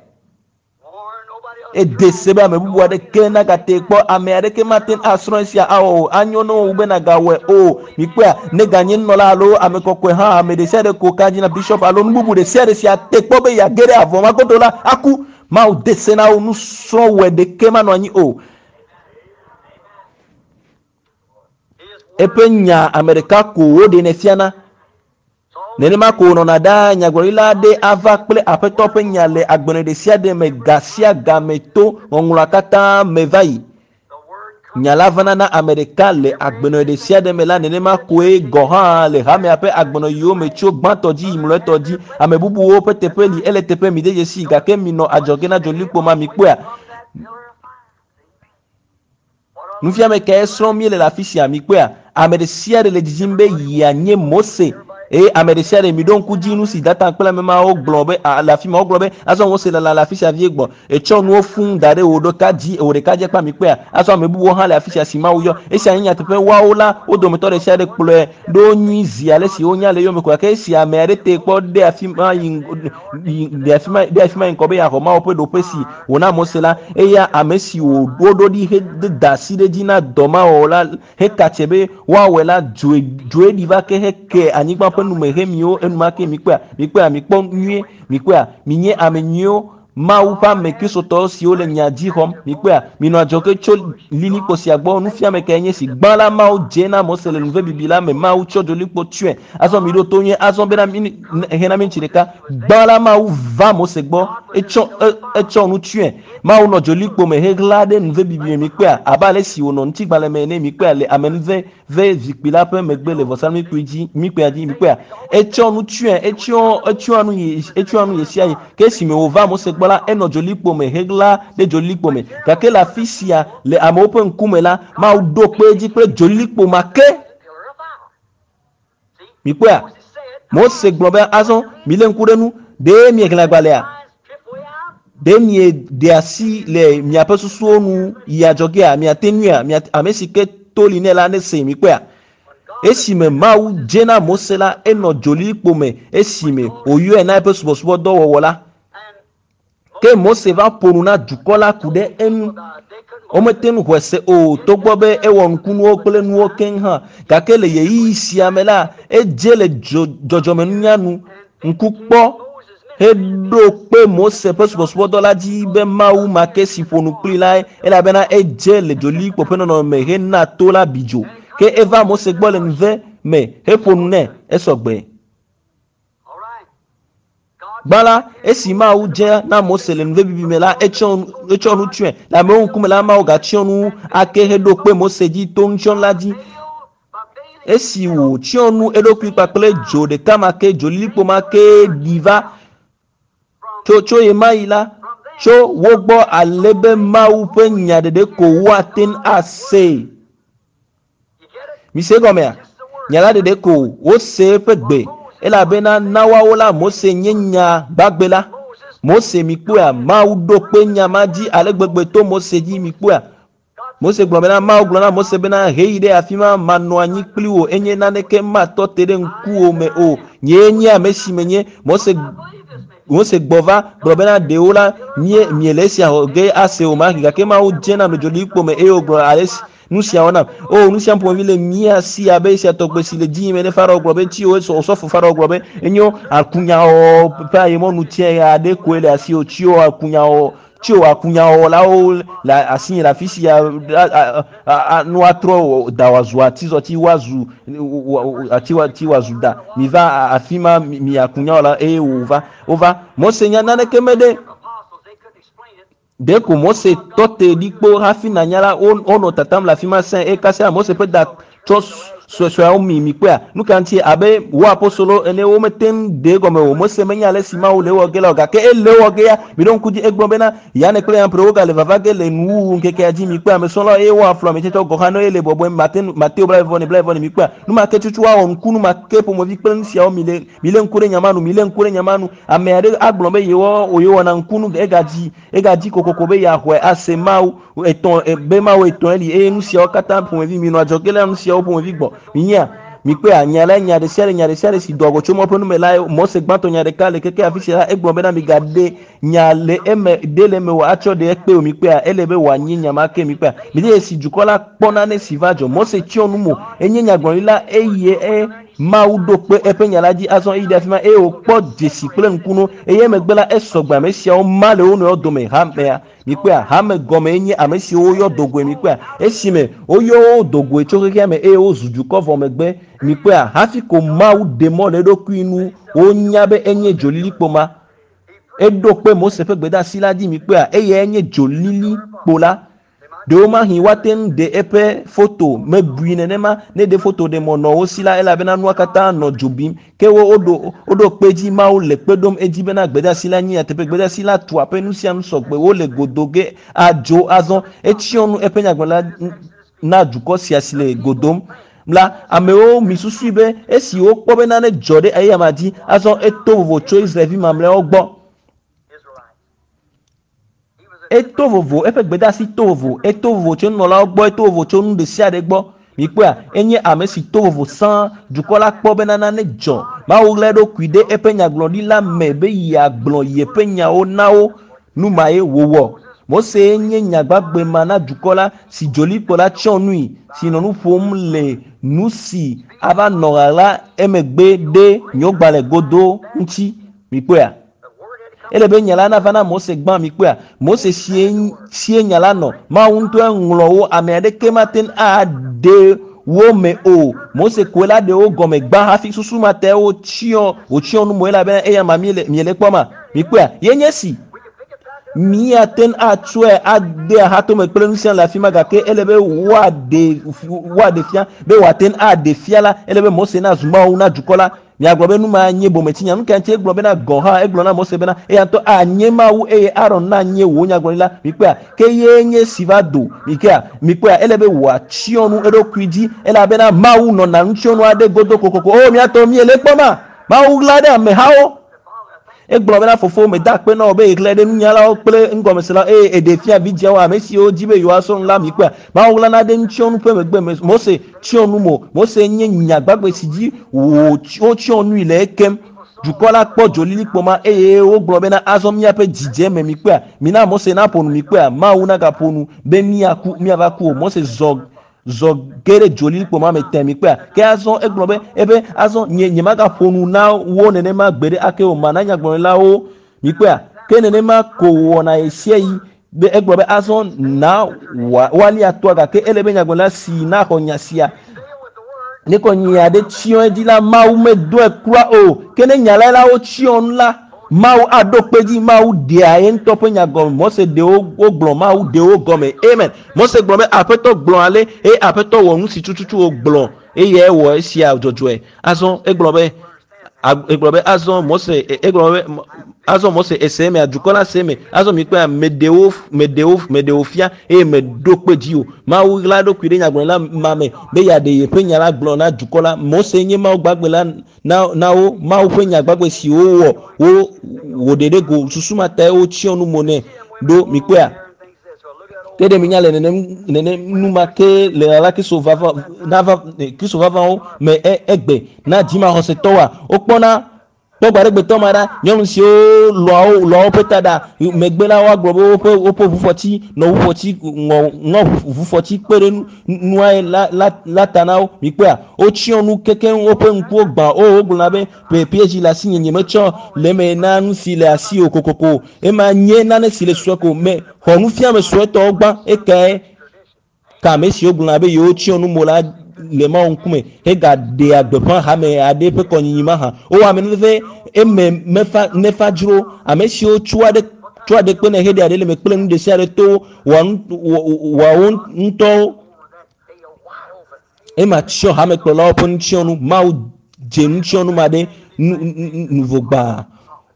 [SPEAKER 1] Ede se be ame bubu aɖeke nagate kpɔ ame aɖeke mate ŋu asrɔ̃ esia awɔ o. Anyo na wò wu be nàgawɔe o. Mikpɔea, ne ganye nunɔla alo ame kɔkɔe hã, ame ɖesiaɖe ko ka dzi na bishop alo nu bubu ɖesiaɖe si ate kpɔ be yeage ɖe avɔ ma godo la, aku. Mawu de se na wo, nusrɔ̃wɔe ɖeke manɔ anyi o. Eƒe nya ame ɖeka ko woɖenɛ fiana. Nenema ko wònɔna ɖaa, nyagblɔɖila aɖe ava kple Aƒetɔ ƒe nya le agbenɔɣi ɖesiaɖe me ga sia ga me to ŋɔŋlɔa katã me va yi. Nya la vana na ame ɖeka le agbenɔɣi ɖesiaɖe me la, nenema koe gɔ̃ hã le hamea ƒe agbenɔɣiwo me tso gbãtɔ dzi yi mlɔetɔ dzi. Ame bubuwo ƒe teƒe li, ele teƒe, mide dzesii, gake minɔ adzɔge na dzolilikpo ma, mikpɔea? Nufiame kae srɔ̃m míele le afi sia? Mikpɔea? Ame ɖe sia ɖe le didim be yeanye Mose. Eye ame ɖe sia ɖe, miɖo ŋku dzi nu si Datan kple ame mawo gblɔ be, a, le afi ma. Wogblɔ be, Azɔ Mose lala le afi sia vie gbɔ. Ètsɔ nuwo fũu da ɖe wò ɖeka dzi, wò ɖeka dzi kpa. Mikpɔea? Azɔ ame bubuwo hã le afi sia si Mawu yɔ. Esia nye nyateƒe. Woawo la, wo dometɔ ɖe sia ɖe kplɔe ɖo nyui zi ale si wonya le eyome ko. Gake esi ame aɖe tee kpɔ ɖe afi ma yi, yi, ɖe afi ma, ɖe afi ma yi ŋkɔ be yeaxɔ Mawu ƒe ɖoƒe si wòna Mose la, eya ame si wòɖo ɖi heda asi ɖe edzi na dɔ ma wɔwɔ la heka tse be woawɔe la, dzoe, dzoe ɖi va ke heke anyigba ƒe nume hemi wo enumake. Mikpɔea? Mikpɔea? Mikpɔ nyuie. Mikpɔea? Minye ame nyuiwo, Mawu ƒe ame Kristotɔ siwo le nya dzi xɔm. Mikpɔea? Minɔ adzɔge tso lilikpo sia gbɔ. Nufiame kae nye esi? Gbã la, Mawu dze na Mose le nuvebibi la me. Mawu tsɔ dzolilikpo tsyɔe. Azɔ miɖo to nyuie. Azɔ bena mi, hena miniti ɖeka. Gbã la, Mawu va Mose gbɔ. Etsɔ, e, etsɔ nu tsyɔe. Mawu nɔ dzolikpo me heɣla ɖe nuvebibi me. Mikpɔea? Abe ale si wònɔ ŋutigbalẽ me ene. Mikpɔea? Le amenuve ve zikpui la ƒe megbe le vɔsamlekpui dzi. Mikpɔea dzi? Mikpɔea? Etsɔ nu tsyɔe. Etsyɔ, etsyɔa nu yi, etsyɔa nu ɣesiaɣi. Ke esime wòva Mose gbɔ la, enɔ dzolikpo me heɣla ɖe dzolikpo me. Gake le afi sia, le amewo ƒe ŋkume la, Mawu ɖo kpe edzi kple dzolikpo ma ke. Mikpɔea? Mose gblɔ be, Azɔ milé ŋku ɖe nu. Ɖe miexlẽ agbalẽa? Ɖe mieɖe asi le miaƒe susuwo nu yi adzɔgea? Miate ŋuia? Mia, ame si ke to li nɛ la nesee. Mikpɔea? Esime Mawu dze na Mose la, enɔ dzolilikpo me esime wòyɔe na eƒe subɔsubɔdɔ wɔwɔ la. Ke Mose va ƒo nu na dukɔ la ku ɖe eŋu. Womete ŋu xɔe se o, togbɔ be ewɔ nukunuwo kple nuwo keŋ hã. Gake le ɣeyiɣi sia me la, edze le dzɔdzɔmenunya nu ŋku kpɔ heɖo kpe Mose ƒe subɔsubɔdɔ la dzi be Mawu ma ke si ƒo nu kplii lae, elabena edze le dzolilikpo ƒe nɔnɔme me hena to la bi dzo. Ke eva Mose gbɔ le ŋuve me heƒo nu nɛ esɔ gbe. Gbã la, esi Mawu dze na Mose le nuvebibi me la, etsɔ etsɔ nu tsyɔe. Le amewo ŋkume la, Mawu gatsyɔ nu ake heɖo kpe Mose dzi to nutsyɔnu la dzi. Esi wòtsyɔ nu eɖokui kpakple dzo ɖeka ma ke, dzolilikpo ma ke ɖi va tso tso ɣemaɣi la, tso wo gbɔ ale be Mawu ƒe nya ɖeɖe ko woate ŋu asee. Mise egɔmea? Nya la ɖeɖe ko wose eƒe gbe, elabena na woawo la Mose nye nya gbagbe la. Mose, mikpɔea, Mawu ɖo kpe nya ma dzi ale gbegbe to Mose dzi, mikpɔea. Mose gblɔ bena, Mawu gblɔ na Mose bena, heyi ɖe afi ma, manɔ anyi kpli wò, enye naneke matɔ te ɖe ŋkuwò me o. Nyee nye ame si menye. Mose Mose gbɔ va gblɔ bena ɖewo la mie miele esia xɔ ge ase o ma gake Mawu dze nam le dzolilikpo me eye wògblɔ ale si nu siawo nam. O nu sia ƒomevi le mía si abe esia tɔgbe si le dzi yim ene. Farao gblɔ be tsi wo osɔfo Farao gblɔ be enyo akunyawɔwɔ ƒe ayemɔnu tsɛ aɖe koe le asiwò tsi wo akunyawɔwɔ tsi wo akunyawɔlawo le asinye le afi sia nu atrɔ da wòazu atizɔti woazu ati wòazu da miva afi ma mi akunyawɔla eye wòva wova Mose nya naneke meɖe ɖeko Mose tɔ te ɖi kpo hafi nanya la wonɔ tatam le afi ma sẽ eye kasia Mose ƒe da tsɔ suesueawo mi mi kpɔea nu ka ŋuti abe wo apostolo ene womete ŋu de egɔme o Mose menya ale si Mawu le ewɔ ge la o gake ele ewɔ ge ya mi ɖo ŋku dzi egblɔ bena Yane kple Yampre wogale vava ge le nuwuwu ŋkekea dzi mi kpɔe ame srɔ̃lawo eye woaflu ame tsɛtsɛwo gɔ̃ hã ne ele bɔbɔe Mateo 29 mi kpɔea nu ma ke tutu woawɔ ŋku nu ma ke ƒomevi kple nu siawo mi le mi lé ŋku ɖe nya ma nu mi lé ŋku ɖe nya ma nu ame aɖe agblɔ be yewo yewɔna ŋkunu egadzi egadzi kokoko be yeaxɔe ase Mawu etɔ̃ be Mawu etɔ̃e li eye nu siawo katã ƒomevi mi nɔ adzɔge le nu siawo ƒomevi gbɔ minyia mikpɔea nya la nya ɖe sia ɖe nya ɖe sia ɖe si doa go tso Mawu ƒe nume la Mose gbãtɔ nya ɖeka le keke afi sia la egblɔ bena migaɖe nya le eme ɖe le eme o atsɔ ɖe ekpe o mikpɔea ele be wòanyi nya ma ke mikpɔea mi de esi dukɔ la kpɔ nane si va dzɔ Mose tsyɔ nu mo enye nyagblɔɖila eye e Mawu ɖo kpe eƒe nya la dzi azɔ eyi ɖe afi ma eye wòkpɔ dzesi kple ŋkunuwo eye emegbe la esɔgbe ame siawo ma le wo nɔewo dome hamea mikpɔea hame gɔme nye ame siwo woyɔ dogoe mikpɔea esime woyɔ wo dogoe tso xexea me eye wozu dukɔ vɔ megbe mikpɔea hafi ko Mawu ɖe mɔ le eɖokui nu wonya be enye dzolilikpo ma eɖo kpe Mose ƒe gbedeasi la dzi mikpɔea eyae nye dzolilikpo la ɖewomahi woate ŋu ɖe eƒe foto mebui nenema ne ɖe foto ɖe mɔ nɔ wo si la elabena nua katã nɔ dzo bim ke wo woɖo woɖo kpe dzi Mawu le kpe ɖom edzi bena gbedeasi la nye nyateƒe gbedeasi la tu aƒe nu sia nu sɔgbe wole godo ge adzo azɔ etsyɔ nu eƒe nyagblɔla na dukɔ sia si le godom la amewo mi susui be esi wokpɔ be nane dzɔ ɖe eyama dzi azɔ eto vovo tso Israelvi mamlɛawo gbɔ eto vovo eƒe gbedeasi to vovo eto vovo tso nunɔlawo gbɔ eto vovo tso nu ɖe sia ɖe gbɔ mikpɔea enye ame si to vovo sãa dukɔ la kpɔ bena nane dzɔ Mawu ɣla eɖokui ɖe eƒe nyagblɔɖila me be yeagblɔ yeƒe nyawo na wo nu ma ye wòwɔ Mose nye nyagbagbe ma na dukɔ la si dzolikpo la tsyɔ nui si nɔ nu ƒom le nu si ava nɔ ɣaɣla emegbe ɖe nyogbalẽ godo ŋuti mikpɔea ele be nya la nava na Mose gbã mikpɔea Mose sie nya la nɔ Mawu ŋutɔe ŋlɔ wo ame aɖeke mate ŋu aɖe wo me o Mose koe la ɖe wo gɔme gbã hafi susu ma ta wotsyɔ wòtsyɔ nu mo elabena eya ma miele kpɔ ma mikpɔea ye nye si míate ŋu atsɔe ade ahatome kple nu sia le afi ma gake ele be woaɖe fia be wòate ŋu aɖe fia la ele be Mose nazu Mawu na dukɔ la miagblɔ be nu ma nye bometsinya nu ka ŋuti egblɔ bena gɔ̃ hã egblɔ na Mose bena eya ŋutɔ anye Mawu eye Aron nanye wò nyagblɔɖila mikpɔea ke ye nye si va do mikpɔea mikpɔea ele be wòatsyɔ nu eɖokui dzi elabena Mawu nɔna nutsyɔnu aɖe godo kokoko o miatɔ miele kpɔ ma Mawu ɣla ɖe amehawo egblɔ bena fofo meda akpe na wò be yeɣlae ɖe nunyalawo kple ŋgɔmeselawo eye eɖe fia vidziawo ame siwo dzi be yewoasrɔ̃ nu la mikpɔea Mawu ɣlana ɖe nutsyɔnu ƒe megbe Mose tsyɔ nu mo Mose nye nya gbagbe si dzi wotsyɔ nui le ekem dukɔ la kpɔ dzolilikpo ma eye wogblɔ bena azɔ míaƒe dzidze me mikpɔea mina Mose naƒo nu mikpɔea Mawu nagaƒo nu be míaku míava ku o Mose zɔ ge ɖe dzolilikpo ma me tẽ mikpɔea ke azɔ egblɔ be ebe azɔ nye nyemagaƒo nu na wo nenema gbe ɖe ake o mana nyagblɔɖilawo mikpɔea ke nenema ko wɔna ɣe sia ɣi be egblɔ be azɔ na woalia toa gake ele be nyagblɔɖila si naxɔ nya sia ne kɔ nya ɖe tsyɔ edzi la Mawu medoe kura o ke ne nya la la wotsyɔ nu la Mawu aɖo kpe dzi Mawu ɖea ye ŋutɔ ƒe nya gɔme Mose ɖe wogblɔ Mawu ɖe wo gɔme amen Mose gblɔ be Aƒetɔ gblɔ ale eye Aƒetɔ wɔ nu si tututu wògblɔ eye ewɔ esia dzɔdzɔe azɔ egblɔ be azɔ Mose egblɔ be azɔ Mose ese eme dukɔ la se eme azɔ mikpɔe meɖewo fia eye meɖo kpe dzi o Mawu ɣla eɖokui ɖe nyagblɔɖila ma me be yeaɖe yeƒe nya la gblɔ na dukɔ la Mose nye Mawu gbagbe la na wo Mawu ƒe nya gbagbe si wowɔ wo wòɖe ɖe go susu ma tae wotsyɔ nu mo nɛ ɖo mikpɔea ke ɖe minya le nenem nu ma ke le ɣaɣla Kristo vavawo me egbe na dzimaxɔsetɔwoa wokpɔna Kpɔ gbaɖegbetɔ ma ɖa, nyɔnu siwo lɔa wo lɔa woƒe ta ɖa megbe la woagblɔ be woƒe woƒe ʋufɔti nɔ ʋufɔti ŋɔ ŋɔ ʋufɔti kpe ɖe nua la la la ta na wo. Mikpɔea, wotsyɔ nu kekeŋ woƒe ŋkuwo gbã. O wogblɔna be PSG le asinye nye metsɔ le eme na nu si le asiwò kokoko. Ema nye nane si le sue ko me xɔ nufiame suetɔwo gbã ekae Ke ame siwo gblɔna be yewotsyɔ nu mo la le Mawu ŋkume hegaɖea gbeƒã hame aɖe ƒe kɔnyinyi mahã. Wowɔ amenuveve eme mefa nefa dzro. Ame siwo tsɔa ɖe tsɔa ɖe kpenɛ heɖea ɖe le eme kple nu ɖesiaɖe to wɔa nu wɔa wo ŋutɔwo. Ema tsyɔ hamekplɔlawo ƒe nutsyɔnu. Mawu dze nutsyɔnu ma ɖe nu nuvo gbã.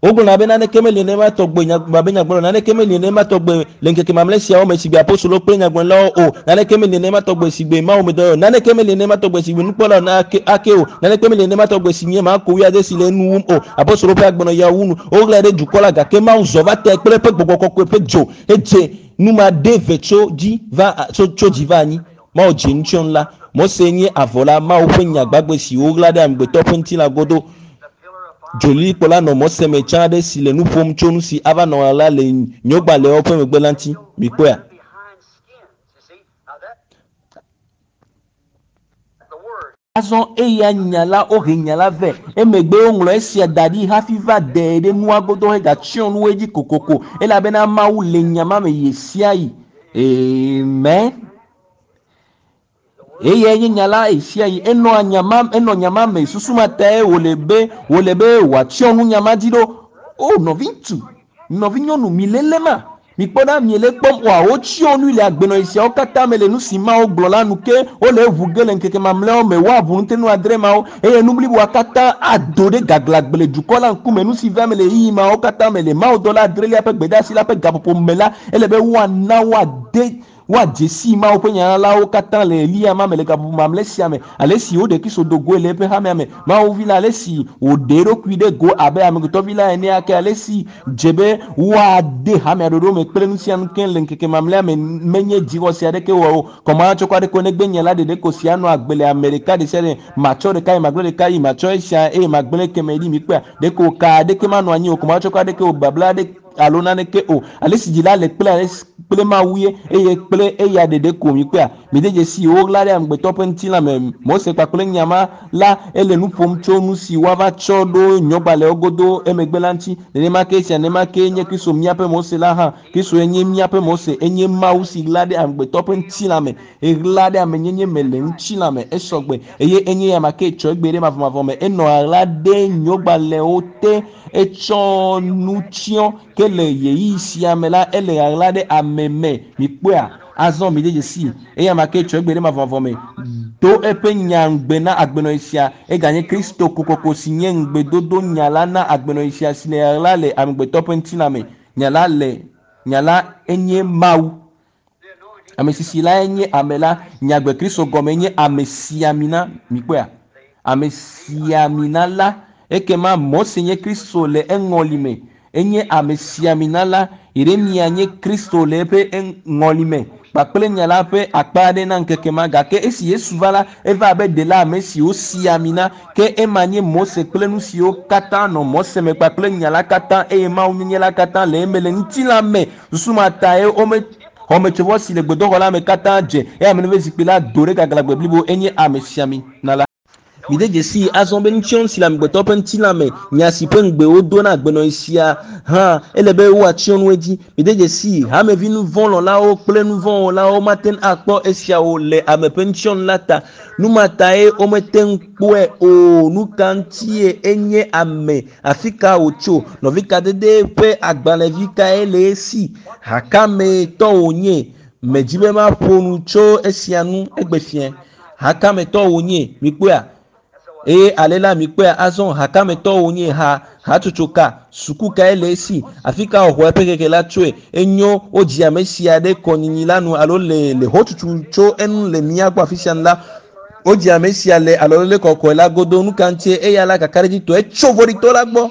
[SPEAKER 1] Wogblɔna be naneke meli nenema tɔgbe abe nyagblɔɖila, naneke meli nenema tɔgbe le ŋkeke mamlɛ siawo me sigbe apostolowo kple nyagblɔɖilawo o, naneke meli nenema tɔgbe sigbe Mawu medɔyɔ o, naneke meli nenema tɔgbe sigbe nukpɔla ake ake o, naneke meli nenema tɔgbe si nye Marko wuiade si le enu wum o. Apostolowo ƒe agbenɔɣia wu nu. Woɣlae ɖe dukɔ la, gake Mawu zɔ va tae kple eƒe gbɔgbɔ kɔkɔe ƒe dzo hedze nu ma ɖe ve tso dzi va tso tso dzi va anyi. Mawu dze nutsyɔnu la. Mose nye avɔ la, Mawu ƒe nya gbagbe si woɣla ɖe amegbetɔ ƒe ŋutilã godo. Dzolilikpɔ la nɔ Mose me tsã aɖe si le nu ƒom tso nu si ava nɔ ɣaɣla le nyogbalẽawo ƒe megbe la ŋuti. Mikpɔea? Azɔ eya nya la, wohe nya la vɛ. Emegbe woŋlɔ esia da ɖi hafi va dee ɖe nua godo hegatsyɔ nu edzi kokoko, elabena Mawu le nya ma me ɣesiaɣi. Amen. Eyae nye nya la ɣesiaɣi. Enɔa nya ma, enɔ nya ma me. Susu ma tae wòle be, wòle be wòatsyɔ nu nya ma dzi ɖo. O, nɔviŋutsu, nɔvinyɔnu, mile lé ma? Mikpɔ ɖa, miele ekpɔm oa? Wotsyɔ nui le agbenɔɣi siawo katã me le nu si Mawu gblɔ la nu. Ke wole eʋu ge le ŋkeke mamlɛawo me. Woaʋu ŋutinu adre mawo, eye nu bliboa katã ado ɖe gaglãgbe le dukɔ la ŋkume. Nu si va eme le ɣeyiɣi mawo katã me le mawudɔla adrelia ƒe gbedeasi la ƒe gaƒoƒo me la, ele be woana woade Woadze sii Mawu ƒe nyanalawo katã le ɣeyiɣia ma me le gaƒoƒo mamlɛ sia me, ale si wòɖe Kristo do goe le eƒe hamea me, Mawu Vi la, ale si wòɖe eɖokui ɖe go abe Amegbetɔvi la ene ake, ale si dze be woade hamea ɖoɖo me kple nusianu keŋ le ŋkeke mamlɛa me menye dzixɔse aɖeke wɔ o, kɔmahatsɔkɔ aɖeke o negbe Nye la ɖeɖe ko si anɔ agbe le ame ɖeka ɖesiaɖe me, matsɔ ɖeka eye magblẽ ɖeka ɣi, matsɔ esia eye magblẽ ekemɛ ɖi. Mikpɔea? Ɖeko ka aɖeke manɔ anyi o, kɔmahatsɔkɔ aɖeke o, babla aɖeke. alo naneke o. Ale si dzila le kple ale si kple Mawu ye, eye kple eya ɖeɖe ko mikpɔea? Mide dzesii, woɣla ɖe amegbetɔ ƒe ŋutilã me. Mose kpakple nya ma la, ele nu ƒom tso nu si woava tsɔ ɖo nyɔgbalẽwo godo emegbe la ŋuti. Nenema ke esia, nenema kee nye Kristo, míaƒe Mose la hã. Kristoe nye míaƒe Mose. Enye Mawu si ɣla ɖe amegbetɔ ƒe ŋutilã me. Eɣla ɖe amenyenye me le ŋutilã me. Esɔ gbe. Eye enye eyama ke tsɔ egbe ɖe mavɔmavɔ me. Enɔ ɣaɣla ɖe nyɔgbalẽwo te. Etsɔ nu tsyɔ ke le ɣeyiɣi sia me la, ele ɣaɣla ɖe ame me. Mikpɔea? Azɔ mide dzesii. Eyama ke tsɔ egbe ɖe mavɔmavɔ me do eƒe nya ŋugbe na agbenɔɣi sia. Eganye Kristo kokoko si nye ŋugbedodo nya la na agbenɔɣi sia si le ɣaɣla le amegbetɔ ƒe ŋutilã me. Nya la le, nya la enye Mawu. Ame sisi lae nye ame la. Nyagbe Kristo gɔme nye amesiamina. Mikpɔea? Amesiamina la. Ekema Mose nye Kristo le eŋɔli me. Enye amesiamina la. Yeremia nye Kristo le eƒe ŋɔli me kpakple nya la ƒe akpa aɖe na ŋkeke ma. Gake esi Yesu va la, eva abe ɖela ame si wosi ami na. Ke ema nye Mose kple nu siwo katã nɔ Mose me kpakple nya la katã eye Mawunyenye la katã le eme le ŋutilã me. Susu ma tae wome xɔmetsovɔ si le gbedoxɔ la me katã dze, eye amenuveve zikpui la do ɖe gaglãgbe blibo enye amesiamina la. Mide dzesii azɔ be nutsyɔnu si le amegbetɔ ƒe ŋutilã me, nya si ƒe ŋugbe wodo na agbenɔɣi sia hã, ele be woatsyɔ nu edzi. Mide dzesii, hamevi nuvɔ̃lɔ̃lawo kple nuvɔ̃wɔlawo mate ŋu akpɔ esia o le ame ƒe nutsyɔnu la ta. Nu ma tae womete ŋu kpɔe o. Nu ka ŋutie enye ame? Afi ka wòtso? Nɔvikadede ƒe agbalẽvi kae le esi? Ha ka mee tɔ wònye? Medi be maƒo nu tso esia ŋu egbe fiẽ. Ha ka me tɔ wònye? Mikpɔea? Eye ale la, mikpɔea azɔ, ha ka me tɔ wònye? Ha, hatsotso ka? Suku kae le esi? Afi ka wòxɔ eƒe hehe la tsoe? Enyo, wodzi ame sia ɖe kɔnyinyi la nu alo le, le xotutu tso enu le mía gbɔ afi sia nu la, wodzi ame sia le alɔlele kɔkɔe la godo. Nu ka ŋutie? Eya la kakaɖedzitɔe tso vɔ̃ɖitɔ la gbɔ.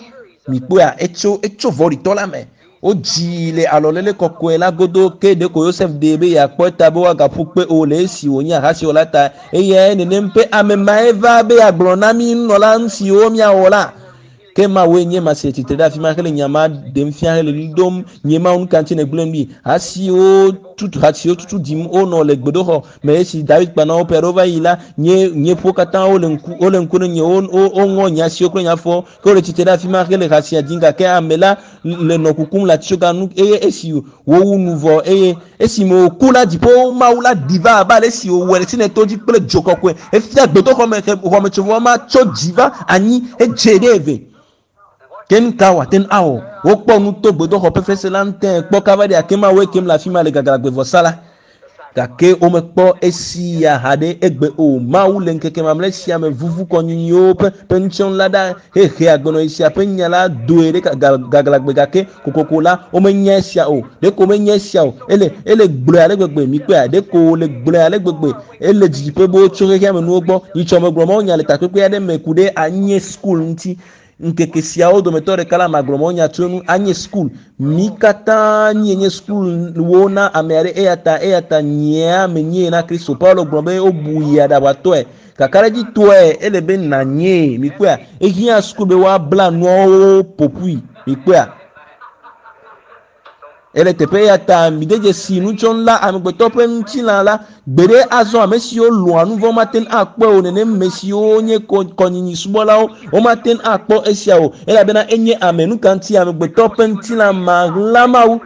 [SPEAKER 1] Mikpɔea? Etso, etso vɔ̃ɖitɔ la me. Wodzii le alɔlele kɔkɔe la godo, ke ɖeko Yosef ɖee be yeakpɔ eta be woagaƒu kpe o le esi wònye ahasiwɔla ta. Eyae nenem ƒe ame mae va be yeagblɔ na mí nunɔla nu siwo míawɔ la. Ke Mawue nye ma si le tsitre ɖe afi ma hele nya ma ɖem fia hele ɣli dom, Nye Mawu, nu ka ŋuti nègblẽm ɖi? Ha siwo tutu ha siwo tutu ɖim wonɔ le gbedoxɔ me esi David kpa na wo ƒe aɖewo va yi la, nye nye ƒuwo katã wole ŋku wole ŋku ɖe nye wo wo woŋɔ nye asiwo kple nye afɔwo. Ke wole tsitre ɖe afi ma hele ha sia dzim gake ame la le nɔ kukum le atitsoga nu eye esi wowu nu vɔ eye esime wòku la dziƒowo Mawu la ɖi va abe ale si wòwɔe le Sinai to dzi kple dzo kɔkɔe hefia gbedoxɔ me xɔmetsovɔ ma tso dzi va anyi hedze ɖe eve. Ke nu ka wòate ŋu awɔ? Wokpɔ nu to gbedoxɔ ƒe fesre la ŋu tẽe kpɔ kaba ɖe ake Mawue kem le afi ma le gaglãgbevɔsa la. Gake womekpɔ esia haɖe egbe o. Mawu le ŋkeke mamlɛ sia me vuvu kɔnyinyiwo ƒe ƒe nutsyɔnu la ɖa hehe agbenɔɣi sia ƒe nya la doe ɖe gaglãgbe gake kokoko la, womenya esia o. Ɖeko womenya esia o. Ele, ele gblɔe ale gbegbe, mikpɔea? Ɖeko wòle gblɔe ale gbegbe. Ele didiƒe boo tso xexea me nuwo gbɔ. Nyitsɔ megblɔ mawunya le takpekpe aɖe me ku ɖe anye school ŋuti. Ŋkeke siawo dometɔ ɖeka la, magblɔ mawunya tso enu. Anye school. Mí katã míenye sukuwo na ame aɖe, eya ta eya ta nyea menyee na Kristo. Paulo gblɔ be wobu yi aɖaʋatɔe. Kakaɖedzitɔe ele be nànyee. Mikpɔea? Ehiã suku be woabla nuawo ƒoƒui. Mikpɔea? Ele teƒe eya ta mide dzesi nutsɔnu la, amegbetɔ ƒe ŋutilã la, gbeɖe azɔ ame siwo lɔ̃a nu vɔ̃ mate ŋu akpɔe o, nenem me siwo nye kɔnyinyi subɔlawo womate ŋu akpɔ esia o, elabena enye ame. Nu ka ŋuti amegbetɔ ƒe ŋutilã maɣla Mawu?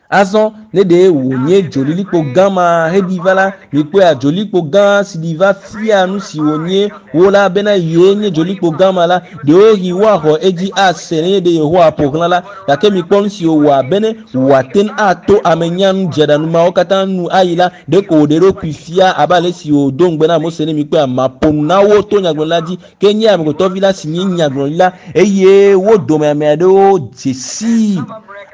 [SPEAKER 1] Azɔ ne ɖe wònye dzolilikpo gã ma heɖi va la, mikpɔea, dzolilikpo gã si ɖi va fia nu si wònye wo la bena yee nye dzolilikpo gã ma la, ɖewohĩ woaxɔ edzi ase nenye ɖe Yehowa ƒo xlã la. Gake mikpɔ nu si wòwɔ bene wòate ŋu ato ame nyanu dzeɖanu mawo katã nu ayi la, ɖeko wòɖe eɖokui fia abe ale si wòdo ŋugbe na Mose ene. Mikpɔea, maƒo nu na wo to nyagblɔɖila dzi, ke nye Amegbetɔvi la si nye nyagblɔɖila, eye wo dome ame aɖewo dze sii.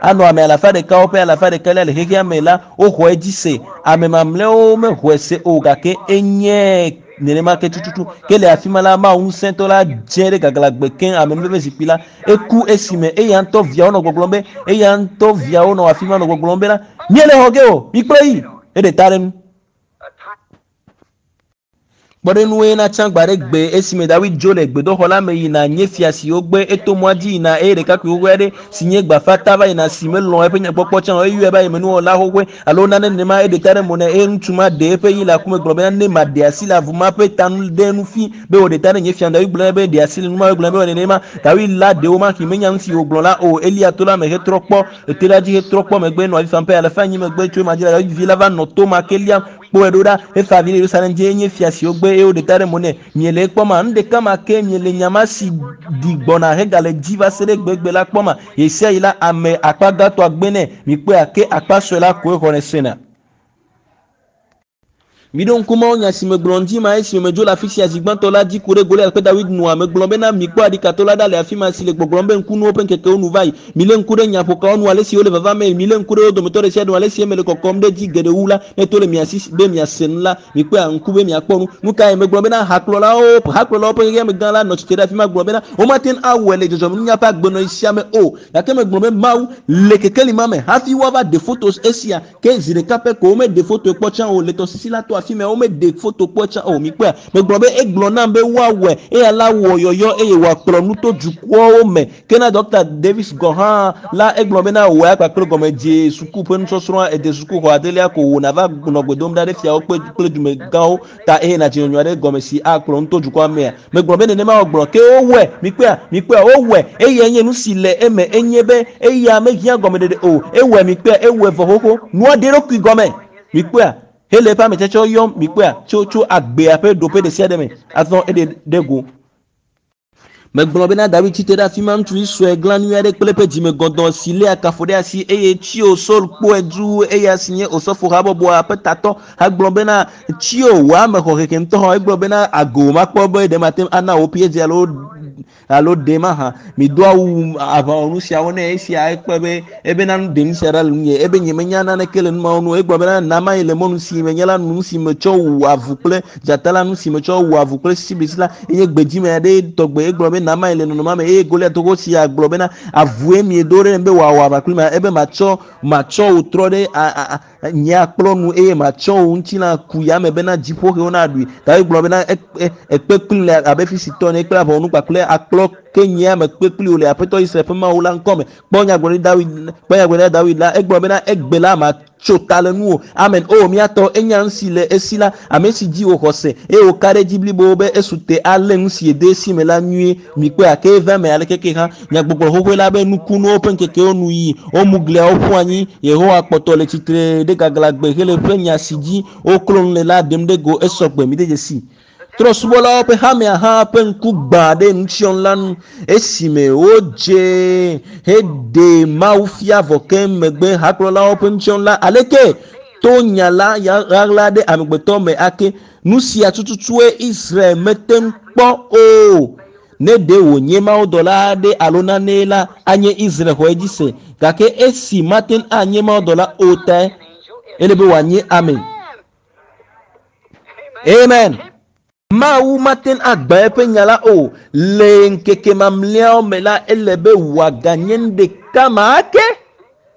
[SPEAKER 1] Anɔ ame alafa ɖekawo ƒe alafa ɖeka le xexea me la, woxɔ edzi se. Ame mamlɛawo mexɔe se o, gake enye nenema ke tututu. Ke le afi ma la, Mawu ŋusẽtɔ la dze ɖe gaglãgbe keŋ amenuveve zikpui la. Eku esime eya ŋutɔ viawo nɔ gbɔgblɔm be, eya ŋutɔ viawo nɔ afi ma nɔ gbɔgblɔm bena, Míele xɔ ge o, mikplɔe yi! Eɖe ta ɖe nu. Kpɔɖeŋue na tsã gbe aɖe gbe esime Dawid dzo le gbedoxɔ la me yina nye fia si wogbe eto mɔa dzi yina eye ɖekakpui xoxoe aɖe si nye gbafata va yina si melɔ̃ eƒe nyakpɔkpɔ tsã o eyɔe be ayemenuwɔla xoxoe alo nane nenema eɖe ta ɖe mo nɛ eye ŋutsu ma ɖe eƒe yi le aku me gblɔ bena ne maɖe asi le avu ma ƒe ta nu ɖe nu fi be wòɖe ta ɖe nye fia Dawid gblɔ nɛ be ɖe asi le nu ma egblɔ nɛ be wɔ nenema Dawid la ɖe womaxi menya nu si wògblɔ la o Elia to la me hetrɔ kpɔ ete la dzi hetrɔ kpɔ megbe nɔ avi fam ƒe alafa enyi megbe tso ema dzi la Dawid vi la va nɔ to ma ke liam Kpɔe ɖo ɖa, efa avi ɖe Yerusalem dzi, enye fia si wogbe eye woɖe ta ɖe mo nɛ. Miele ekpɔma? Nu ɖeka ma ke miele nya ma si ɖi gbɔna hegale dzi va se ɖe egbegbe la kpɔma? Ɣesiaɣi la, ame akpa gãtɔa gbenɛ. Mikpɔea? Ke akpa sue la koe xɔnɛ sena. Miɖo ŋku mawunya si megblɔ ŋdi ma esime medzo le afi sia zi gbãtɔ la dzi ku ɖe Goliat kple Dawid nua? Megblɔ bena, Mikpɔ aɖikato la ɖa le afi ma si le gbɔgblɔm be ŋkunuwo ƒe ŋkekewo nu va yi. Milé ŋku ɖe nyaƒokawo ŋu, ale si wole vava mee. Milé ŋku ɖe wo dometɔ ɖe sia ɖe ŋu, ale si eme le kɔkɔm ɖe edzi geɖe wu la. Ne to le mia si be miase nu la, mikpɔe ŋku be miakpɔ nu. Nu kae? Megblɔ bena, Hakplɔlawo, hakplɔlawo ƒe xexeame gã la nɔ tsitre ɖe afi ma gblɔ bena, womate ŋu awɔe le dzɔdzɔmenunya ƒe agbenɔɣi sia me o. Gake megblɔ be, Mawu, le kekeli ma me, hafi woava ɖe foto esia, Ke zi ɖeka pɛ ko womeɖe fotoe kpɔ tsã o, le tɔsisi la to afi mɛ, womeɖe foto kpɔ tsã o. Mikpɔea? Megblɔ be, Egblɔ nam be woawɔe, eya la wɔ yɔyɔ eye wòakplɔ nu to dukɔwo me. Ke na Ɖɔkta Davis gɔ̃ hã la, egblɔ bena, Wò ya kpakple gɔmedze suku ƒe nusɔsrɔ̃a, ède sukuxɔ adelia ko wò nàva nɔ gbe dom ɖa ɖe fiawo kple, kple dumegãwo ta eye nàdze nyɔnyɔ aɖe gɔme si akplɔ nu to dukɔa mea? Megblɔ be nenema wògblɔ, ke wowɔe. Mikpɔea? Mikpɔea? Wowɔe. Eyae nye nu si le eme, enye be eya mehiã gɔmeɖeɖe o. Ewɔe. Mikpɔea? Ewɔe vɔ xoxo. Nua ɖe eɖokui gɔme. Mikpɔea? Hele eƒe ametsetsɛwo yɔm. Mikpɔea? Tso, tso agbea ƒe ɖoƒe ɖesiaɖe me. Azɔ eɖe ɖe go. Megblɔ bena Dawid tsi te ɖe afi ma, ŋutsuvi sue glanui aɖe kple eƒe dzime gɔdɔ̃ si léa kafo ɖe asi, eye tsio Saul kpɔe duu, eya si nye osɔfo habɔbɔa ƒe tatɔ, hegblɔ bena, Tsio, wò ame xɔ hehe ŋutɔ hã. Egblɔ bena, Ago makpɔ be ɖe mate ŋu ana wò PhD alo alo ɖe mahã. Mido awu aʋawɔnu siawo nɛ. Esia ekpɔe be ebena nu ɖe nu sia ɖa le nunye. Ebe nyemenya naneke le nu mawo ŋu o. Egblɔ bena, Na mayi le mɔnu si menye la nu, nu si metsɔ wu avu kple dzata la, nu si metsɔ wu avu kple sisiblisi la, enye gbedzime aɖe tɔgbe. Egblɔ be, nama le nɔnɔma me eye Goliat xoxo sia gblɔ bena avue miedo ɖe be wòawɔ aʋa kpli ma ebe matsɔ matsɔ wò trɔ ɖe a a nye akplɔ nu eye matsɔ wò ŋutilã ku yame bena dziƒoxewo naɖui. David gblɔ bena ekpe kpli le abe Filistitɔ ene kple aʋawɔnu kpakple akplɔ ke nyea mekpe kpli wò le Aƒetɔ Israel ƒe Mawu la ŋkɔme. Kpɔ nyagblɔɖi Dawid kpɔ nyagblɔɖi Dawid la egblɔ bena egbe la matso ta le nuwò. Amen. O míatɔ enya nu si le esi la ame si dzi wòxɔ se eye wòka ɖe edzi blibo be esu te alé nu si yede esi me la nyuie. Mikpɔe ake eva eme aleke ke hã. Nyagbɔgblɔ xoxoe la be nukunuwo ƒe ŋkekewo nu yi womu gliawo ƒu anyi. Yehowa kpɔtɔ le tsitre ɖe gaglãgbe hele ƒe nya si dzi woklo nu le la ɖem ɖe go esɔgbe. Mide dzesi. Trɔ̃subɔlawo ƒe hamea hã ƒe ŋku gbã ɖe nutsyɔnu la nu esime wodze heɖe Mawu fia vɔ ke megbe hakplɔlawo ƒe nutsyɔnu la aleke to nya la ɣaɣla ɖe amegbetɔ me ake. Nu sia tututue Israel mete ŋu kpɔ o. Ne ɖe wònye mawudɔla aɖe alo nane la, anye Israel xɔ edzi se. Gake esi mate ŋu anye mawudɔla o tae, ele be wòanye ame. Amen. Mawu mate ŋu agbã eƒe nya la o. Le ŋkeke mamlɛawo me la, ele be wòaganye nu ɖeka ma ake.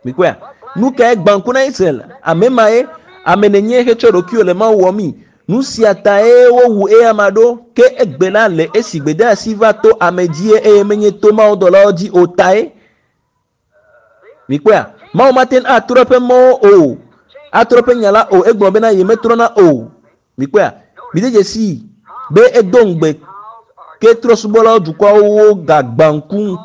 [SPEAKER 1] Mikpɔea? Nu kae gbã ŋku na Israel? Ame ma ye ame nenye hetsɔ ɖokuiwò le Mawu wɔmii. Nu sia tae wowu eyama ɖo ke egbe la le esi gbedeasi va to ame dzie eye menye to mawudɔlawo dzi o tae. Mikpɔea? Mawu mate ŋu atrɔ eƒe mɔwo o. Atrɔ eƒe nya la o. Egblɔ bena yemetrɔna o. Mikpɔea? Mide dzesii be edo ŋugbe ke trɔ̃subɔlawo dukɔawo gagbã ŋku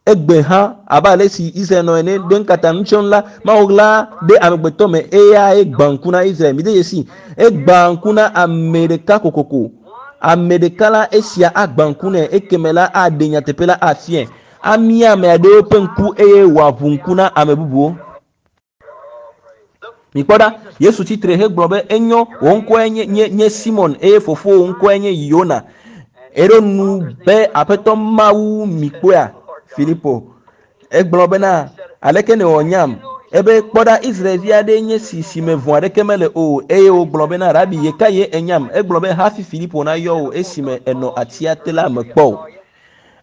[SPEAKER 1] egbe hã abe ale si Israel nɔ ene ɖe ŋkata nutsyɔnu la Mawu ɣla ɖe amegbetɔ me eyae gbã ŋku na Israel. Mide dzesii egbã ŋku na ame ɖeka kokoko. Ame ɖeka la esia agbã ŋku nɛ ekeme la aɖe nyateƒe la afiae. Amia ame aɖewo ƒe ŋku eye wòaʋu ŋku na ame bubuwo. Mikpɔ ɖa, Yesu tsitre hegblɔ be enyo wò ŋkɔe nye nye nye Simon eye fofowò ŋkɔe nye Yona. Eɖo nu be Aƒetɔ Mawu mikpɔea Filipo. Egblɔ bena aleke nèwɔ nyam? Ebe kpɔ ɖa Israelvi aɖee nye si si me vɔ̃ aɖeke mele o eye wògblɔ bena Rabi yeka ye enyam? Egblɔ be hafi Filipo nayɔ wò esime enɔ atia te la mekpɔ o.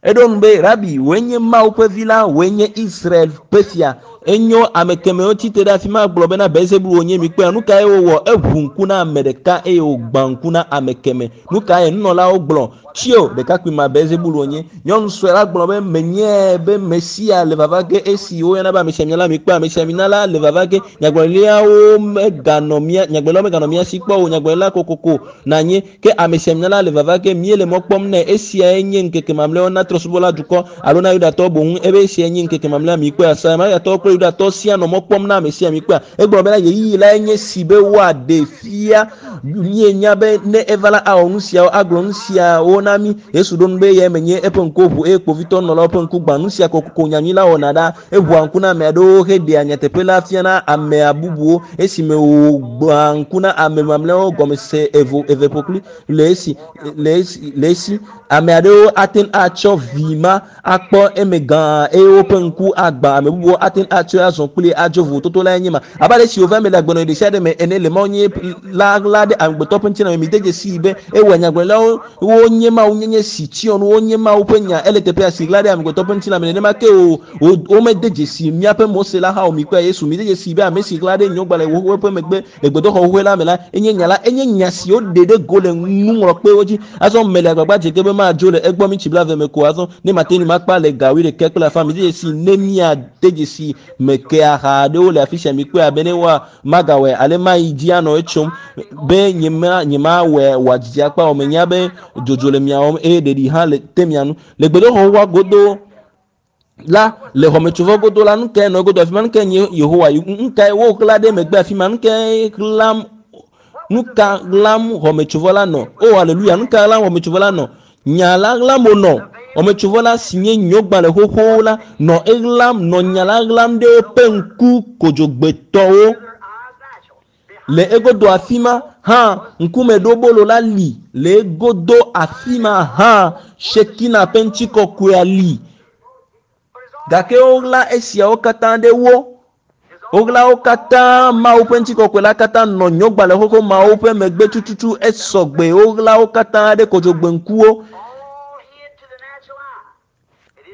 [SPEAKER 1] Eɖo nu be Rabi wòe nye Mawu ƒe vi la wòe nye Israel ƒe fia. Enyo ame kemewo tsitre ɖe afi ma gblɔ bena Belzebul wònye mikpɔea nu kae wowɔ? Eʋu ŋku na ame ɖeka eye wògbã ŋku na ame keme. Nu kae nunɔlawo gblɔ? Tsio ɖekakpui ma Belzebul wònye. Nyɔnu sue la gblɔ be menyae be Mesia le vava ge esi woyɔna be amesiamina la mikpɔe amesiamina la le vava ge. Nyagblɔɖilawo meganɔ mía nyagblɔɖilawo meganɔ mía si kpɔ o. Nyagblɔɖila kokoko nanye ke amesiamina la le vava ge míele mɔ kpɔm nɛ. Esiae nye ŋkeke mamlɛawo na trɔ̃subɔla dukɔ alo na Yudatɔwo boŋ ebe esiae nye ŋkeke mamlɛa mikpɔea. Samariatɔwo kple Yudatɔwo sia nɔ mɔ kpɔm na ame sia mikpɔea. Egblɔ bena ɣeyiɣi lae nye si be woaɖe fia míenya be ne eva la awɔ nu siawo agblɔ nu siawo na mí. Yesu ɖo nu be eyae menye eƒe ŋkuwo ʋu eye kpovitɔ nɔlawo ƒe ŋku gbã. Nu sia kokoko nyanyui la wɔna ɖa. Eʋua ŋku na ame aɖewo heɖea nyateƒe la fia na amea bubuwo esime wògbã ŋku na ame mamlɛawo gɔmesese evo eve ƒokpli le esi le esi le esi ame aɖewo ate ŋu atsɔ vi ma akpɔ eme gã eye woƒe ŋku agbã. Ame bubuwo ate ŋu atsɔe azɔ kpli adzo vovototo lae nye ma. Abe ale si wòva eme le agbenɔɣi ɖe sia ɖe me ene le Mawu nye la ɣla ɖe amegbetɔ ƒe ŋutilã me. Mide dzesii be ewɔ nyagblɔɖilawo wonye Mawu nyenye si tsyɔ nu wonye Mawu ƒe nya ele teƒea si ɣla ɖe amegbetɔ ƒe ŋutilã me. Nenema ke o womede dzesi míaƒe Mose la hã o. Mikpɔe Yesu. Mide dzesii be ame si ɣla ɖe nyɔgbalẽ xoxoe ƒe megbe le gbedoxɔ xoxoe la me la enye nya la. Enye nya si woɖe ɖe go le nuŋlɔkpewo dzi. Azɔ mele agbagba dze ge be madzo le egbɔ mintsi blaeve me ko azɔ ne mate ŋui makpa le ga wuiɖekɛ kple afã. Mide dzesii ne míade dzesi meke aha aɖewo le afi sia mikpɔe abe ne woa magawɔe ale mayi dzi anɔ etsom be nyema nyemawɔe wòadzidzi akpa o. Menya be dzodzo le mia wɔm eye ɖeɖi hã le te mia nu. Le gbedoxɔ xoxoa godo la le xɔmetsovɔ godo la nu kae nɔ egodo afi ma? Nu kae nye Yehowa? Nu kae woɣla ɖe megbe afi ma? Nu kae ɣlam nu ka ɣlam xɔmetsovɔ la nɔ? O aleluya! Nu ka ɣlam xɔmetsovɔ la nɔ? Nya la ɣlam wònɔ. Xɔmetsovɔ la si nye nyɔgbalẽ xoxowo la nɔ eɣlam nɔ nya la ɣlam ɖe woƒe ŋku kodzogbetɔwo. Le egodo afi ma hã ŋkumeɖobolo la li. Le egodo afi ma hã Shekina ƒe ŋutikɔkɔea li. Gake woɣla esiawo katã ɖe wo. Woɣla wo katã Mawu ƒe ŋutikɔkɔe la katã nɔ nyɔgbalẽ xoxo mawo ƒe megbe tututu esɔgbe. Woɣla wo katã ɖe kodzogbe ŋkuwo.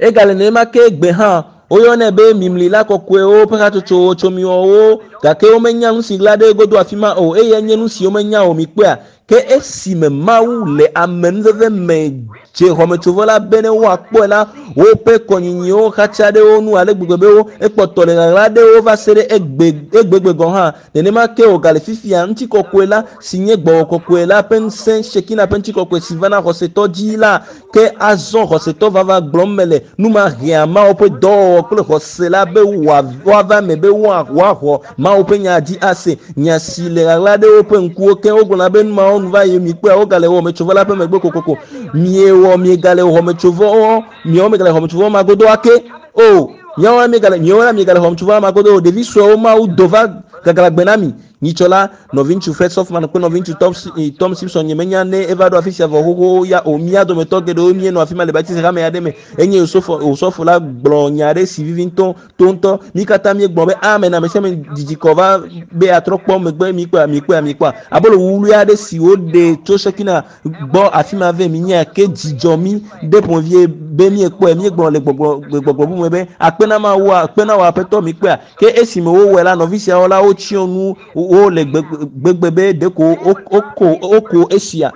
[SPEAKER 1] Egale nenema ke egbe hã. Woyɔnɛ be mimlila kɔkɔewo ƒe hatsotso tsomiwɔwo, gake womenya nu si ɣla ɖe egodo afi ma o, eyae nye nu si womenya o. Mikpɔea? Ke esime Mawu le amenuveve me dze xɔmetsovɔ la bene woakpɔe la, woƒe kɔnyinyiwo xatsa ɖe wo nu ale gbegbe be wo ekpɔtɔ le ɣaɣla ɖe wo va se ɖe egbe egbegbe gɔ̃ hã. Nenema ke wògale fifia, ŋutikɔkɔe la, si nye Gbɔgbɔ Kɔkɔe la ƒe ŋusẽ, Shekina ƒe ŋutikɔkɔe si vana xɔsetɔ dzi la, ke azɔ xɔsetɔ vava gblɔm mele, nu ma hea Mawu ƒe dɔwɔwɔ kple xɔse la be woava eme be woaxɔ Mawu ƒe nya dzi ase. Nya si le ɣaɣla ɖe woƒe ŋkuwo ke. Wogblɔna be, Nu mawo nu va yi, mikpɔea, wogale xɔmetsovɔ la ƒe megbe kokoko. Miewɔ, miegale xɔmetsovɔ, miawo miegale xɔmetsovɔ ma godo ake. O, miawo la miegale, miawo la miegale xɔmetsovɔ ma godo o. Ɖevi suewo, Mawu do va gaglãgbe na mi. Nyitsɔ la, nɔviŋutsu Fred Sothmann kple nɔviŋutsu Tom, Tom Simpson, nyemenya ne eva ɖo afi sia vɔ xoxo ya o. Mía dometɔ geɖewo míenɔ afi ma le Baptist hame aɖe me. Enye Osɔfo, osɔfo la gblɔ nya aɖe si vivi ŋutɔ, to ŋutɔ. Mí katã míegblɔ be amen. Ame sia ame didi kɔ va be yeatrɔ kpɔ megbe. Míkpɔa, míkpɔa, míkpɔa. Abolo wuwlui aɖe si woɖe tso Shekina gbɔ afi ma vɛ minyae ke dzi dzɔ mí ɖe ƒomevie be míekpɔe. Míegblɔ le gbɔgblɔ, le gbɔgblɔ bubu me be, Akpe na Mawu, akpe na wò Aƒetɔ, míkpɔea. Ke esime wowɔe la, nɔvi siawo la wotsyɔ nu wo le gbegbe be ɖeko woko, woko esia.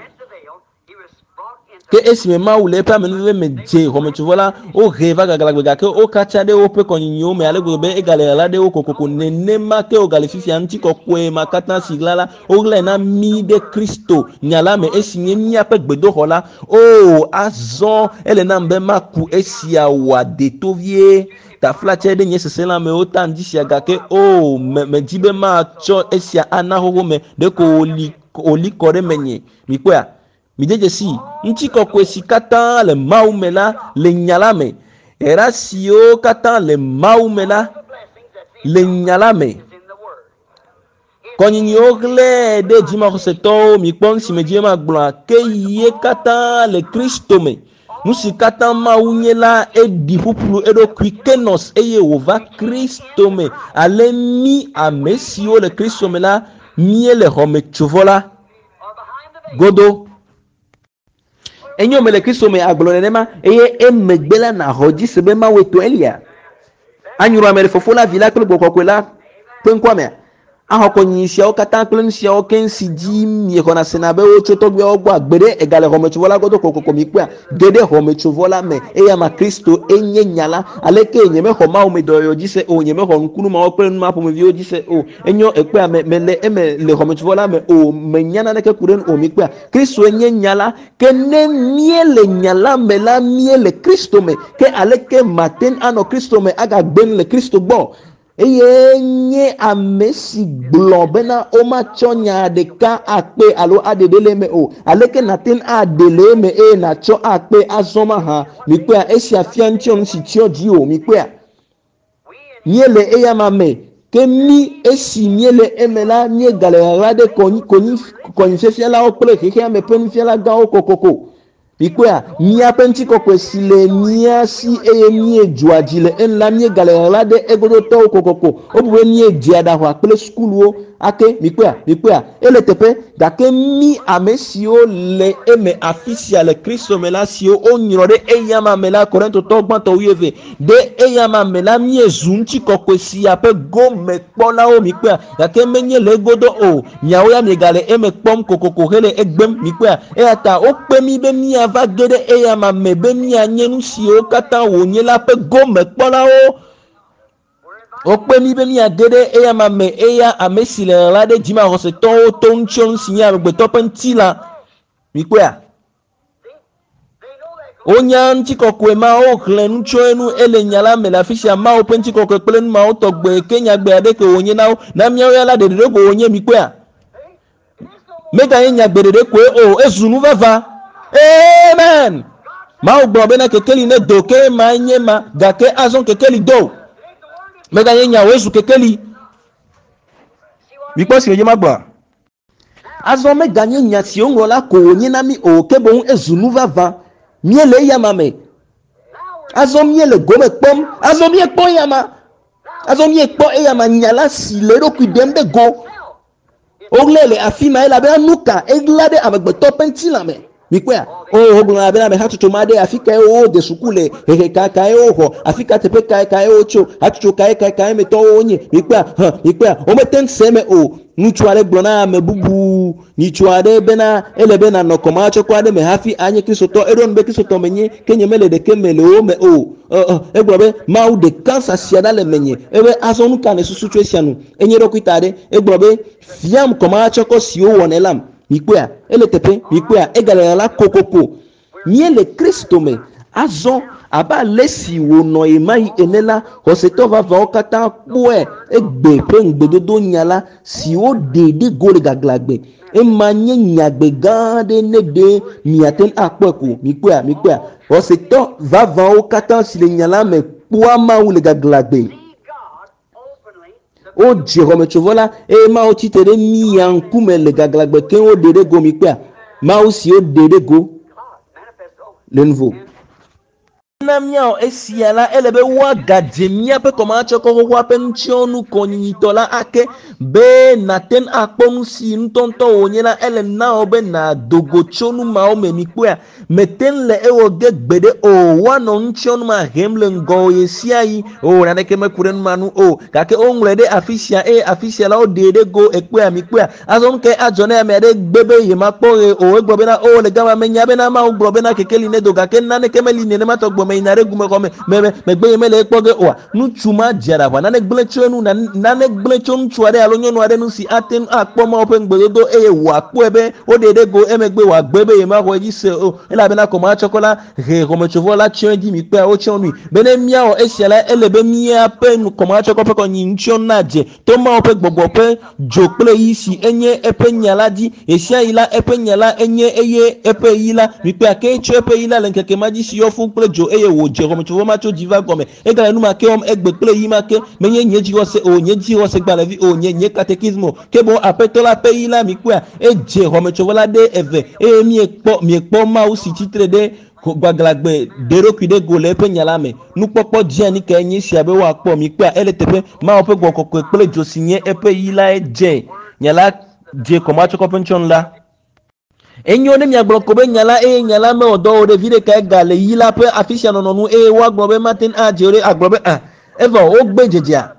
[SPEAKER 1] Ke esime Mawu le eƒe amenuveve me dze xɔmetsovɔ la, wohee va gaglãgbe, gake wokatsa ɖe woƒe kɔnyinyiwo me ale gbegbe be egale ɣaɣla ɖe wo kokoko. Nenema ke wògale fifia, ŋutikɔkɔe ma katã si ɣla la, woɣlae na mí ɖe Kristo nya la me, esi nye míaƒe gbedoxɔ la. Oo, azɔ ele nam be maku esia wòade to vie. Taflatse ɖe nye seselãmewo ta ŋdi sia, gake oo, me, medi be matsɔ esia ana xoxo me, ɖeko wòli, wòli kɔ ɖe menye. Mikpɔea? Mide dzesii, ŋutikɔkɔe si katã le Mawu me la le Nya la me. Yayra siwo katã le Mawu me la le Nya la me. Kɔnyinyiwo hlẽ ɖe dzimaxɔsetɔwo, mikpɔ nu si medzi be magblɔa, ke ye katã le Kristo me. Nu si katã Mawu nye la, eɖi ƒuƒlu eɖokui kenos eye wòva Kristo me. Ale mí ame siwo le Kristo me la, míele xɔmetsovɔ la godo. Enyo mele Kristo me agblɔ nenema, eye emegbe la nàxɔ dzi se be Mawue to Elia. Anyrɔ ame ɖe Fofo la, Vi la kple Gbɔgbɔ Kɔkɔe la ƒe ŋkɔa mea? Axɔ kɔnyinyi siawo katã kple nu siawo keŋ si dzi miexɔna sena be wotso tɔgbuiawo gbɔa? Gbeɖe, egale xɔmetsovɔ la godo kokoko. Mikpɔea? Ge ɖe xɔmetsovɔ la me. Eya ma Kristo enye Nya la. Alekee nyemexɔ Mawu me dɔyɔyɔ dzi se o? Nyemexɔ nukunu mawo kple nu ma ƒomeviwo dzi se o. Enyo, èkpɔea, me, mele eme le xɔmetsovɔ la me o. Menya naneke ku ɖe enu o. Mikpɔea? Kristoe nye Nya la. Ke ne míele Nya la me la, míele Kristo me. Ke aleke mate ŋu anɔ Kristo me agagbe nu le Kristo gbɔ? Eye nye ame si gblɔ bena womatsɔ nya ɖeka akpee alo aɖe ɖe le eme o. Aleke nàte ŋu aɖe le eme eye nàtsɔ akpee azɔ mahã? Mikpɔea, esia fia ŋutiɔnu si tsyɔ dziwò. Mikpɔea? Míele eyama me, ke mí, esi míele eme la, míegale ɣaɣla ɖe kɔnyi, konyi, kɔnyifiafialawo kple xexeame ƒe nufialagãwo kokoko. Mikpɔea, míaƒe ŋutikɔkɔe si le mía si eye míedzɔa dzi le enu la, míegale ɣaɣla ɖe egodotɔwo kokoko. Wobu be míedzea ɖaʋa kple sukuluwo ake. Mikpɔea, mikpɔea, ele teƒe. Gake mí ame siwo le eme afisia le Kristo me la, siwo wonyrɔ ɖe eyama me la, Korintotɔwo gbãtɔ wuieve, ɖe eyama me la, míezu ŋutikɔkɔe sia ƒe gomekpɔlawo. Mikpɔea, gake menye le egodo o. Miawo ya miegale eme kpɔm kokoko hele egbem. Mikpɔea? Eya ta wokpe mí be míava ge ɖe eyama me be míanye nu siwo katã wònye la ƒe gomekpɔlawo. Wokpe mí be míage ɖe eyama me, eya ame si le ɣaɣla ɖe dzimaxɔsetɔwo to ŋutsyɔnu si nye amegbetɔ ƒe ŋutilã. Mikpɔea? Wonya ŋutikɔkɔe ma, woxlẽ nu tso enu, ele nya la me le afi sia, Mawu ƒe ŋutikɔkɔe kple nu mawo tɔgbe, ke nyagbe aɖeke wònye na wo. Na míawo ya la, ɖeɖe ɖe ko wònye, mikpɔea? Meganye nyagbe ɖeɖe koe o, ezu nu vava. Amen! Mawu gblɔ bena kekeli nedo, ke emae nye ma, gake azɔ kekeli do. Meganye nya o, ezu kekeli. Mikpɔ si medze magblɔa? Azɔ meganye nya si woŋlɔ la ko wònye na mí o, ke boŋ ezu nu vavã. Míele eyama me. Azɔ míele gome kpɔm. Azɔ míekpɔ eyama. Azɔ míekpɔ eyama nya la si le eɖokui ɖem ɖe go. Woɣlae le afi ma elabena nu ka? Eɣla ɖe amegbetɔ ƒe ŋutilã me. Mikpɔea? Oo, wogblɔna bena amehatsotso ma ɖe, afi kae wode suku le, hehe ka kae woxɔ, afi ka teƒe kae kae wotso, hatsotso kae kae kae me tɔwo wonye. Mikpɔea? Hã, mikpɔea? Womete ŋu se eme o. Ŋutsu aɖe gblɔ na ame bubu nyitsu aɖe bena ele be nànɔ kɔmahatsɔkɔ aɖe me hafi anye Kristotɔ. Eɖo ŋu be Kristotɔ menye, ke nyemele ɖeke me le wo me o. Ɔ, ɔ, egblɔ be, Mawu ɖe kansa sia ɖa le menye. Ebe, Azɔ nu ka nèsusu tso esia nu? Enye eɖokui ta ɖe. Egblɔ be, Fiam kɔmahatsɔkɔ si wowɔnɛ lam. Mikpɔea? Ele teƒe. Mikpɔea? Egale ɣaɣla kokoko. Míele Kristo me. Azɔ, abe ale si wònɔ ɣemaɣi ene la, xɔsetɔ vavãwo katã kpɔe egbe ƒe ŋugbedodo nya la si woɖe ɖe go le gaglãgbe. Ema nye nyagbe gã aɖe ne ɖe miate ŋu akpɔe ko. Mikpɔea? Mikpɔea? Xɔsetɔ vavãwo katã si le nya la me kpɔa Mawu le gaglãgbe. Wodze xɔmetsovɔ la eye Mawu tsi tre ɖe mia ŋkume le gaglãgbe keŋ woɖe ɖe go mikpɔea? Mawu si woɖe ɖe go le nuvo. Na míawɔ esia la, ele be woagadze míaƒe kɔmahatsɔkɔ xoxoa ƒe nutsyɔnu kɔnyinyitɔ la ake. Be nàte ŋu akpɔ nu si ŋutɔŋutɔ wònye la, ele na wò be nàdo go tso nu mawo me. Mikpɔea? Mete ŋu le ewɔ ge gbeɖe o. Woanɔ nutsyɔnu ma hem le ŋgɔwò ɣesiaɣi. O, naneke meku ɖe nu ma ŋu o. Gake woŋlɔe ɖe afi sia eye afi sia la woɖee ɖe go. Èkpɔea? Mikpɔea? Azɔ nu kae adzɔ ne ame aɖe gbe be yemakpɔ ɣe o? Egblɔ bena, O, le gama menya bena Mawu gblɔ bena kekeli nedo, gake naneke meli nenema tɔgbe o. Meyina ɖe gumexɔ me, me, me, megbe yemele ekpɔ ge oa? Ŋutsu ma dze aɖaʋa. Nane gblẽ tso enu, na, nane gblẽ tso ŋutsu aɖe alo nyɔnu aɖe ŋu si ate ŋu akpɔ Mawu ƒe ŋugbedodo eye wòakpɔe be woɖee ɖe go emegbe wòagbe be yemaxɔ edzi se o, elabena kɔmahatsɔkɔ la he xɔmetsovɔ la tsyɔ edzi. Mikpɔea, wotsyɔ nui. Bene míawɔ esia la, ele be míaƒe kɔmahatsɔkɔ ƒe kɔnyinutsyɔnu nadze to Mawu ƒe gbɔgbɔ ƒe dzo kple yi si enye eƒe nya la dzi. Ɣesiaɣi la, eƒe nya la enye eye eƒe yi la. Mikpɔea, ke etsɔ eƒe yi la le ŋkeke ma dzi si yɔ fũ kple dzo eye wòdze xɔmetsovɔ ma tso dzi va gɔme. Egale nu ma ke wɔm egbe kple ɣi ma ke. Menye nye dzixɔse o, nye dzixɔsegbalẽvi o, nye, nye katekismo o, ke boŋ Aƒetɔ la ƒe yi la, mikpɔea, edze xɔmetsovɔ la ɖe eve, eye miekpɔ, miekpɔ Mawu si tsi tre ɖe gbaglãgbe ɖe eɖokui ɖe go le eƒe nya la me. Nukpɔkpɔ dzeani kae nye esia be woakpɔ? Mikpɔea, ele teƒe. Mawu ƒe Gbɔgbɔ Kɔkɔe kple dzo si nye eƒe yi lae dze nya la dze kɔmatsɔkɔ ƒe nutsyɔnu la. Enyo ne miagblɔ ko be nya la eye nya la mewɔ dɔ o ɖe, viɖe kae ga le yi la ƒe afisia nɔnɔ nu eye woagblɔ be mate ŋu adze o ɖe? Agblɔ be, Ẽ, evɔ wogbe dzedzea.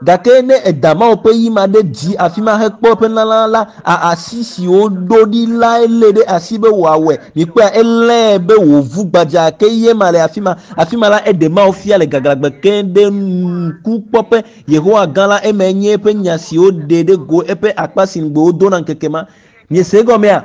[SPEAKER 1] Gake ne èda Mawu ƒe yi ma ɖe dzi afima hekpɔ eƒe lalã la, a asi si woɖo ɖi lae lée ɖe asi be wòawɔe. Mikpɔea, elée be wòvu gbadzaa ke ye ma le afima. Afima la, eɖe Mawu fia le gaglãgbe keŋ ɖe ŋkukpɔƒe. Yehowa gã la, emae nye eƒe nya si woɖe ɖe go, eƒe akpa si ŋugbe wodona ŋkeke ma. Miese egɔmea?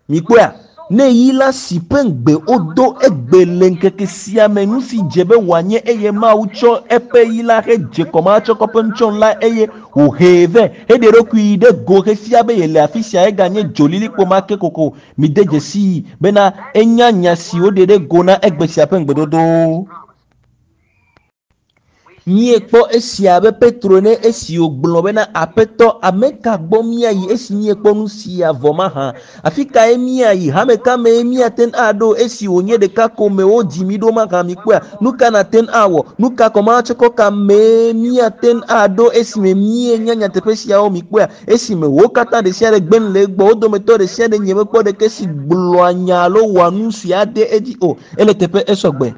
[SPEAKER 1] Mikpɔea? Ne yi la si ƒe ŋugbe wodo egbe le ŋkeke sia me nu si dze be wòanye eye Mawu tsɔ eƒe yi la hedze kɔmahatsɔkɔ ƒe nutsyɔnu la eye wòhee vɛ heɖe eɖokui ɖe go hefia be yele afi sia eganye dzolilikpo ma ke kokoko. Mide dzesii bena enya nya si woɖe ɖe go na egbe sia ƒe ŋugbedodo. Míekpɔ esia abe Petro ene esi wògblɔ bena, Aƒetɔ, ame ka gbɔ míayi esi míekpɔ nu sia vɔ mahã? Afi kae míayi? Hame ka mee míate ŋu aɖo esi wònye ɖeka ko me wodzi mí ɖo mahã? Mikpɔea? Nu ka nàte ŋu awɔ? Nu ka kɔmahatsɔkɔ ka mee míate ŋu aɖo esime míenya nyateƒe siawo? Mikpɔea? Esime wo katã ɖesiaɖe gbe nu le egbɔ, wo dometɔ ɖesiaɖe nyemekpɔ ɖeke si gblɔa nya alo wɔa nu si ade edzi o. Ele teƒe esɔgbe.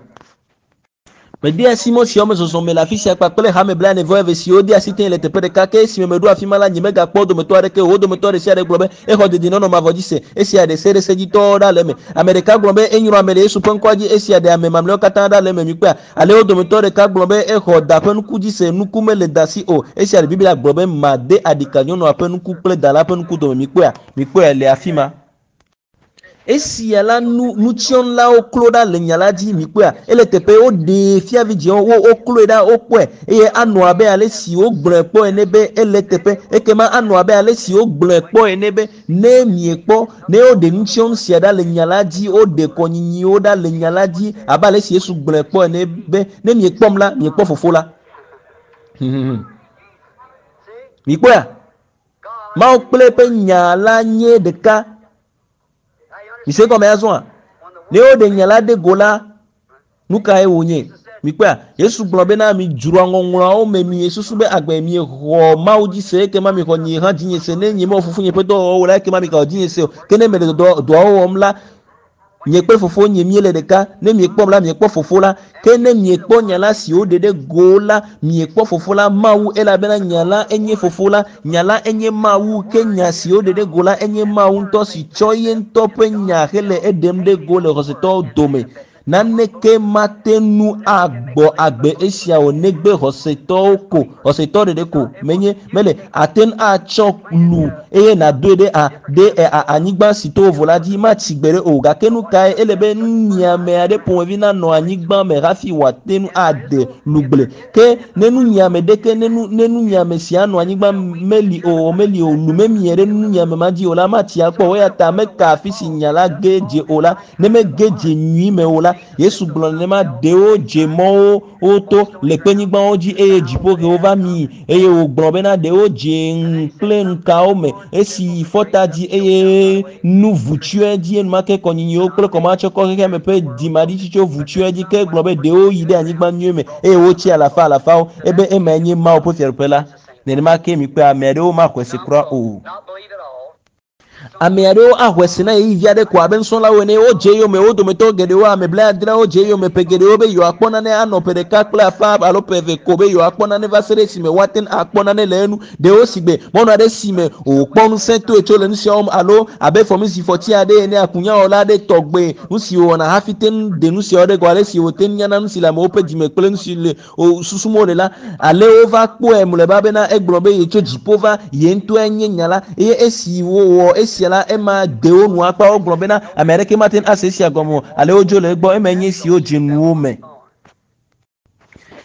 [SPEAKER 1] Mede asi mɔ siawo me zɔzɔ me le afi sia kpakple hame blaene-vɔ-eve siwo de asi tẽ le teƒe ɖeka. Ke esime meɖo afi ma la, nyemegakpɔ wo dometɔ aɖeke o. Wo dometɔ ɖe sia ɖe gblɔ be, Exɔ dedienɔnɔ mavɔ dzi se. Esia ɖe se ɖe sedzitɔwo ɖa le eme. Ame ɖeka gblɔ be, Enyrɔ ame le Yesu ƒe ŋkɔa dzi. Esia ɖe ame mamlɛawo katã ɖa le eme. Mikpɔea? Ale wo dometɔ ɖeka gblɔ be, Exɔ da ƒe nuku dzi se. Nuku mele da si o. Esia ɖe Biblia gblɔ be, Made aɖika nyɔnua ƒe nuku kple da la ƒe nuku dome. Mikpɔea? Mikpɔe le afi ma. Esia la nu nutsyɔnlawo klo ɖa le nya la dzi, mikpɔea, ele teƒe woɖee fia vidzĩwo, wo wokloe ɖa, wokpɔe, eye anɔ abe ale si wogblɔe kpɔ ene be ele teƒe. Ekema anɔ abe ale si wogblɔe kpɔ ene be ne miekpɔ, ne woɖe nutsyɔnu sia ɖa le nya la dzi, woɖe kɔnyinyiwo ɖa le nya la dzi, abe ale si Yesu gblɔe kpɔ ene be, ne miekpɔm la, miekpɔ Fofo la. Mikpɔea? Mawu kple eƒe nya la nye ɖeka. Mise egɔme azɔa? Ne woɖe nya la ɖe go la, nu kae wònye? Mikpɔea? Yesu gblɔ bena midzroa ŋɔŋlɔawo me miesusu be agbe miexɔ Mawu dzi se ekema mixɔ nye hã dzinye se. Ne nyemewɔ fofonye ƒe dɔwɔwɔwo o la ekema migaxɔ dzinye se o. Ke ne mele dɔ dɔawo wɔm la, Nye kple Fofonye míele ɖeka. Ne miekpɔm la, miekpɔ Fofo la. Ke ne miekpɔ nya la si woɖe ɖe go la, miekpɔ Fofo la, Mawu, elabena nya la enye Fofo la. Nya la enye Mawu, ke nya si woɖe ɖe go la enye Mawu ŋutɔ si tsɔ ye ŋutɔ ƒe nya hele eɖem ɖe go le xɔsetɔwo dome. Naneke mate ŋu agbɔ agbe esia o negbe xɔsetɔwo ko, xɔsetɔ ɖeɖe ko menye mele. Ate ŋu atsɔ lu eye nàdoe ɖe a ɖe a anyigba si to vovo la dzi matsi gbeɖe o. Gake nu kae ele be nunyiame aɖe ƒomevi nanɔ anyigba me hafi wòate ŋu ade lugble? Ke ne nunyiame ɖeke ne nu ne nunyiame sia nɔ anyigba meli o meli o lu memie ɖe nunyiame ma dzi o la matsi akpɔ o. Eya ta meka afi si nya la ge dze o la ne mege dze nyui me o la, Yesu gblɔ nenema, ɖewo dze mɔwo woto le kpenyigbawo dzi eye dziƒoxewo va mi eye wògblɔ bena ɖewo dze ŋu kple ŋkawo me esi fɔta dzi eye nu vu tsyɔe dzi enumake kɔnyinyiwo kple kɔmatsɔkɔ xexeame ƒe dzimaɖitsitso vu tsyɔe dzi ke gblɔ be ɖewo yi ɖe anyigba nyui me eye wotsi alafa alafawo ebe emae nye Mawu ƒe fiaɖuƒe la. Nenema ke mikpɔe ame aɖewo maxɔe se kura o. Ame aɖewo axɔe se na ɣeyiɣi vi aɖe ko abe nusrɔ̃lawo ene. Wodze eyome, wo dometɔ geɖewo, ame blaadreawo dze eyome ƒe geɖewo be yewoakpɔ nane anɔ ƒe ɖeka kple afã alo ƒe eve ko be yewoakpɔ nane va se ɖe esime woate ŋu akpɔ nane le enu. Ɖewo si gbe mɔnu aɖe si me wòkpɔ ŋusẽ toe tso le nu siawo me alo abe fɔmizifɔti aɖe ene, akunyawɔla aɖe tɔgbe, nu si wòwɔna hafi te ŋu ɖe nu siawo ɖe go, ale si wòte ŋu nyana nu si le amewo ƒe dzime kple nu si le wo susum wole la, ale wova kpɔe mlɔeba bena egblɔ be yetso dziƒo va, ye ŋutɔe nye nya la. Eye esi wowɔ esia la, ema de wo nu akpa. Wogblɔ bena ame aɖeke mate ŋu ase esia gɔme o, ale wodzo le egbɔ. Emae nye esi wodze nuwo me.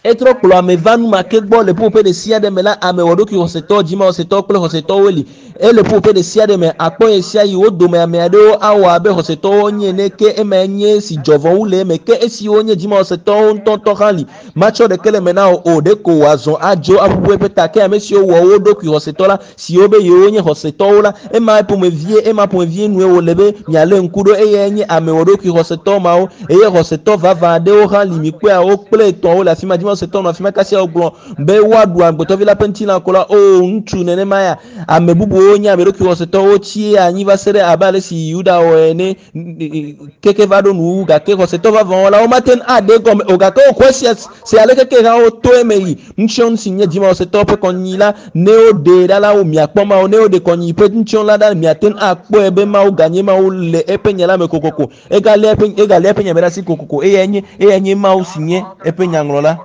[SPEAKER 1] Etrɔ kplɔ ame va nu ma ke gbɔ le ƒuƒoƒe ɖe sia ɖe me la, ame wɔɖokui xɔsetɔ, dzimaxɔsetɔ kple xɔsetɔwoe li. Ele ƒuƒoƒe ɖe sia ɖe me, akpɔ ɣesiaɣi wo dome ame aɖewo awɔ abe xɔsetɔwo nye ene, ke emae nye esi dzɔ vɔ wu le eme. Ke esiwo nye dzimaxɔsetɔwo ŋutɔŋutɔ hã li. Matsɔ ɖeke le eme na wò o, ɖeko wòazɔ adzo aʋuʋu eƒe ta. Ke ame siwo wɔ wo ɖokui xɔsetɔ la, siwo be yewonye xɔsetɔwo la, ema ƒomevie, ema ƒomevie nue wòle be mialé ŋku ɖo. Eyae nye ame wɔɖokui xɔsetɔ mawo. Eye xɔsetɔ vavã aɖewo hã li. Mikpɔea, wo kple etɔ̃wo le afi ma. Dzimaxɔsetɔ nɔ afi ma kasia wogblɔ be woaɖu amegbetɔvi la ƒe ŋutilã ko la, o ŋutsu nenema ya. Ame bubuwo nye ame ɖokui xɔsetɔwo tsi anyi va se ɖe abe ale si Yuda wɔ ene keke va ɖo nuwuwu gake xɔsetɔ vavãwo la womate ŋu aɖe egɔme o gake woxɔe sia se ale keke hã woto eme yi ŋutsiɔnu si nye dzimaxɔsetɔwo ƒe kɔnyinyi la ne woɖee ɖa la wo miakpɔ Mawu ne woɖe kɔnyinyi ƒe ŋutsiɔnu la ɖa miate ŋu akpɔe be Mawu ganye Mawu le eƒe nya la me kokoko egalé eƒe egalé eƒe nya me ɖe asi kokoko eyae nye eyae nye Mawu si nye eƒe nyaŋlɔla.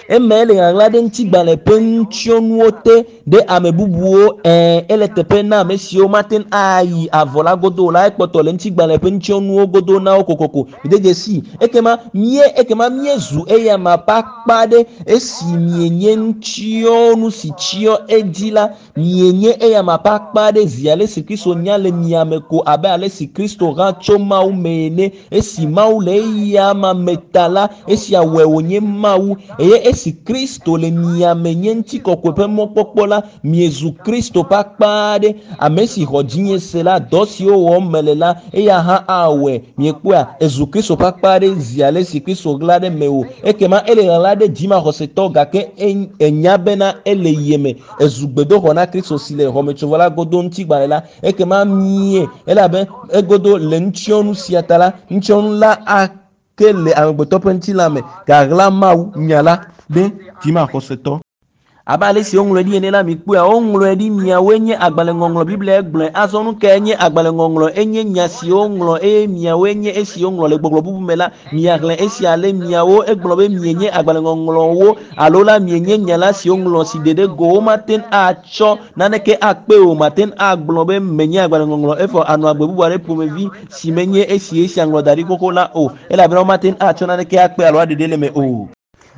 [SPEAKER 1] Eme ele ɣaɣla ɖe ŋutigbalẽ ƒe nutsyɔnuwo te ɖe ame bubuwo. Ɛ̃, ele teƒe na ame siwo mate ŋu ayi avɔ la godo o la. Ekpɔtɔ le ŋutigbalẽ ƒe nutsyɔnuwo godo na wo kokoko. Mide dzesii. Ekema mie, ekema míezu eyama ƒe akpa aɖe esi mienye nutsyɔnu si tsyɔ edzi la. Mienye eyama ƒe akpa aɖe zi ale si Kristo nya le mia me ko abe ale si Kristo hã tso Mawu me ene. Esi Mawu le eyama me ta la, esia wɔe wònye Mawu. Eye esi Kristo le mia me nye ŋutikɔkɔe ƒe mɔkpɔkpɔ la, miezu Kristo ƒe akpa aɖe. Ame si xɔ dzinye se la, dɔ siwo wɔm mele la, eya hã awɔe. Miekpɔea? Ezu Kristo ƒe akpa aɖe zi ale si Kristo ɣla ɖe mewò. Ekema ele ɣaɣla ɖe dzimaxɔsetɔ gake enya bena ele ye me. Ezu gbedoxɔ na Kristo si le xɔmetsovɔ la godo ŋutigbalẽ la. Ekema mie, elabe egodo le nutsyɔnu sia ta la, nutsyɔnu la ake le amegbetɔ ƒe ŋutilã me gaɣla Mawu nya la ɖe dzimaxɔsetɔ. Abe ale si woŋlɔe ɖi ene la, mikpɔea, woŋlɔe ɖi miawoe nye agbalẽŋɔŋlɔ. Biblia gblɔe. Azɔ nu kae nye agbalẽŋɔŋlɔ? Enye nya si woŋlɔ eye miawoe nye esi woŋlɔ le gbɔgblɔ bubu me la, miaxlẽ esia ale miawo. Egblɔ be mienye agbalẽŋɔŋlɔwo alo la mienye nya la si woŋlɔ si ɖe ɖe go. Womate ŋu atsɔ naneke akpe o. Mate ŋu agblɔ be menye agbalẽŋɔŋlɔ evɔ anɔ agbe bubu aɖe ƒomevi si menye esi esia ŋlɔ da ɖi xoxo la o, elabena womate ŋu atsɔ naneke akpe alo aɖe ɖe le eme o.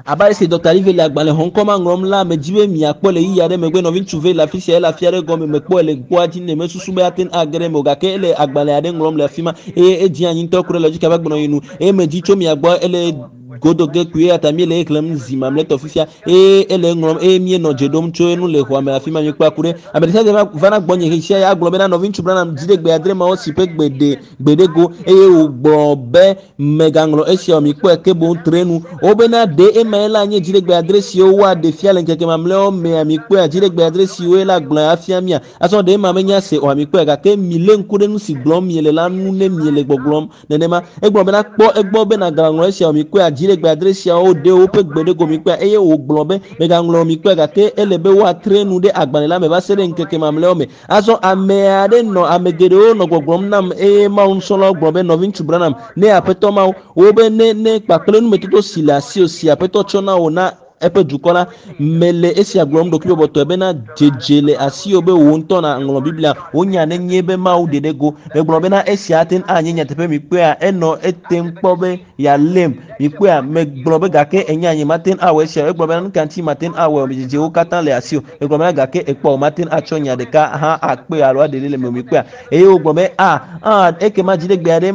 [SPEAKER 1] Abe ale si Dɔkta Lively le agbalẽ xɔŋkɔ ma ŋlɔm la, medzi be miakpɔ le ɣeyiɣi aɖe megbe. Nɔviŋutsu Vale le afi sia, ele afi aɖe gɔme. Mekpɔe le ŋkua dzi nɛ. Mesusu be ate ŋu age ɖe eme o, gake ele agbalẽ aɖe ŋlɔm le afi ma eye edze anyi ŋutɔ ku ɖe lɔdzika ƒe agbenɔɣi nu. Eye medzi tso mia gbɔ ele godo ge kpuie eya ta míele exlẽm zi mamlɛtɔ fifia eye ele eŋlɔm eye míenɔ dze ɖom tso enu le xɔa me afi ma míekpɔa ku ɖe ame ɖe sia ɖe vana gbɔnye ɣesia ɣi agblɔ bena nɔviŋutsu Branham dzi ɖe gbe adre mawo si ƒe gbe ɖe gbe ɖe go eye wògblɔ be mègaŋlɔ esia o mikpɔe ke boŋ tre nu wobena ɖe emae la nye dziɖegbe adre siwo woaɖe fia le ŋkeke mamlɛawo mea mikpɔea dziɖegbe adre siwoe la gblɔe afia mia azɔ ɖe ema menya se oa mikpɔe gake milé ŋku ɖe nu si gblɔm miele la ŋu ne miele gbɔgblɔm nenema egblɔ bena kpɔ egbɔ be nàgaŋlɔ esia o mikpɔea dziɖegbe adre siawo ɖe woƒe gbe ɖe go mikpɔea eye wògblɔ be mègaŋlɔ o mikpɔe gake ele be woatre nu ɖe agbalẽ la me va se ɖe ŋkeke mamlɛawo me azɔ ame aɖe nɔ ame geɖewo nɔ gbɔgblɔm nam eye Mawu nusrɔ̃lawo gblɔ be nɔviŋutsu Branham ne aƒetɔ Mawu wobe ne ne kpakple numetoto si le asiwò si aƒetɔ tsɔ na wò na eƒe dukɔ la mele esia gblɔm ɖokuibɔbɔtɔe bena dzedze le asiwò be wò ŋutɔ nàŋlɔ Biblia wò nya nenye be Mawu ɖe ɖe go megblɔ bena esia ate ŋu anye nyateƒe mikpɔea enɔ etem kpɔ be yealém mikpɔea megblɔ be gake enya nye mate ŋu awɔ esia egblɔ bena nu ka ŋuti mate ŋu awɔe o dzedzewo katã le asiwò megblɔ bena gake ekpɔ o mate ŋu atsɔ nya ɖeka hã akpe alo aɖe ɖe le me o mikpɔea eye wogblɔ be a a ekema dziɖegbe aɖe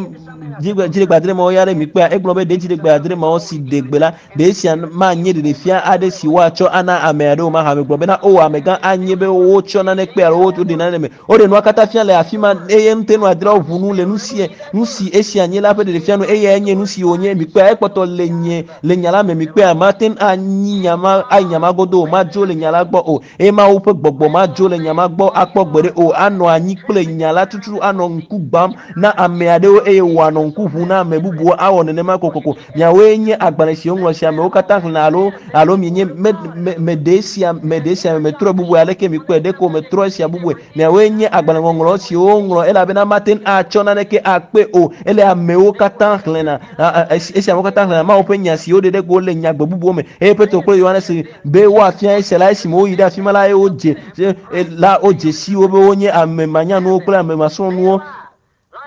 [SPEAKER 1] dziɖegbe adre mawo ya ɖe mikpɔea egblɔ be ɖe dziɖegbe adre mawo si ɖe gbe la ɖe esia manye ɖeɖefia aɖe si woatsɔ ana ame aɖewo mahã megblɔ bena o amegã anye be wotsɔ nane kpe alo woɖe nane me woɖe nua katã fia le afi ma eye ŋutenu adreawo ʋu nu le nu si nu si esia nye la ƒe ɖeɖefia nu eyae nye nu si wònye mikpɔea ekpɔtɔ le nye le nya la me mikpɔea mate ŋu anyi nya ma ayi nya ma godo o madzo le nya la gbɔ o eye Mawu ƒe gbɔgbɔ madzo le nya ma gbɔ akpɔ gbeɖe o anɔ anyi kple nya la tutu anɔ ŋku gbam na ame aɖewo eye wòanɔ ŋku ʋum na ame bubuwo awɔ nenema kokoko miawoe nye agbalẽ si woŋlɔ si amewo katã xlẽna alo alo mienye me me meɖe esia meɖe esia me metrɔe bubue aleke mikpɔe ɖeko metrɔ esia bubue miawoe nye agbalẽ ŋɔŋlɔ siwo woŋlɔ elabena mate ŋu atsɔ naneke akpe o ele amewo katã xlẽna esi amewo katã xlẽna Mawu ƒe nya si woɖe ɖe go le nyagbe bubuwo me eye Petro kple Yohanes be woafia esia la esime woyi ɖe afi ma la eye wodze la wodze si wo be wonye ame manyanuwo kple ame masrɔ̃nuwo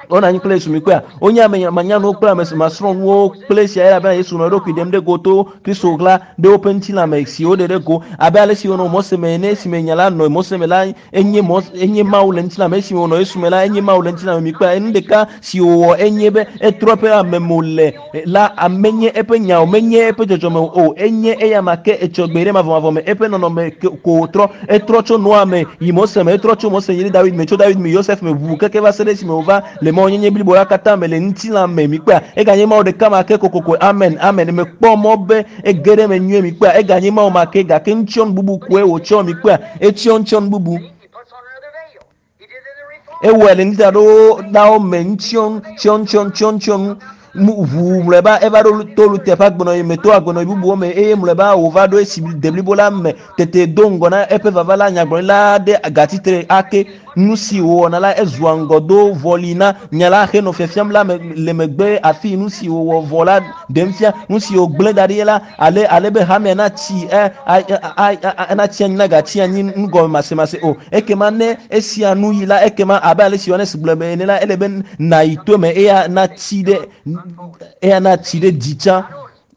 [SPEAKER 1] wonɔ anyi kple Yesu mikpɔea wonye ame manyanuwo kple ame masrɔ̃nuwo kple esia elabena Yesu nɔ eɖokui ɖem ɖe go to Kristo ɣla ɖe woƒe ŋutilãme si woɖe ɖe go abe ale si wonɔ Mose me ene esime nya la nɔ Mose me la enye Mose enye Mawu le ŋutilãme esime wònɔ Yesu me la enye Mawu le ŋutilãme mikpɔea enu ɖeka si wòwɔ enye be etrɔ eƒe amemo le la amenye eƒe nya o menye eƒe dzɔdzɔme o enye eya ma ke etsɔ gbe ɖe mavɔmavɔ me eƒe nɔnɔme ko wòtrɔ etrɔ tso Noa me yi Mose me etrɔ tso Mose yi ɖe David me tso David me Yosef me ʋu keke va se ɖe esime wòva le mawunyenye blibo la katã me le ŋutilã me mikpɔea eganye Mawu ɖeka ma ke kokoko amen amen mekpɔ mɔ be ege ɖe eme nyuie mikpɔea eganye Mawu ma ke gake ŋutsyɔnu bubu koe wòtsɔ mikpɔea etsyɔ ŋutsyɔnu bubu ewɔe le nudzraɖolawo me ŋutsyɔnu tsyɔnu tsyɔnu tsyɔnu ʋu mlɔeba eva ɖo to Luther ƒe agbenɔɣi me to agbenɔɣi bubuwo me eye mlɔeba wòva ɖo esi deblibo la me tete do ŋgɔ na eƒe vava la nyagblɔɖila aɖe gatsi ake nu si wòwɔna la ezua ŋgɔ do vɔli na nya la henɔ fiafiam la me le megbe afi nu si wòwɔ vɔ la ɖem fia nu si wògblẽ da ɖi la ale ale be hamea natsi ɛ a natsi anyi nagatsi anyi nugɔme masemase o ekema ne esia nu yi la ekema abe ale si Yohanes gblɔ be ene la ele be nayi to me eya natsi ɖe eya natsi ɖe dzi tsã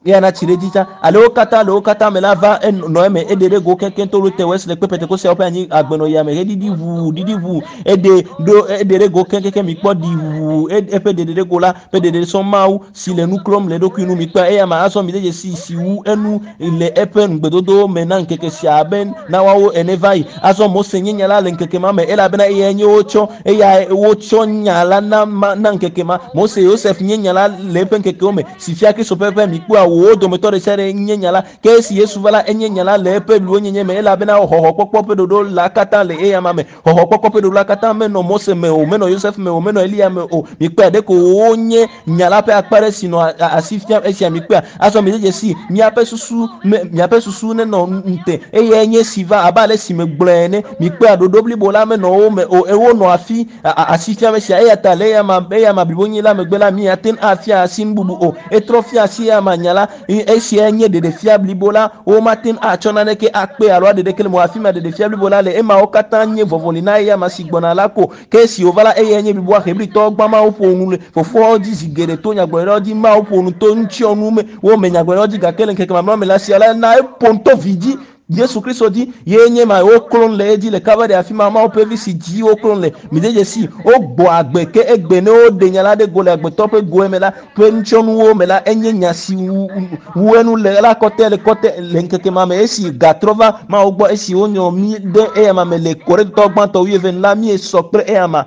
[SPEAKER 1] eya natsi ɖe dzi tsã ale wo katã le wo katã me la va enɔ eme eɖe ɖe go keŋkeŋ to Luther Wesley kple Pentekosteawo ƒe anyi agbenɔɣia me heɖiɖi ʋuu ɖiɖi ʋuu eɖe ɖo eɖe ɖe go keŋkeŋ mikpɔ ɖi ʋuu eƒe ɖeɖe ɖe go la ƒe ɖeɖe sɔ Mawu si le nu klɔm le eɖokui nu mikpɔa eya ma azɔ mi de dzesi si wu enu le eƒe ŋugbedodowo me na ŋkeke sia abe na woawo ene va yi azɔ Mose nye nya la le ŋkeke ma me elabena eyae nye wotsɔ eya wotsɔ nya la na ma na ŋkeke ma Mose Yosef nye nya la le eƒe ŋkekewo me si fia Kristo ƒe ƒe mikpɔa wo dometɔ ɖe sia ɖe nye nya la ke esi Yesu va la enye nya la le eƒe bliwonyenye me elabena xɔxɔkpɔkpɔ ƒe ɖoɖo la katã le eya ma me xɔxɔkpɔkpɔ ƒe ɖoɖo la katã menɔ Mose me o menɔ Yosef me o menɔ Eliya me o mikpɔa ɖeko wonye nya la ƒe akpa ɖe si nɔ asi fiam esia mikpɔa azɔ mi de dzesi miaƒe susu me miaƒe susu nenɔ ŋute eyae nye si va abe ale si megblɔe ene mikpɔa ɖoɖo blibo la menɔ wo me o wonɔ afi asi fiam esia eya ta le eya ma eya ma blibo nyi la megbe la miate ŋu afia asi nu bubu o etrɔ fia asi eya ma nya la esia nye ɖeɖefia blibo la womate ŋu atsɔ naneke akpe alo aɖe ɖeke le mo afi ma ɖeɖefia blibo la le emawo katã nye vɔvɔli na eya ma si gbɔna la ko ke esi wòva la eyae nye bliboa Hebritɔwo gbã Mawu ƒo nu le fofoawo dzi zi geɖe to nyagblɔɖilawo dzi Mawu ƒo nu to ŋutsyɔnu me wo me nyagblɔɖilawo dzi gake le ŋkeke mamlɛawo me la sia la na eƒo nu to vi dzi. Yesu Kristo dzi ye nye ma woklɔm le edzi le Kalvari afi ma Mawu ƒe vi si dzi woklɔm le. Mide dzesi wogbɔ agbe ke egbe ne woɖe nya la ɖe go le agbetɔ ƒe goe me la ƒe nutsɔnuwo me la enye nya si wu enu le la kɔtɛ le kɔtɛ le ŋkeke ma me esi gatrɔ va Mawu gbɔ esi wonyrɔ mí ɖe eyama me le Korintotɔ gbãtɔ wuieve la míesɔ kple eyama.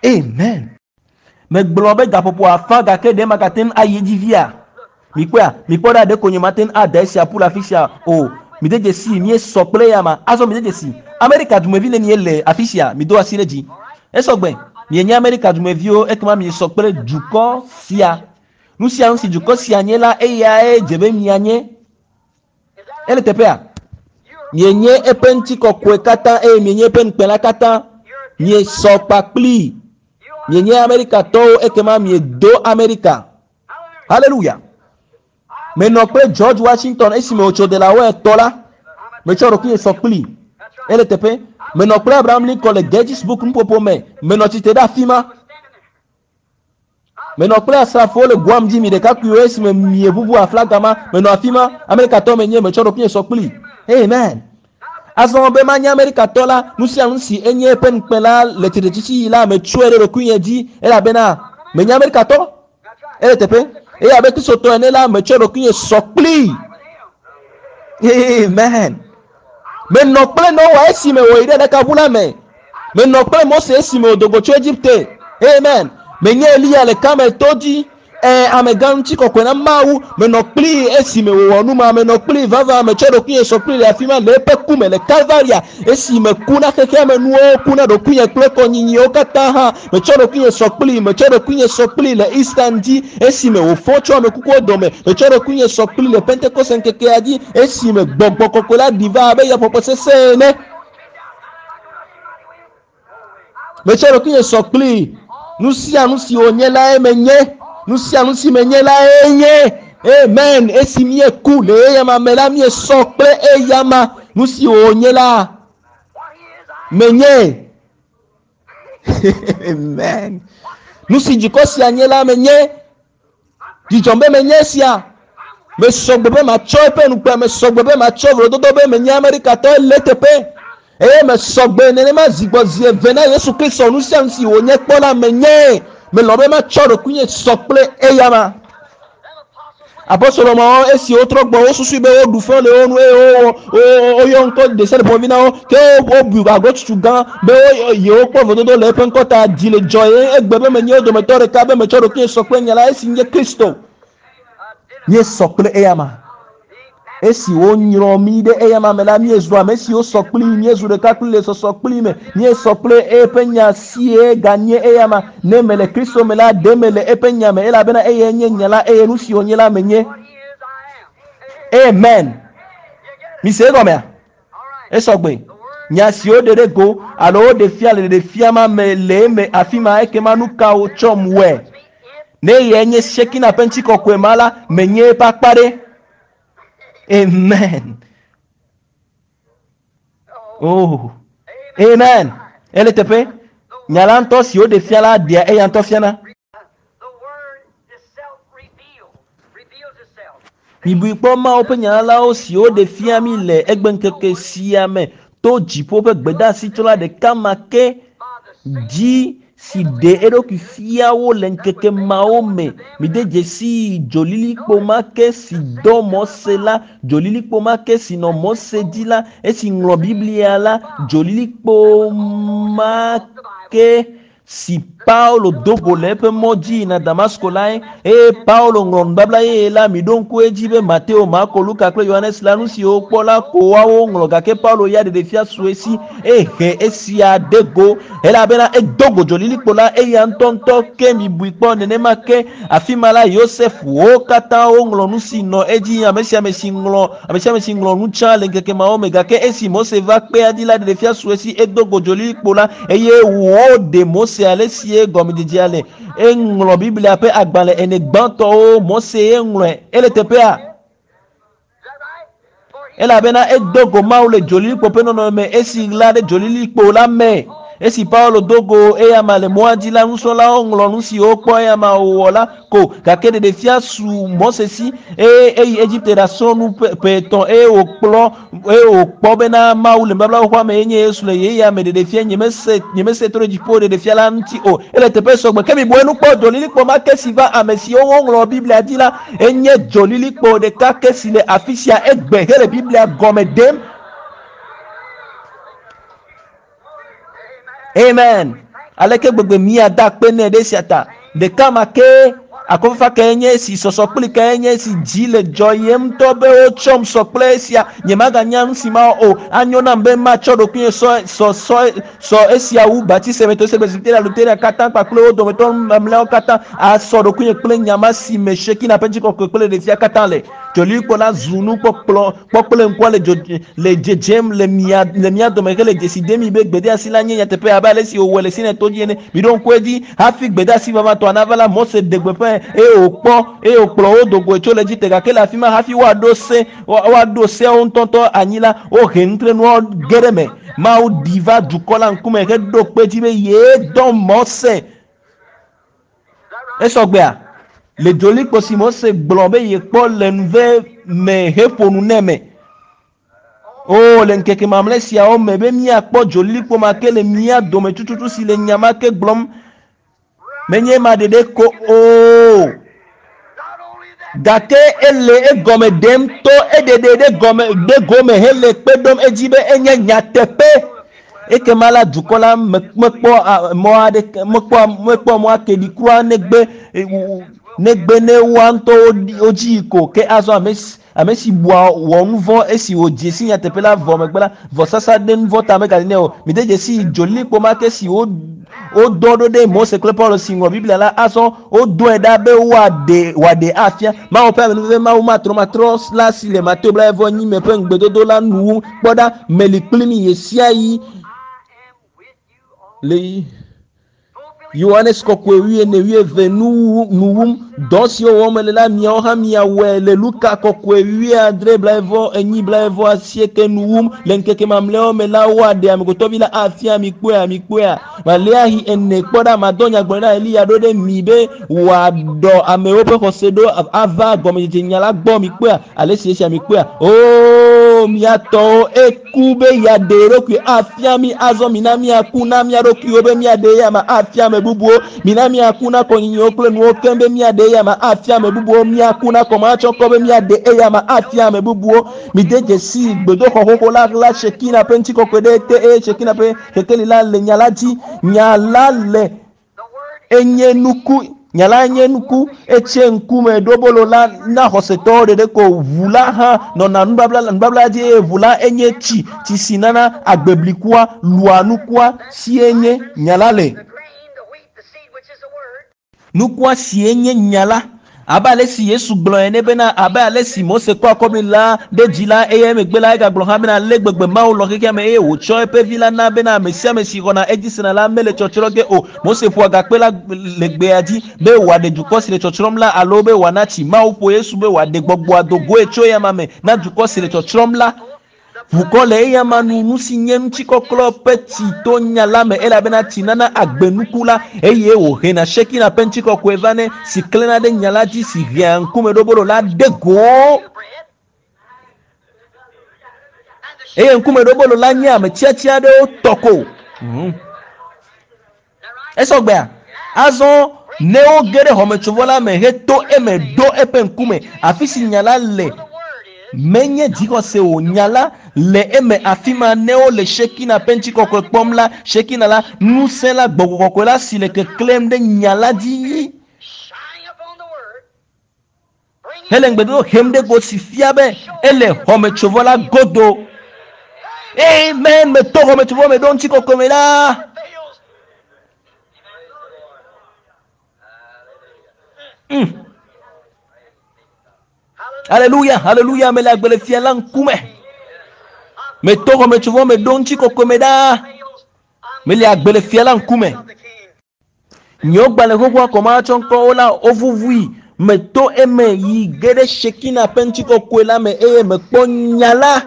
[SPEAKER 1] Amen. Megblɔ be gaƒoƒo afã gake ɖe magate ŋu ayi edzi via? Mikpɔa, mikpɔ ɖa ɖeko nye mate ŋu ada esia ƒu le afi sia o. Mide dzesi míesɔ kple eyama. Azɔ mide dzesi. Amerika dumevi nenie le afi sia? Mido asi ɖe dzi. Esɔgbe. Mienye Amerika dumeviwo ekema miesɔ kple dukɔ sia. Nu sia nu si dukɔ sia nye la eyae dze be mianye. Ele teƒea? Mienye eƒe ŋutikɔkɔe katã eye mienye eƒe ŋukpe la katã. Miesɔ kpakpli. Mienye Amerikatɔwo ekema miedo Amerika. Hallelujah. Menɔ kple George Washington esime wòtso Delaware tɔ la. Metsɔ ɖokuinye sɔ kpli. Ele teƒe. Menɔ kple Abraham Lincoln le Gettysburg nuƒoƒo me. Menɔ tsitre ɖe afi ma. Menɔ kple asrafowo le Guam dzi mi ɖekakpuiwo esime mieʋuʋu aflaga ma. Menɔ afi ma. Amerikatɔ menye. Metsɔ ɖokuinye sɔ kpli. Amen. Azɔ be manye Amerikatɔ la, nu sia nu si enye eƒe ŋukpe la le tsitretsitsi yi la, metsɔe ɖe ɖokuinye dzi elabena menye Amerikatɔ. Ele teƒe. Eye abe Kristotɔ ene la, metsɔ ɖokuinye sɔ kpli. Amen. Menɔ kple Noa esime wòyi ɖe ɖakaʋu la me. Menɔ kple Mose esime wòdo go tso Egipte. Amen. Menye Eliya le Karmel to dzi. Amegã ŋutikɔkɔe na Mawu. Menɔ kpli esime wòwɔ nu ma. Menɔ kpli vava. Metsɔ ɖokuinye sɔ kpli le afi ma le eƒe ku me le Kalvaria. Esime ku na xexea me nuwo, ku na ɖokuinye kple kɔnyinyiwo katã hã. Metsɔ ɖokuinye sɔ kpli. Metsɔ ɖokuinye sɔ kpli le Easter dzi esime wòfɔ tso amekukuwo dome. Metsɔ ɖokuinye sɔ kpli le Pentekoste ŋkekea dzi esime gbɔgbɔ kɔkɔe la ɖi va abe yaƒoƒo sesẽ ene. Metsɔ ɖokuinye sɔ kpli. Nu sia nu si wònye lae menye. Nu sia nu si menye lae nye. Amen. Esi míeku le eyama me la, míesɔ kple eyama. Nu si wònye la, menye. Amen. Nu si dukɔ sia nye la, menye. Dzidzɔm be menye esia. Mesɔ gbe be matsɔ eƒe nukpe, mesɔ gbe be matsɔ vlododo be menye Amerikatɔ le teƒe. Eye mesɔ gbe nenema zi gbɔ zi eve na Yesu Kristo nu sia nu si wònye kpɔ la menye. Melɔ̃ be matsɔ ɖokuinye sɔ kple eyama. Apostolo mawo esi wotrɔ gbɔ wosusui be woɖu fe le wo nu eye wowɔ woyɔ ŋkɔ ɖe sia ɖe ƒomevi na wo ke wobu agɔtutu gã be yewokpɔ vododo le eƒe ŋkɔ ta. Dzi le dzɔ ye egbe be menye wo dometɔ ɖeka be metsɔ ɖokuinye sɔ kple nya la esi nye Kristo. Míesɔ kple eyama. Esi wonyrɔ mí ɖe eyama me la, míezu ame siwo sɔ kpli, míezu ɖeka kpli le sɔsɔ kpli me, míesɔ kple eƒe nya sie ganye eyama. Ne mele Kristo me la, ɖe mele eƒe nya me elabena eyae nye nya la eye nu si wònye la menye. Amen. Mise egɔmea? Esɔgbe. Nya si woɖe ɖe go alo woɖe fia le ɖeɖefia ma me le eme afi ma ekema nu ka wotsɔm wɔe? Ne eyae nye Shekina ƒe ŋutikɔkɔe ma la, menye eƒe akpa ɖe. Amen. Oh. Amen. Ele teƒe. Nya la ŋutɔ si woɖe fia la ɖea eya ŋutɔ fiana. Mibui kpɔ Mawu ƒe nyalawo si woɖe fia mí le egbeŋkeke sia me to dziƒo ƒe gbedeasitsɔla ɖeka ma ke dzi si ɖe eɖokui fia wo le ŋkeke mawo me. Mide dzesi dzolilikpo ma ke si dɔ Mose la, dzolilikpo ma ke si nɔ Mose dzi la, esi ŋlɔ Biblia la, dzolilikpo ma ke si Paulo do go le eƒe mɔ dzi yina Damasko lae. Eye Paulo ŋlɔ nubabla yeye la, miɖo ŋku edzi be Mateo, Marko, Luka kple Yohanes la nu siwo wokpɔ la ko woawo ŋlɔ gake Paulo ya ɖeɖefia su esi ehe esia ɖe go elabena edo go dzolilikpo la eya ŋutɔŋutɔ ke mibui kpɔ nenema ke afi ma la Yosef wo katã woŋlɔ nu si nɔ edzi ame sia ame si ŋlɔ ame sia ame si ŋlɔ nu tsã le ŋkeke mawo me gake esi Mose va kpea dzi la ɖeɖefia su esi edo go dzolilikpo la eye woɖe Mose ale sie gɔmedzedzea le. Eŋlɔ Biblia ƒe agbalẽ ene gbãtɔwo Mose ye ŋlɔe. Ele teƒea? Elabena edo go Mawu le dzolilikpo ƒe nɔnɔme me esi ɣla ɖe dzolilikpo la me. Esi Paulo do go eyama le mɔa dzi la, nusrɔ̃lawo ŋlɔ nu si wokpɔ eyama wòwɔ la ko. Gake ɖeɖefia su Mose si eye eyi Egipte ɖasrɔ̃ nu ƒe etɔ̃ eye wòkplɔ eye wòkpɔ bena Mawu le nubabla xoxoa me yenye Yesu le ɣeyiɣia me ɖeɖefia nyemese nyemese to ɖe dziƒo ɖeɖefia la ŋuti o. Ele teƒe sɔgbe. Ke mibu enu kpɔ dzolilikpo ma ke si va ame siwo woŋlɔ Biblia dzi la enye dzolilikpo ɖeka ke si le afi sia egbe hele Biblia gɔme ɖem. Amen. Aleke gbegbe míada akpe nɛ ɖe esia ta. Ɖeka ma ke akɔfafa kae nye esi, sɔsɔ kpli kae nye esi, dzi le dzɔyem ŋutɔ be wotsɔm sɔ kple esia. Nyemaganya nu si mawɔ o. Anyo nam be matsɔ ɖokuinye sɔ sɔ sɔ sɔ esia wu Baptiste, Methodiste, Presbyteria, Lutheria katã kpakple wo dometɔ mamlɛawo katã asɔ ɖokuinye kple nya ma si me Shekina ƒe ŋutikɔkɔe kple ɖevia katã le. Dzolilikpo la zu nukpɔkplɔ kpɔkple ŋkua le dzo le dzedzem le mia le mia dome hele dzesi dem mi be gbedeasi la nye nyateƒe abe ale si wòwɔe le Sinai to dzi ene. Miɖo ŋku edzi hafi gbedeasi vavãtɔa nava la, Mose ɖe gbeƒãe eye wòkpɔ eye wòkplɔ wo do goe tso le Egipte. Gake le afi ma hafi woaɖo se woaɖo seawo ŋutɔŋutɔ anyi la, wohe nutrenuawo ge ɖe eme. Mawu ɖi va dukɔ la ŋkume heɖo kpe edzi be yee dɔ Mose. Esɔgbea, le dzolikpo si Mose gblɔ be yekpɔ le nuve me heƒo nu nɛ me. O, le ŋkeke mamlɛ siawo me be míakpɔ dzolilikpo ma ke le mía dome tututu si le nya ma ke gblɔm. Menye ema ɖeɖe ko o. Gake ele egɔme ɖem to eɖeɖe ɖe gɔme ɖe gome hele kpe ɖom edzi be enye nyateƒe. Ekema la dukɔ la mekpɔ mɔ aɖeke mekpɔ mekpɔ mɔ ake ɖi kura negbe negbe ne woa ŋutɔ wodzi yi ko. Ke azɔ ame si ame si bua wɔ nu vɔ̃ esi wòdze si nyateƒe la vɔ megbe la, vɔsasa ɖe nu vɔ̃ ta megali nɛ o. Mide dzesi dzolilikpo ma ke si wo wodɔ ɖo ɖe Mose kple Paulo si ŋlɔ Biblia la, azɔ wodɔe ɖa be woaɖe wòaɖe afia. Mawu ƒe amenuveve Mawu matrɔmatrɔ la si le Mateo blaeve me ƒe ŋugbedodo la nu wum. Kpɔ ɖa, meli kpli mi ɣesiaɣi le Yohanes kɔkɔe wuiene wuieve nu wum. Dɔ siwo wɔm mele la, miawo hã miawɔe le Luka kɔkɔe wuiadre blaeve enyi blaeve asieke nu wum. Le ŋkeke mamlɛawo me la, woaɖe amegbetɔvi la afia mi kpɔea, mi kpɔea. Maleahi ene kpɔ ɖa, madɔ nyagblɔɖila Eliya ɖo ɖe mi be wòaɖɔ amewo ƒe xɔse ɖo ava gɔmedzedze nya la gbɔ mi kpɔea. Ale si esia mi kpɔea. Oo, mia tɔwo eku be yeaɖe eɖokui afia mi azɔ mina miaku na mia ɖokuiwo be miaɖe eya ma afia ame bubuwo. Mina miaku na kɔnyinyiwo kple nuwo keŋ be miaɖe eya ma afia ame bubuwo. Miaku na kɔmatsɔkɔ be miaɖe eya ma afia ame bubuwo. Mide dzesi gbedoxɔ xoxo la la Shekina ƒe ŋutikɔkɔe ɖe ete eye Shekina ƒe kekeli la le nya la dzi. Nya la le enye nuku nya la nye nuku etse ŋkume ɖobolo la na xɔsetɔwo ɖeɖe ko ʋu la hã nɔna nubabla nubabla dzi eye ʋu la enye tsi tsi si nana agbeblikua lua nukua si enye nya la le. Nukua si enye nya la abe ale si Yesu gblɔ ene bena abe ale si Mose kɔ akɔbli la ɖe dzi la eye emegbe la egagblɔ hã bena ale gbegbe Mawu lɔ̃ xexea me eye wòtsɔ eƒe vi la na bena ame sia ame si xɔna edzi sena la mele tsɔtsrɔ̃ ge o. Mose ƒo agakpe la le gbea dzi be wòaɖe dukɔ si le tsɔtsrɔ̃m la alo be wòana tsi. Mawu ƒo Yesu be wòaɖe gbɔgbɔa do goe tso eyama me na dukɔ si le tsɔtsrɔ̃m la. Ʋukɔ le eyama nu, nu si nye ŋutikɔklɔ ƒe tsi to nya la me elabena tsi nana agbenuku la eye wòhena Shekina ƒe ŋutikɔkɔe vanɛ si klẽna ɖe nya la dzi si hea ŋkumeɖobolo la ɖe go. Eye ŋkumeɖobolo la nye ame tiatia aɖewo tɔ ko. Esɔgbea? Azɔ ne woge ɖe xɔmetsovɔ la me heto eme ɖo eƒe ŋkume, afi si nya la le, menye dzixɔse o, nya la le eme afi ma ne wole Shekina ƒe ŋutikɔkɔe kpɔm la, Shekina la, ŋusẽ la, gbɔgbɔ kɔkɔe la si le keklẽm ɖe nya la dzi hele ŋugbedodo hem ɖe go si fia be ele xɔmetsovɔ la godo. Amen. Meto xɔmetsovɔ me ɖo ŋutikɔkɔe me la. Hallelujah, hallelujah, mele agbe le fia la ŋkume. Meto xɔmetsovɔ me ɖo ŋutikɔkɔe me ɖaa. Mele agbe le fia la ŋkume. Nye gbalẽ xoxoa kɔmatsɔ ŋkɔwo la wovuvui. Meto eme yi ge ɖe Shekina ƒe ŋutikɔkɔe la me eye mekpɔ nya la.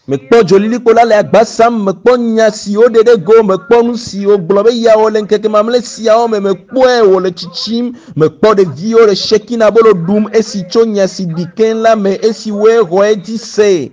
[SPEAKER 1] Mekpɔ dzolilikpo la le agba sam, mekpɔ nya si woɖe ɖe go, mekpɔ nu si wogblɔ be yeawɔ le ŋkeke mamlɛ siawo me, mekpɔe wòle tsitsim, mekpɔ ɖeviwo le Shekina bolo ɖum esi tso nya si ɖi keŋ la me esi woe xɔ edzi se.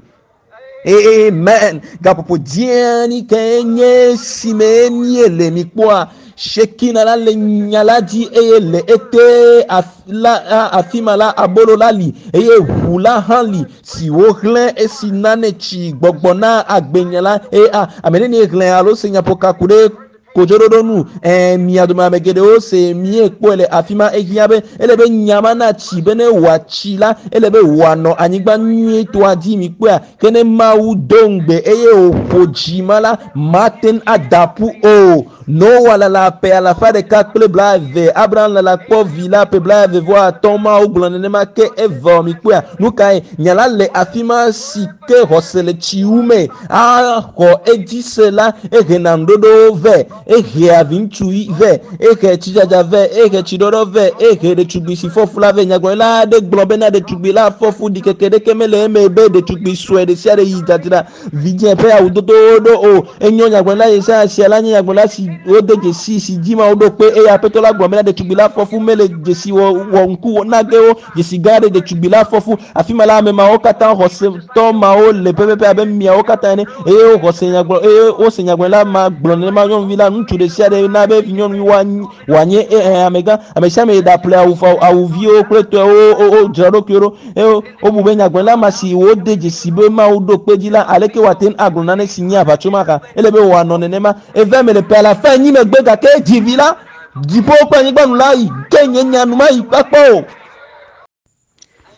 [SPEAKER 1] Amen. Gaƒoƒo dzeani kae nye esi me míele mikpɔa? Shekina la le nya la dzi eye le ete la afi ma la abolo la li eye ʋu la hã li si wohlẽ esi nane tsi gbɔgbɔ na agbenya la eye a ame nenie xlẽ alo se nyaƒoka ku ɖe kodzoɖoɖo nu ɛɛ mia dome ame geɖewo se miekpɔe le afi ma ehiã be ele be nya ma natsi be ne wòatsi la ele be wòanɔ anyigba nyuietɔa dzi mikpɔea ke ne Mawu do ŋugbe eye wòƒo dzi ma la mate ŋu ada ƒu o. Noa lala ƒe alafa ɖeka kple blaeve, Abraham lala kpɔ vi la ƒe 38, Mawu gblɔ nenema ke evɔ mikpɔea. Nu kae? Nya la le afi ma si ke xɔse le tsi wu me axɔ edzi se la, ehena ŋuɖoɖowo vɛ, ehea viŋutsu vɛ, ehe tsidzadza vɛ, ehe tsiɖɔɖɔ vɛ, ehe ɖetugbui si fɔ fu la vɛ. Nyagblɔɖila aɖe gblɔ bena ɖetugbui la fɔ fu, ɖikeke ɖeke mele eme be ɖetugbui sue ɖe sia ɖe yi dzadzra vidzĩ ƒe awudodowo ɖo o. Enyo nyagblɔɖila Yesaya sia la nye nyagblɔɖila si wode dzesi si dzi Mawu ɖo kpe eye Aƒetɔ la gblɔ bena ɖetugbui la fɔ fu mele dzesi wɔ wɔ ŋku na ge wo. Dzesi gã aɖe ɖetugbui la fɔ fu. Afi ma la ame mawo katã xɔsetɔ mawo le pɛpɛpɛ abe miawo katã ene eye woxɔ se nyagblɔ eye wose nyagblɔɖila ma gblɔ nenema nyɔnuvi la ŋutsu ɖe sia ɖe na be nyɔnuvi wòanye amegã. Ame sia ame ɖaƒle awu awuviwo kple tɔewo wodzra ɖokuiwo ɖo eye wobu be nyagblɔɖila ma si wode dzesi be Mawu ɖo kpe dzi la aleke wòate ŋu agblɔ nane si nye aʋatso ma hã ele be wòanɔ nenema. Eve eme le ƒe alafa enyi megbe gake dzi vi la dziƒo kple anyigba nu la yi ke nye nya nu ma yi kpakpɔ o.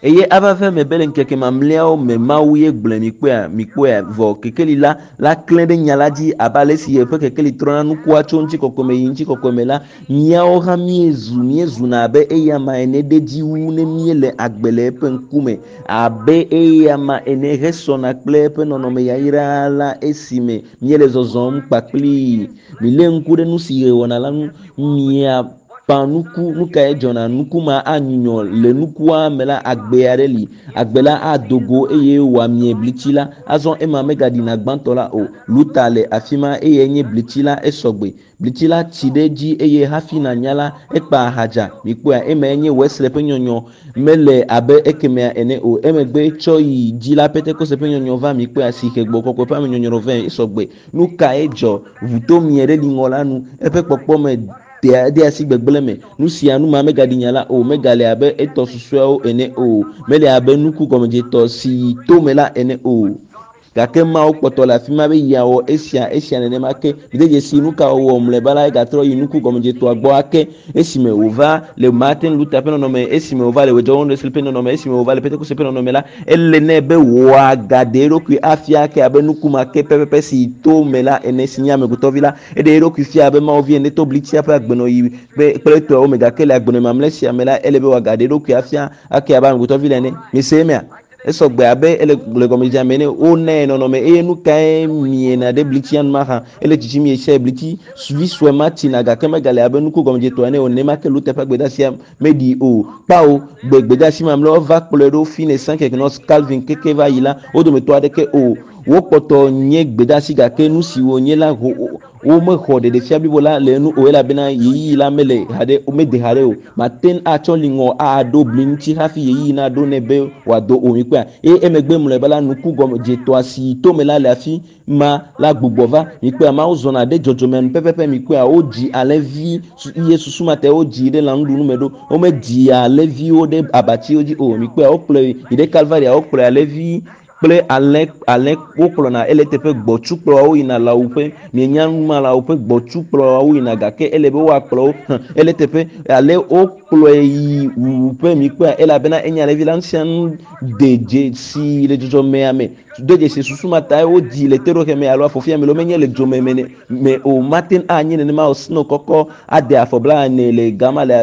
[SPEAKER 1] Eye ava ve me be le ŋkeke mamlɛawo me Mawu ye gblɔe mikpɔea mikpɔea vɔ kekeli la la klẽ ɖe nya la dzi abe ale si ʋe ƒe kekeli trɔna nukua tso ŋutikɔkɔe me yi ŋutikɔkɔe me la míawo hã míezu míezuna abe eyama ene ɖe dzi wu ne míele agbe le eƒe ŋkume abe eyama ene hesɔna kple eƒe nɔnɔme yayra la esime míele zɔzɔm kpakplii. Milé ŋku ɖe nu si ɣe wɔna la ŋu. Mia ƒã nuku, nu kae dzɔna? Nuku ma anyunyɔ le nukua me la agbe aɖe li. Agbe la ado go eye wòamie blitsi la. Azɔ ema megaɖina gbãtɔ la o. Luta le afi ma eye nye blitsi la esɔgbe. Blitsi la tsi ɖe edzi eye hafi nanya la ekpa ahadza. Mikpɔea emae nye Wesley ƒe nyɔnyɔ mele abe ekemea ene o. Emegbe tsɔ yi dzi la Pentekoste ƒe nyɔnyɔ va mikpɔea si he gbɔ kɔkɔe ƒe amenyɔnyrɔ vɛ esɔgbe. Nu kae dzɔ? Ʋuto mie ɖe liŋɔ la nu. Eƒe kpɔkpɔme de asi gbegblẽ me. Nu sia nu ma megaɖi nya la o. Megale abe etɔ susɔeawo ene o. Mele abe nuku gɔmedzetɔ si yi tome la ene o. Gake Mawu kpɔtɔ le afi ma be yeawɔ esia esia nenema ke. Mide dzesi nu ka wòwɔ mlɔeba la egatrɔ yi nuku gɔmedzetɔa gbɔ ake esime wòva le Martin Luther ƒe nɔnɔme, esime wòva le John Wesley ƒe nɔnɔme, esime wòva le Pentekoste ƒe nɔnɔme la, ele nɛ be wòagaɖe eɖokui afia ake abe nuku ma ke pɛpɛpɛ si yi tome la ene si nye amegbetɔvi la. Eɖe eɖokui fia abe Mawu vi ene to blitsia ƒe agbenɔɣi kple etɔawo me gake le agbenɔɣi mamlɛ sia me la ele be wòagaɖe eɖokui afia ake abe amegbetɔvi la ene. Mise emea? Esɔgbe abe ele le gɔmedzedzea me ene. Wonae nɔnɔme eye nu kae miena ɖe blitsia nu mahã. Ele tsitsim ɣe sia ɣi. Blitsi vi sue ma tsina gake megale abe nuku gɔmedzetɔ ene o. Nenema ke Luther ƒe gbedeasia meɖi o. Kpao gbe gbedeasi mamlɛawo va kplɔe ɖo Finney, Sankey, Knox, Calvin keke va yi la wo dometɔ aɖeke o. Wokpɔtɔ nye gbedeasi gake nu si wònye la womexɔ ɖeɖefia blibo la le enu o elabena ɣeyiɣi la mele haɖe mede haɖe o. Mate ŋu atsɔ liŋɔ aɖo bli ŋuti hafi ɣeyiɣi naɖo nɛ be wòado o mikpɔea. Eye emegbe mlɔeba la nuku gɔmedzetɔa si yi tome la le afi ma la gbugbɔ va mikpɔea. Mawu zɔna ɖe dzɔdzɔme nu pɛpɛpɛ mikpɔea. Wodzi alẽvi ye susu ma te wodzi ɖe lãnuɖunu me ɖo. Womedzi alẽviwo ɖe abatsiwo dzi o mikpɔea. Wokplɔe yi ɖe Kalvaria wokplɔe alẽvi kple alẽ alẽ wokplɔna ele teƒe gbɔtsu kplɔawo yina lãwuƒe. Mienya nu ma lãwuƒe gbɔtsu kplɔawo yina gake ele be woakplɔ wo ele teƒe ale wokplɔe yi wuwuƒe mikpɔea elabena enye alẽvi la nu sia nu de dzesi le dzɔdzɔmea me. De dzesi susu ma tae wodzi le teɖoxe me alo afɔfia me lo menye le dzome me me o. Mate ŋu anye nenema o. Snow kɔkɔ ade afɔ 40 le gama le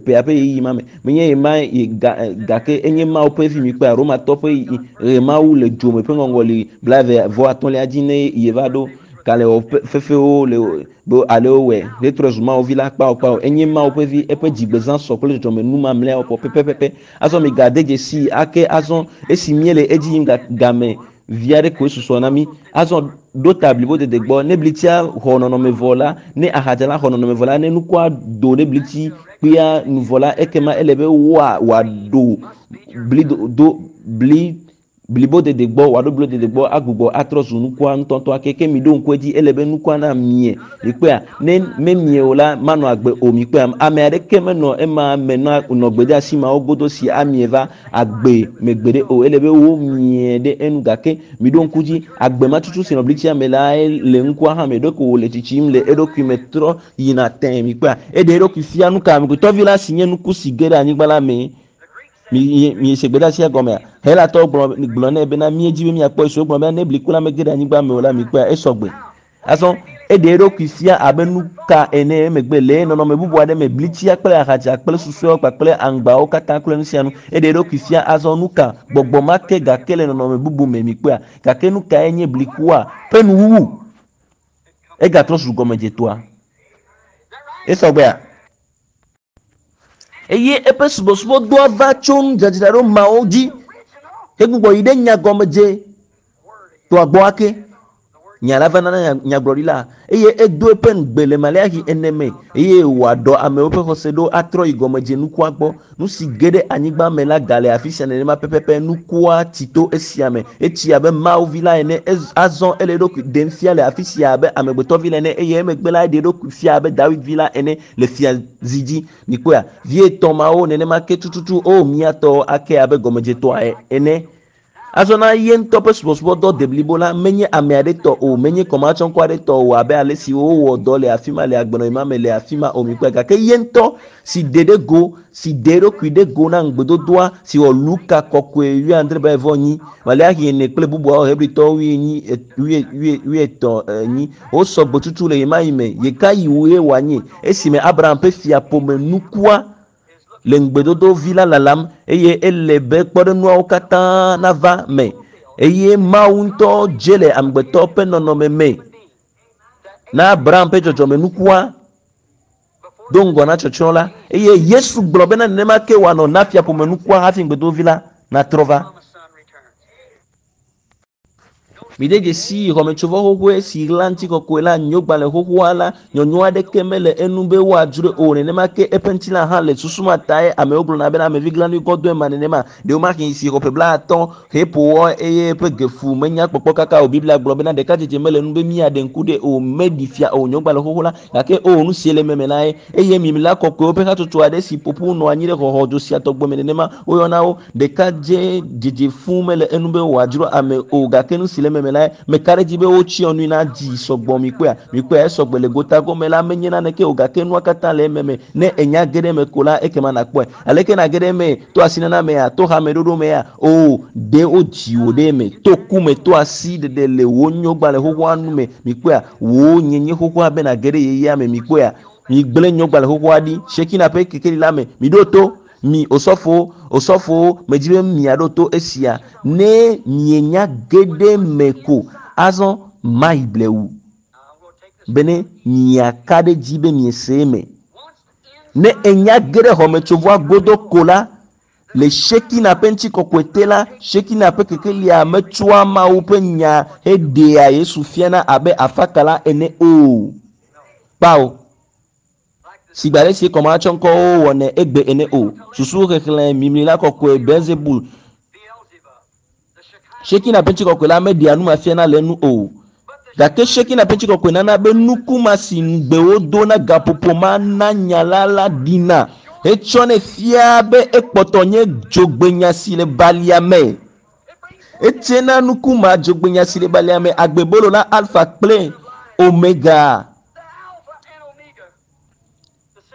[SPEAKER 1] ƒea ƒe ɣeyiɣi ma me. Menye ye ma ye ga gake enye Mawu ƒe vi mikpɔea Romatɔ ƒe ɣe Mawu le dzome ƒe ŋɔŋɔli 39 dzi ne ye va ɖo kalẽwɔ fefewo le be ale wowɔe hetrɔ zu Mawu vi la kpao kpao. Enye Mawu ƒe vi eƒe dzigbezã sɔ kple dzɔdzɔme nu mamlɛawo kpɔ pɛpɛpɛpɛ. Azɔ migade dzesi ake azɔ esi míele edzi yim game. Vi aɖe koe susɔ na mí. Azɔ ɖo ta blibodede gbɔ. Ne blitsia xɔ nɔnɔme vɔ la, ne ahadza la xɔ nɔnɔme vɔ la, ne nukua do ɖe blitsi kpuia nu vɔ la, ekema ele be woa wòaɖo bli do bli blibodede gbɔ, wòaɖo blibodede gbɔ agbugbɔ atrɔ zu nukua ŋutɔŋutɔ ake. Ke miɖo ŋku edzi, ele be nukua namie. Mikpɔea? Ne memie o la, manɔ agbe o. Mikpɔea? Ame aɖeke menɔ ema me nɔ nɔ gbedeasi mawo godo si amie va agbe me gbeɖe o. Ele be womie ɖe enu gake miɖo ŋku dzi, agbe ma tutu si nɔ blitsia me lae le ŋkua hã me. Ɖeko wòle tsitsim le eɖokui me trɔ yina tẽ. Mikpɔea? Eɖe eɖokui fia nuka? Amegbetɔvi la si nye nuku si ge ɖe anyigba la mee. Mi miese gbedeasia gɔmea? Helatɔwo gblɔ gblɔ nɛ bena míedzi be míakpɔ Yesu. Wogblɔ bena ne bliku la mege ɖe anyigba me o la, mikpɔea esɔgbe. Azɔ eɖe eɖokui fia abe nuka ene emegbe le nɔnɔme bubu aɖe me, blitsia kple ahadza kple susɔeawo kpakple aŋgbawo katã kple nu sia nu. Eɖe eɖokui fia azɔ nuka? Gbɔgbɔ ma ke gake le nɔnɔme bubu me mikpɔea. Gake nukae nye blikua ƒe nuwuwu? Egatrɔ zu gɔmedzetɔa. Esɔgbea? Eye eƒe subɔsubɔdɔa va tso nudzadzraɖo mawo dzi hegbugbɔ yi ɖe nyagɔmedze tɔa gbɔ ake. Nya la va nana nyagblɔɖila eye edo eƒe ŋugbe le Maleaxi ene me eye wòaɖɔ amewo ƒe xɔse ɖo atrɔ yi gɔmedze nukua gbɔ. Nu si ge ɖe anyigba me la gale afi sia nenema pɛpɛpɛ. Nukua tsi to esia me. Etsi abe Mawu vi la ene. Azɔ ele eɖokui ɖem fia le afi sia abe amegbetɔvi la ene eye emegbe la eɖe eɖokui fia abe Dawid vi la ene le fia zi dzi. Mikpɔea? Vi etɔ̃ mawo nenema ke tututu o mía tɔwo ake abe gɔmedzetɔa ene. Azɔ na ye ŋutɔ ƒe subɔsubɔdɔ deblibo la menye ame aɖe tɔ o, menye kɔmatsɔŋkɔ aɖe tɔ o abe ale si wowɔ dɔ le afi ma le agbenɔɣi ma me le afi ma o. Mikpɔe? Gake ye ŋutɔ si ɖe ɖe go, si ɖe eɖokui ɖe go na ŋugbedodoa si wɔ Luka kɔkɔe wuiadre blaeve enyi, Maleaxi ene kple bubuawo Hebritɔwo wuienyi, wui, wui, wuietɔ̃ enyi. Wosɔ gbe tutu le ɣemaɣi me. Ɣekaɣi wòe wòanye? Esime Abraham ƒe fiaƒome nukua le ŋugbedodo vi la lalam eye ele be kpɔɖeŋuawo katã nava me. Eye Mawu ŋutɔ dze le amegbetɔ ƒe nɔnɔme me na Abraham ƒe dzɔdzɔme nukua do ŋgɔ na tsɔtsrɔ̃ la. Eye Yesu gblɔ bena nenema ke wòanɔ na fiaƒome nukua hafi ŋugbedodo vi la natrɔ va. Mide dzesi xɔmetsovɔ xoxoe si ɣla ŋutikɔkɔe la nyogbalẽ xoxoa la, nyɔnyɔ aɖeke mele enu be woadzroe o. Nenema ke eƒe ŋutilã hã le susu ma tae amewo gblɔna bena amevi glanui gɔdɔe ma nenema. Ɖewomahi si xɔ ƒe blaatɔ̃ heƒo wɔ eye eƒe gefu menya kpɔkpɔ kaka o. Biblia gblɔ bena ɖekadzedze mele enu be míaɖe ŋku ɖe o, meɖi fia o nyogbalẽ xoxo la. Gake o, nu si le ememe lae. Eye mimla kɔkɔewo ƒe hatsotso aɖe si ƒo ƒu nɔ anyi ɖe xɔxɔdzo sia tɔgbe me nenema woyɔna wo. Ɖekadze dzedze fũ mele enu be wòadzro ame o, gake nu si le ememe lae, meka ɖe edzi be wotsyɔ nui na dzi sɔgbɔ. Mikpɔea? Mikpɔea? Esɔgbe le gotagome la, menye naneke o, gake nua katã le ememe. Ne ènya ge ɖe eme ko la, ekema nàkpɔe. Aleke nàge ɖe emee? To asinana mea? To hameɖoɖo mea? Oo, ɖe wodzi wò ɖe eme. To ku me, to asi ɖeɖe le wò nyogbalẽ xoxoa nu me. Mikpɔea? Wò nyenye xoxoa be nàge ɖe yeyea me. Mikpɔea? Migblẽ nyogbalẽ xoxoa ɖi. Shekina ƒe kekeli la me. Miɖo to. Mi osɔfowo, osɔfowo, medi be miaɖo to esia. Ne mienya ge ɖe eme ko, azɔ mayi blewu bene miaka ɖe edzi be miese eme. Ne enya ge ɖe xɔmetsovɔa godo ko la, le Shekina ƒe ŋutikɔkɔe te la, Shekina ƒe kekelia metsɔa Mawu ƒe nya heɖea Yesu fiana abe afakala ene o. Kpao. Sigbe ale si kɔmatsɔŋkɔwo wɔnɛ egbe ene o. Susu xexlẽ mimlila kɔkɔe Beelzebul Shekina ƒe ŋutikɔkɔe la meɖea nu ma fiana le enu o. Gake Shekina ƒe ŋutikɔkɔe nana be nuku ma si ŋugbe wodo na gaƒoƒo ma na nya la la ɖina hetsɔnɛ fiaa be ekpɔtɔ nye dzogbenya si le balia me. Etsena nuku ma dzogbenya si le balia me agbebolo la Alfa kple Omega.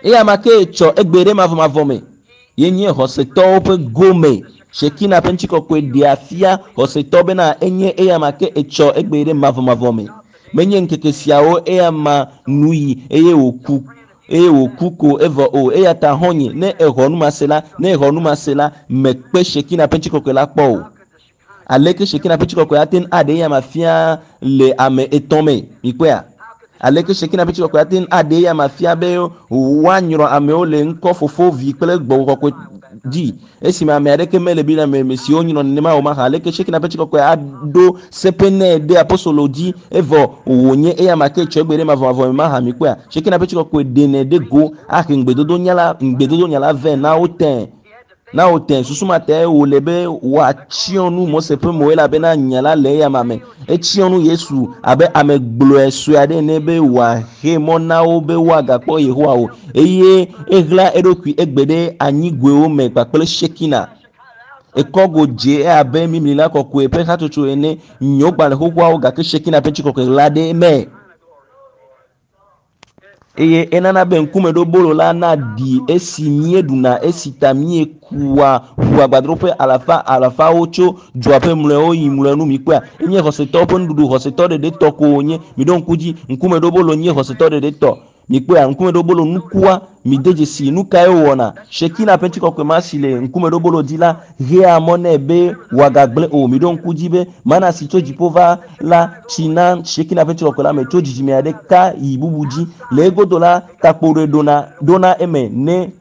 [SPEAKER 1] Eya ma ke tsɔ egbe ɖe mavɔmavɔ me. Ye nye xɔsetɔwo ƒe gome. Shekina ƒe ŋutikɔkɔe ɖea fia xɔsetɔ bena enye eya ma ke etsɔ egbe ɖe mavɔmavɔ me. Menye ŋkeke siawo eya ma nu yi eye wòku eye wòku ko evɔ o. Eya ta xɔ̃nye, ne èxɔ nu ma se la, ne èxɔ nu ma se la, mèkpe Shekina ƒe ŋutikɔkɔe la kpɔ o. Aleke Shekina ƒe ŋutikɔkɔe ate ŋu aɖe eya ma fia le ame etɔ̃ me? Mikpɔea? Aleke Shekina ƒe ŋutikɔkɔe ate ŋu aɖe eya ma fia be woanyrɔ amewo le ŋkɔ Fofo, Vi kple Gbɔgbɔ Kɔkɔe dzi esime ame aɖeke mele Biblia me me siwo nyrɔ nenema o mahã. Aleke Shekina ƒe tsikɔkɔe aɖo seƒe nɛ ɖe apostolo dzi evɔ wònye eya ma ke tsɔ egbe ɖe mavɔmavɔ me mahã mikpɔea? Shekina ƒe tsikɔkɔe ɖenɛ ɖe go ahe ŋugbedodo nya la ŋugbedodo nya la vɛ na wo tẽ na wo tẽ. Susu ma tae wòle be wòatsyɔ nu Mose ƒe mo elabena nya la le eyama me. Etsyɔ nu Yesu abe ame gblɔe sue aɖe ene be wòaxe mɔ na wo be woagakpɔ Yehowa o eye eɣla eɖokui egbe ɖe anyigoewo me kpakple Shekina. Ekɔgo dze abe mimlila kɔkɔe ƒe hatsotso ene nyo gbalẽ xoxoawo gake Shekina ƒe tsikɔkɔe ɣla ɖe eme. Eye enana be ŋkumeɖobolo la naɖi esi míeɖuna esi ta míekua ʋu agbadroƒe alafa alafawo tso dzoa ƒe mlɔewo yi mlɔenu mikpɔea enye xɔsetɔwo ƒe nuɖuɖu xɔsetɔ ɖeɖe tɔ ko wònye miɖo ŋku dzi ŋkumeɖobolo nye xɔsetɔ ɖeɖe tɔ mikpɔea ŋkumeɖobolo nukua mide dzesi nu kae wòwɔna Shekina ƒe ŋutikɔkɔe ma si le ŋkumeɖobolo dzi la hea mɔ nɛ be wòagagblẽ o miɖo ŋku dzi be mana si tso dziƒo va la tsi na Shekina ƒe ŋutikɔkɔe la me tso dzidzime aɖeka yi bubu dzi le egodo la takpo ɖe ɖona ɖona eme ne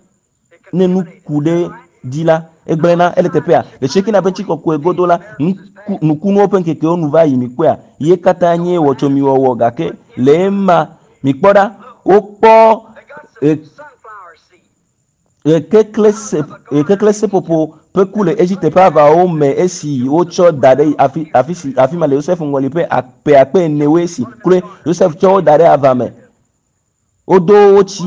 [SPEAKER 1] ne nu ku ɖe dzi la egblẽna ele teƒea le Shekina ƒe ŋutikɔkɔe godo la nuku nukunuwo ƒe ŋkekewo nu va yi mikpɔea ye katã nye wɔtsomiwɔwɔ gake le ema mikpɔ ɖa wokpɔ e ɣekekle seƒoƒo ƒe ku le Egipte ƒe aʋawo me esi wotsɔ da ɖe afi afi si afi ma le Yosef ŋɔli ƒe ƒe akpe enewoe esi kloe Yosef tsɔ wo da ɖe ava me. Wodo wotsi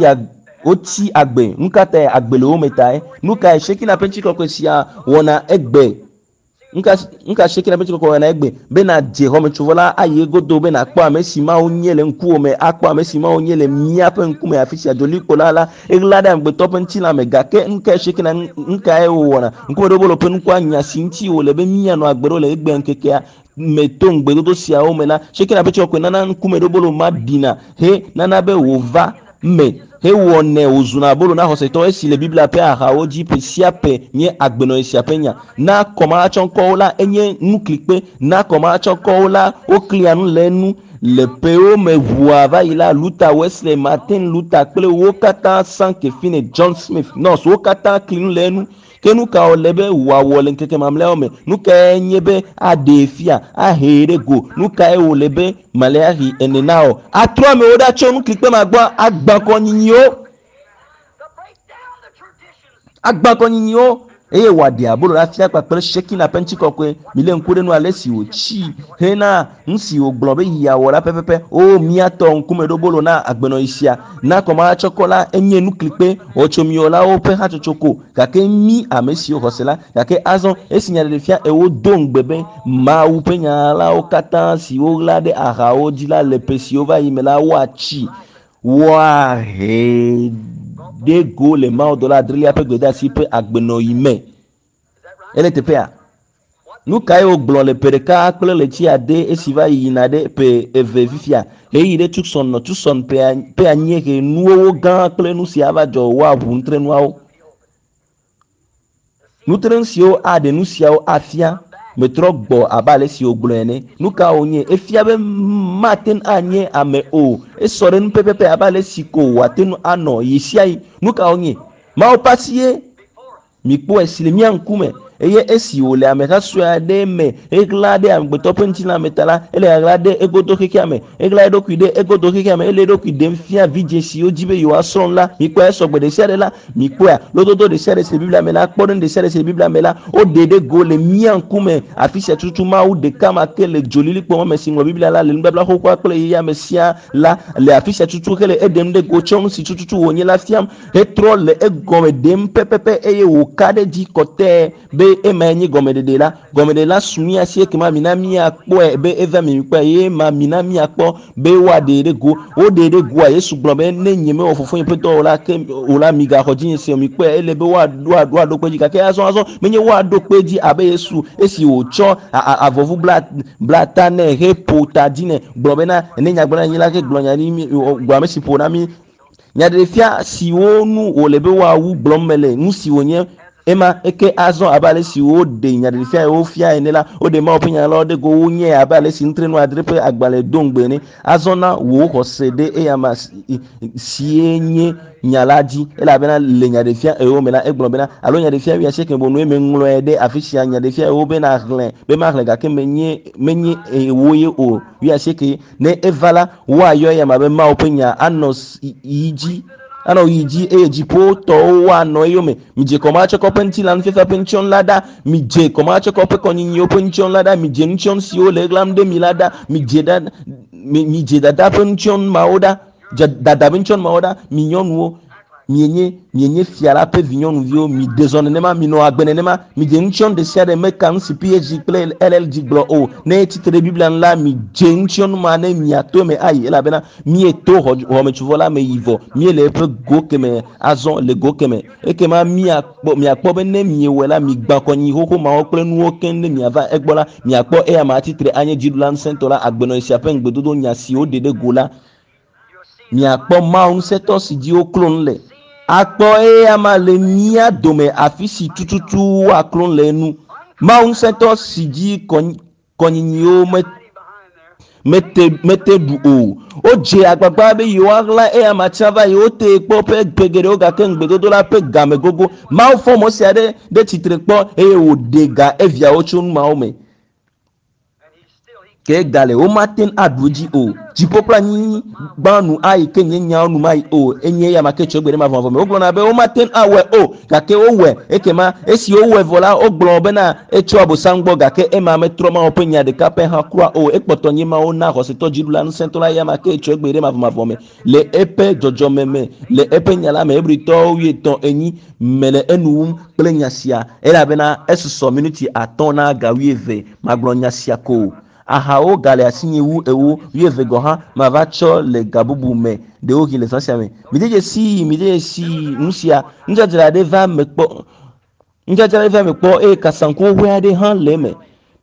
[SPEAKER 1] wotsi agbe. Nu ka tae agbe le wo me tae? Nu kae Shekina ƒe ŋutikɔkɔe sia wɔna egbe? Nuka nuka Shekina ƒe ŋutikɔkɔe wɔna egbe? Be nàdze xɔmetsovɔ la ayi egodo be nàkpɔ ame si Mawu nye le ŋkuwò me, akpɔ ame si Mawu nye le míaƒe ŋkume afi sia. Dzolikpo la la eɣla ɖe amegbetɔ ƒe ŋutilã me gake nu kae Shekina nu kae wòwɔna? Ŋkumeɖobolo ƒe nukua nya si ŋuti wòle be míanɔ agbe ɖo le egbea ŋkekea me to ŋugbedodo siawo me la, Shekina ƒe ŋutikɔkɔe nana ŋkumeɖobolo ma ɖina he nana be wòva me hewɔnɛ wòzuna abolo na xɔsetɔ esi le Biblia ƒe axawo dzi ƒe sia ƒe nye agbenɔɣi sia ƒe nya. Na kɔmahatsɔŋkɔwo la enye nuklikpe, na kɔmahatsɔŋkɔwo la woklia nu le enu. Le ƒewo me ʋua va yi la, Luther, Wesley, Martin Luther kple wo katã Sankey, Finney, John Smith, Knox, wo katã kli nu le enu. Ke nu ka wòle be wòawɔ le ŋkeke mamlɛawo me? Nu kae nye be aɖee fia, ahee ɖe go? Nu kae wòle be Maleaxi ene nawɔ? Atrɔ amewo ɖa tso nuklikpe ma gbɔ agbã kɔnyinyiwo, agbã kɔnyinyiwo eye wòaɖe abolo la fia kpakple Shekina ƒe ŋutikɔkɔe. Milé ŋku ɖe nu ale si wòtsi hena nu si wògblɔ be yeawɔ la pɛpɛpɛ. O míatɔ ŋkumeɖobolo na agbenɔɣi sia. Na kɔmahatsɔkɔ la enye nuklikpe wɔtsomiwɔlawo ƒe hatsotso ko gake mí ame siwo xɔse la gake azɔ esi nyaɖeɖefia ewo do ŋugbe be Mawu ƒe nya lawo katã si woɣla ɖe ahawo dzi la le ƒe siwo va yi me la woatsi woahe ɖe go le mawudɔla adrelia ƒe gbedeasi ƒe agbenɔɣi me. Ele teƒea? Nu kae wògblɔ le ƒe ɖeka kple ɣleti ade esi va yina ɖe ƒe eve fifia? Ɣeyiɣi ɖe Tucson nɔ Tucson ƒe anyiehe nuwowo gã kple nu si ava dzɔ woaʋu nutrenuawo. Nutrenu siwo aɖe nu siawo afia metrɔ gbɔ abe ale si wògblɔe ene. Nu ka wònye? Efia be mate ŋu anye ame o. Esɔ ɖe nu pɛpɛpɛ abe ale si ko wòate ŋu anɔ ɣesiaɣi. Nu ka wònye? Mawu ƒe asie mikpɔe si le mía ŋkume eye esi wòle ameha sue aɖe me eɣla ɖe amegbetɔ ƒe ŋutilã me ta la, ele ɣaɣla ɖe egodo xexea me. Eɣla eɖokui ɖe egodo xexea me. Ele eɖokui ɖem fia vidzĩ siwo dzi be yewoasrɔ̃ nu la. Mikpɔe esɔgbe ɖe sia ɖe la, mikpɔea lododo ɖe sia ɖe si le Biblia me la, kpɔɖeŋu ɖe sia ɖe si le Biblia me la, woɖe ɖe go le mía ŋkume. Afi sia tututu Mawu ɖeka ma ke le dzolilikpo ma me si ŋlɔ Biblia la le nubabla xoxoa kple yeyea me sia la le afi sia tututu hele eɖem ɖe go tsɔ nu si tututu wònye la fiam hetrɔ le egɔme ɖem pɛpɛpɛ eye wòka ɖe edzi kɔtɛe be emae nye gɔmeɖeɖe la. Gɔmeɖeɖe la su mía si ekema mina míakpɔe be eva mi mikpɔe eye ma mina míakpɔ be woaɖee ɖe go. Woɖee ɖe goa Yesu gblɔ be ne nye mewɔ fofonye ƒe dɔ o la ke o la migaxɔ dzinye se o mikpɔe ele be woaɖo kpe edzi gake azɔ azɔ menye woaɖo kpe edzi abe Yesu esi wòtsɔ avɔvu bla bla ta nɛ heƒo ta dzi nɛ gblɔ bena ne nyagblɔɖi anyi la ke gblɔ nya ɖi mi gblɔ ame si ƒo na mí. Nyaɖeɖefia siwo nu wòle be woawu gblɔm mele nu si wònye. Ema eke azɔ abe ale si woɖe nyaɖeɖefia yi wofia ene la, woɖe Mawu ƒe nya la ɖe go wonyae abe ale si nutrenu adre ƒe agbalẽ do ŋugbe ene. Azɔ na wò xɔse ɖe eyama sie nye nya la dzi elabena le nyaɖefia ewo me la egblɔ bena alo nyaɖefia wuiasieke bonue meŋlɔe ɖe afi sia nyaɖefia ewo bena xlẽ be maxlẽ gake menye menye ewo ye o wuiasieke ne eva la woayɔ eyama be Mawu ƒe nya anɔ yi dzi anɔ yi dzi eye dziƒotɔwo woanɔ eyome. Midze kɔmatsɔkɔ ƒe ŋutilã nufiafia ƒe nutsyɔnu la ɖa. Midze kɔmatsɔkɔ ƒe kɔnyinyiwo ƒe nutsyɔnu la ɖa. Midze nutsyɔnu siwo le ɣlam ɖe mi la ɖa. Midze ɖa midze dada ƒe nutsyɔnu mawo ɖa. Dada ƒe nutsyɔnu mawo ɖa. Mi nyɔnuwo mienye mienye fia la ƒe vinyɔnuviwo. Miɖe zɔ nenema, minɔ agbe nenema. Midze nutsyɔnu ɖe sia ɖe meka nu si PhD kple LLD gblɔ o. Ne tsitre ɖe Biblia nu la, midze nutsyɔnu ma ne miato eme ayi elabena mieto xɔmetsovɔ la me yi vɔ. Miele eƒe go keme azɔ le go keme. Ekema miakpɔ miakpɔ be ne miewɔe la, migbã kɔnyinyi xoxo mawo kple nuwo keŋ ne miava egbɔ la, miakpɔ eya ma atsitre anye dziɖula ŋusẽtɔ la, agbenɔɣi sia ƒe ŋugbedodo nya si woɖe ɖe go la. Miakpɔ Mawu ŋusẽtɔ si dzi woklo nu le. Akpɔ eya ma le mía dome afi si tututu woaklo nu le enu. Mawu ŋusẽtɔ si dzi kɔnyinyiwo mete mete ɖu o. Wodze agbagba be yewoaɣla eya ma tsã va yi wotee kpɔ ƒe ƒe geɖewo gake ŋugbedodo la ƒe game gogo. Mawu fɔ Mose aɖe ɖe tsitre kpɔ eye wòɖe ga eviawo tso nu mawo me. Ke gale womate ŋu aɖu edzi o. Dziƒo kple anyigba nu ayi ke nye nyawo nu mayi o. Enye eya ma ke tso egbe ɖe mavɔmavɔ me. Wogblɔna be womate ŋu awɔe o gake wowɔe. Ekema esi wowɔe vɔ la wogblɔ bena etso Abosam gbɔ gake ema metrɔ Mawu ƒe nya ɖeka pɛ hã kura o. Ekpɔtɔ nye Mawu na xɔsetɔ dziɖula ŋusẽtɔ la eya ma ke tso egbe ɖe mavɔmavɔ me le eƒe dzɔdzɔme me le eƒe nya la me. Hebritɔwo wuietɔ̃ enyi mele enu wum kple nya sia elabena esusɔ minuti atɔ̃ na ga wuieve. Magblɔ nya sia ko. Ahawo gale asinye wu ewo wuieve gɔ̃ hã mava tsɔ le ga bubu me ɖewohĩ le zã sia me. Mide dzesii, mide dzesii nu sia. Nudzadzra aɖe va me kpɔ nudzadzra aɖe va me kpɔ eye kasaŋku xoxoe aɖe hã le eme.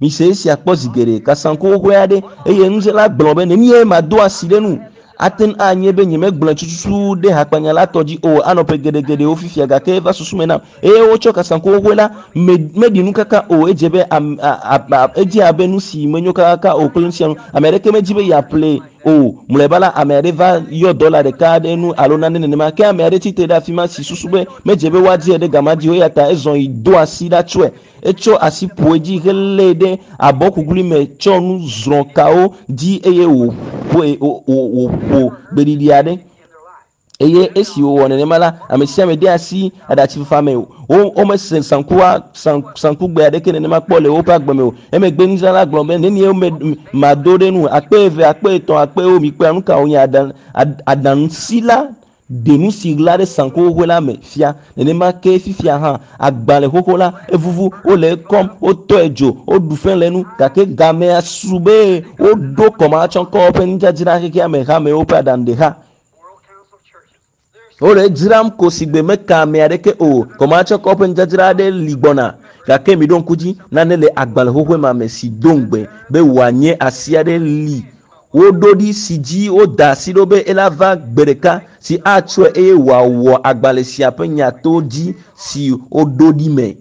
[SPEAKER 1] Mise esia kpɔ zi geɖe. Kasaŋku xoxoe aɖe eye nudzrala gblɔ be nenie mado asi ɖe nu. Ate ŋu anye be nyemegblɔe tututu ɖe hakpanya la tɔ dzi o anɔ ƒe geɖegeɖewo fifia gake eva susu me nam eye wotsɔ kasaŋku xoxoe la me meɖi nu kaka o. Edze be am, a, a, edze abe nu si menyo kakaka o kple nu sia nu. Ame aɖeke medzi be yeaƒlee o. Mlɔeba la, ame aɖe va yɔ dɔla ɖeka aɖe nu alo nane nenema ke ame aɖe tsitre ɖe afi ma si susu be medze be woadie ɖe gama dzi o eya ta ezɔ yi do asi ɖa tsɔe. Etsɔ asi ƒo edzi helée ɖe abɔkuklui me tsɔ nu zrɔ̃ kawo dzi eye wòƒoe wòƒo gbeɖiɖi aɖe. Eye esi wòwɔ nenema la, ame sia ame de asi aɖatsifafa me. Wo womese saŋkua saŋkugbe aɖeke nenema kpɔ le woƒe agbe me o. Emegbe nudzrala gblɔ be nenie me mado ɖe nu akpe eve, akpe etɔ̃, akpe ewo mikpɔa nu ka wònye aɖaŋusila ɖe nu si ɣla ɖe saŋku xoxoe la me fia. Nenema ke fifia hã agbalẽ xoxo la evuvu, wole ekɔm, wotɔe dzo, woɖu fe le enu gake gamea su be woɖo kɔmatsɔkɔ ƒe nudzadzra xexea me hamewo ƒe aɖaŋuɖeha. Wole edzram ko si gbe meka ame aɖeke o. Kɔmatsɔkɔ ƒe nudzadzra aɖe li gbɔna gake miɖo ŋku dzi nane le agbalẽ xoxoe ma me si do ŋugbe be wòanye asi aɖe li woɖo ɖi si dzi woda asi ɖo be ela va gbe ɖeka si atsɔe eye wòawɔ agbalẽ sia ƒe nyato dzi si woɖo ɖi me.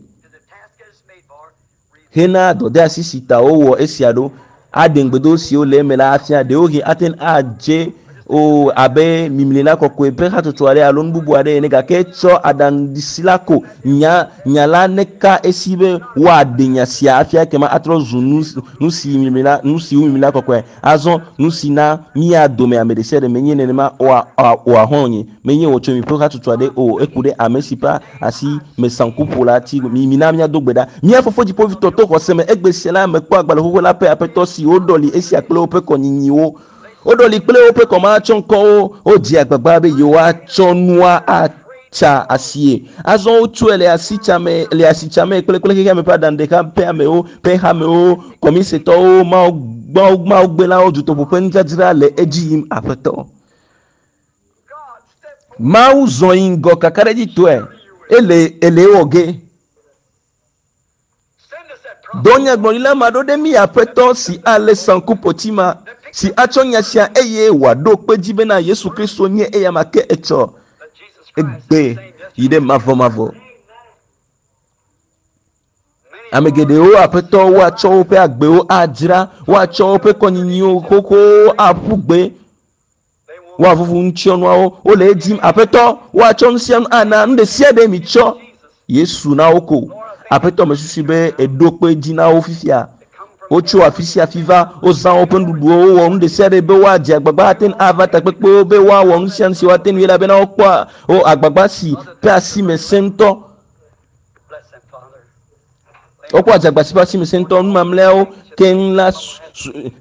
[SPEAKER 1] Hena dɔdeasi si ta wowɔ esia ɖo aɖe ŋugbedodo siwo le eme la afia. Ɖewohĩ ate ŋu adze o abe mimlila kɔkɔe ƒe hatsotso aɖe alo nu bubu aɖe ene gake etsɔ aɖaŋusila la ko nya nya la neka esi be woaɖe nya sia afia ekema atrɔ zu nu nu si mimlila nu si wu mimlila kɔkɔe. Azɔ nu si na mía dome ame ɖe sia ɖe menye nenema oa oa hɔ̃ nye menye wòtso mi ƒe hatsotso aɖe o eku ɖe ame si ƒe asi me saŋku la tsi mi mina míado gbe ɖa. Mía fofo dziƒovitɔ to xɔse me egbe sia la mekpɔ agbalẽ xoxo la ƒe aƒetɔ si woɖɔli esia kple woƒe kɔnyinyiwo. Woɖɔli kple woƒe kɔmatsɔŋkɔwo. Wodze agbagba be yewoatsɔ nua atsa asie. Azɔ wotsɔe le asitsame le asitsame kple kple xexeame ƒe aɖaŋuɖeha ƒe amewo ƒe hamewo kɔmisetɔwo mawu mawu mawugbelawo dutoƒo ƒe nudzadzra le edzi yim aƒetɔ. Mawu zɔ yi ŋgɔ kakaɖedzitɔe ele ele ewɔ ge. Dɔ nyagblɔɖila ma ɖo ɖe mí aƒetɔ si alé saŋkuƒoti ma si atsɔ nya sia eye wòaɖo kpe dzi bena Yesu Kristo nye eya ma ke etsɔ egbe yi ɖe mavɔmavɔ. Ame geɖewo aƒetɔ woatsɔ woƒe agbewo adzra, woatsɔ woƒe kɔnyinyiwo xoxowo aƒu gbe, woavuvu ŋutsiɔnuawo. Wole edim aƒetɔ, woatsɔ nu sia nu ana nu ɖe sia ɖe mi tsɔ Yesu na wo ko. Aƒetɔ mesusu be eɖo kpe dzi na wo fifia. Wotso afi sia afi va, wozã woƒe nuɖuɖuwo, wowɔ nu ɖe sia ɖe be woadze agbagba ate ŋu ava takpekpewo be woawɔ nu sia nu si woate ŋui elabena wokpɔa wo agbagba si ƒe asi me sẽ ŋutɔ. Wokpɔ adzagba si ƒe asi me sẽ ŋutɔ. Nu mamlɛawo keŋ la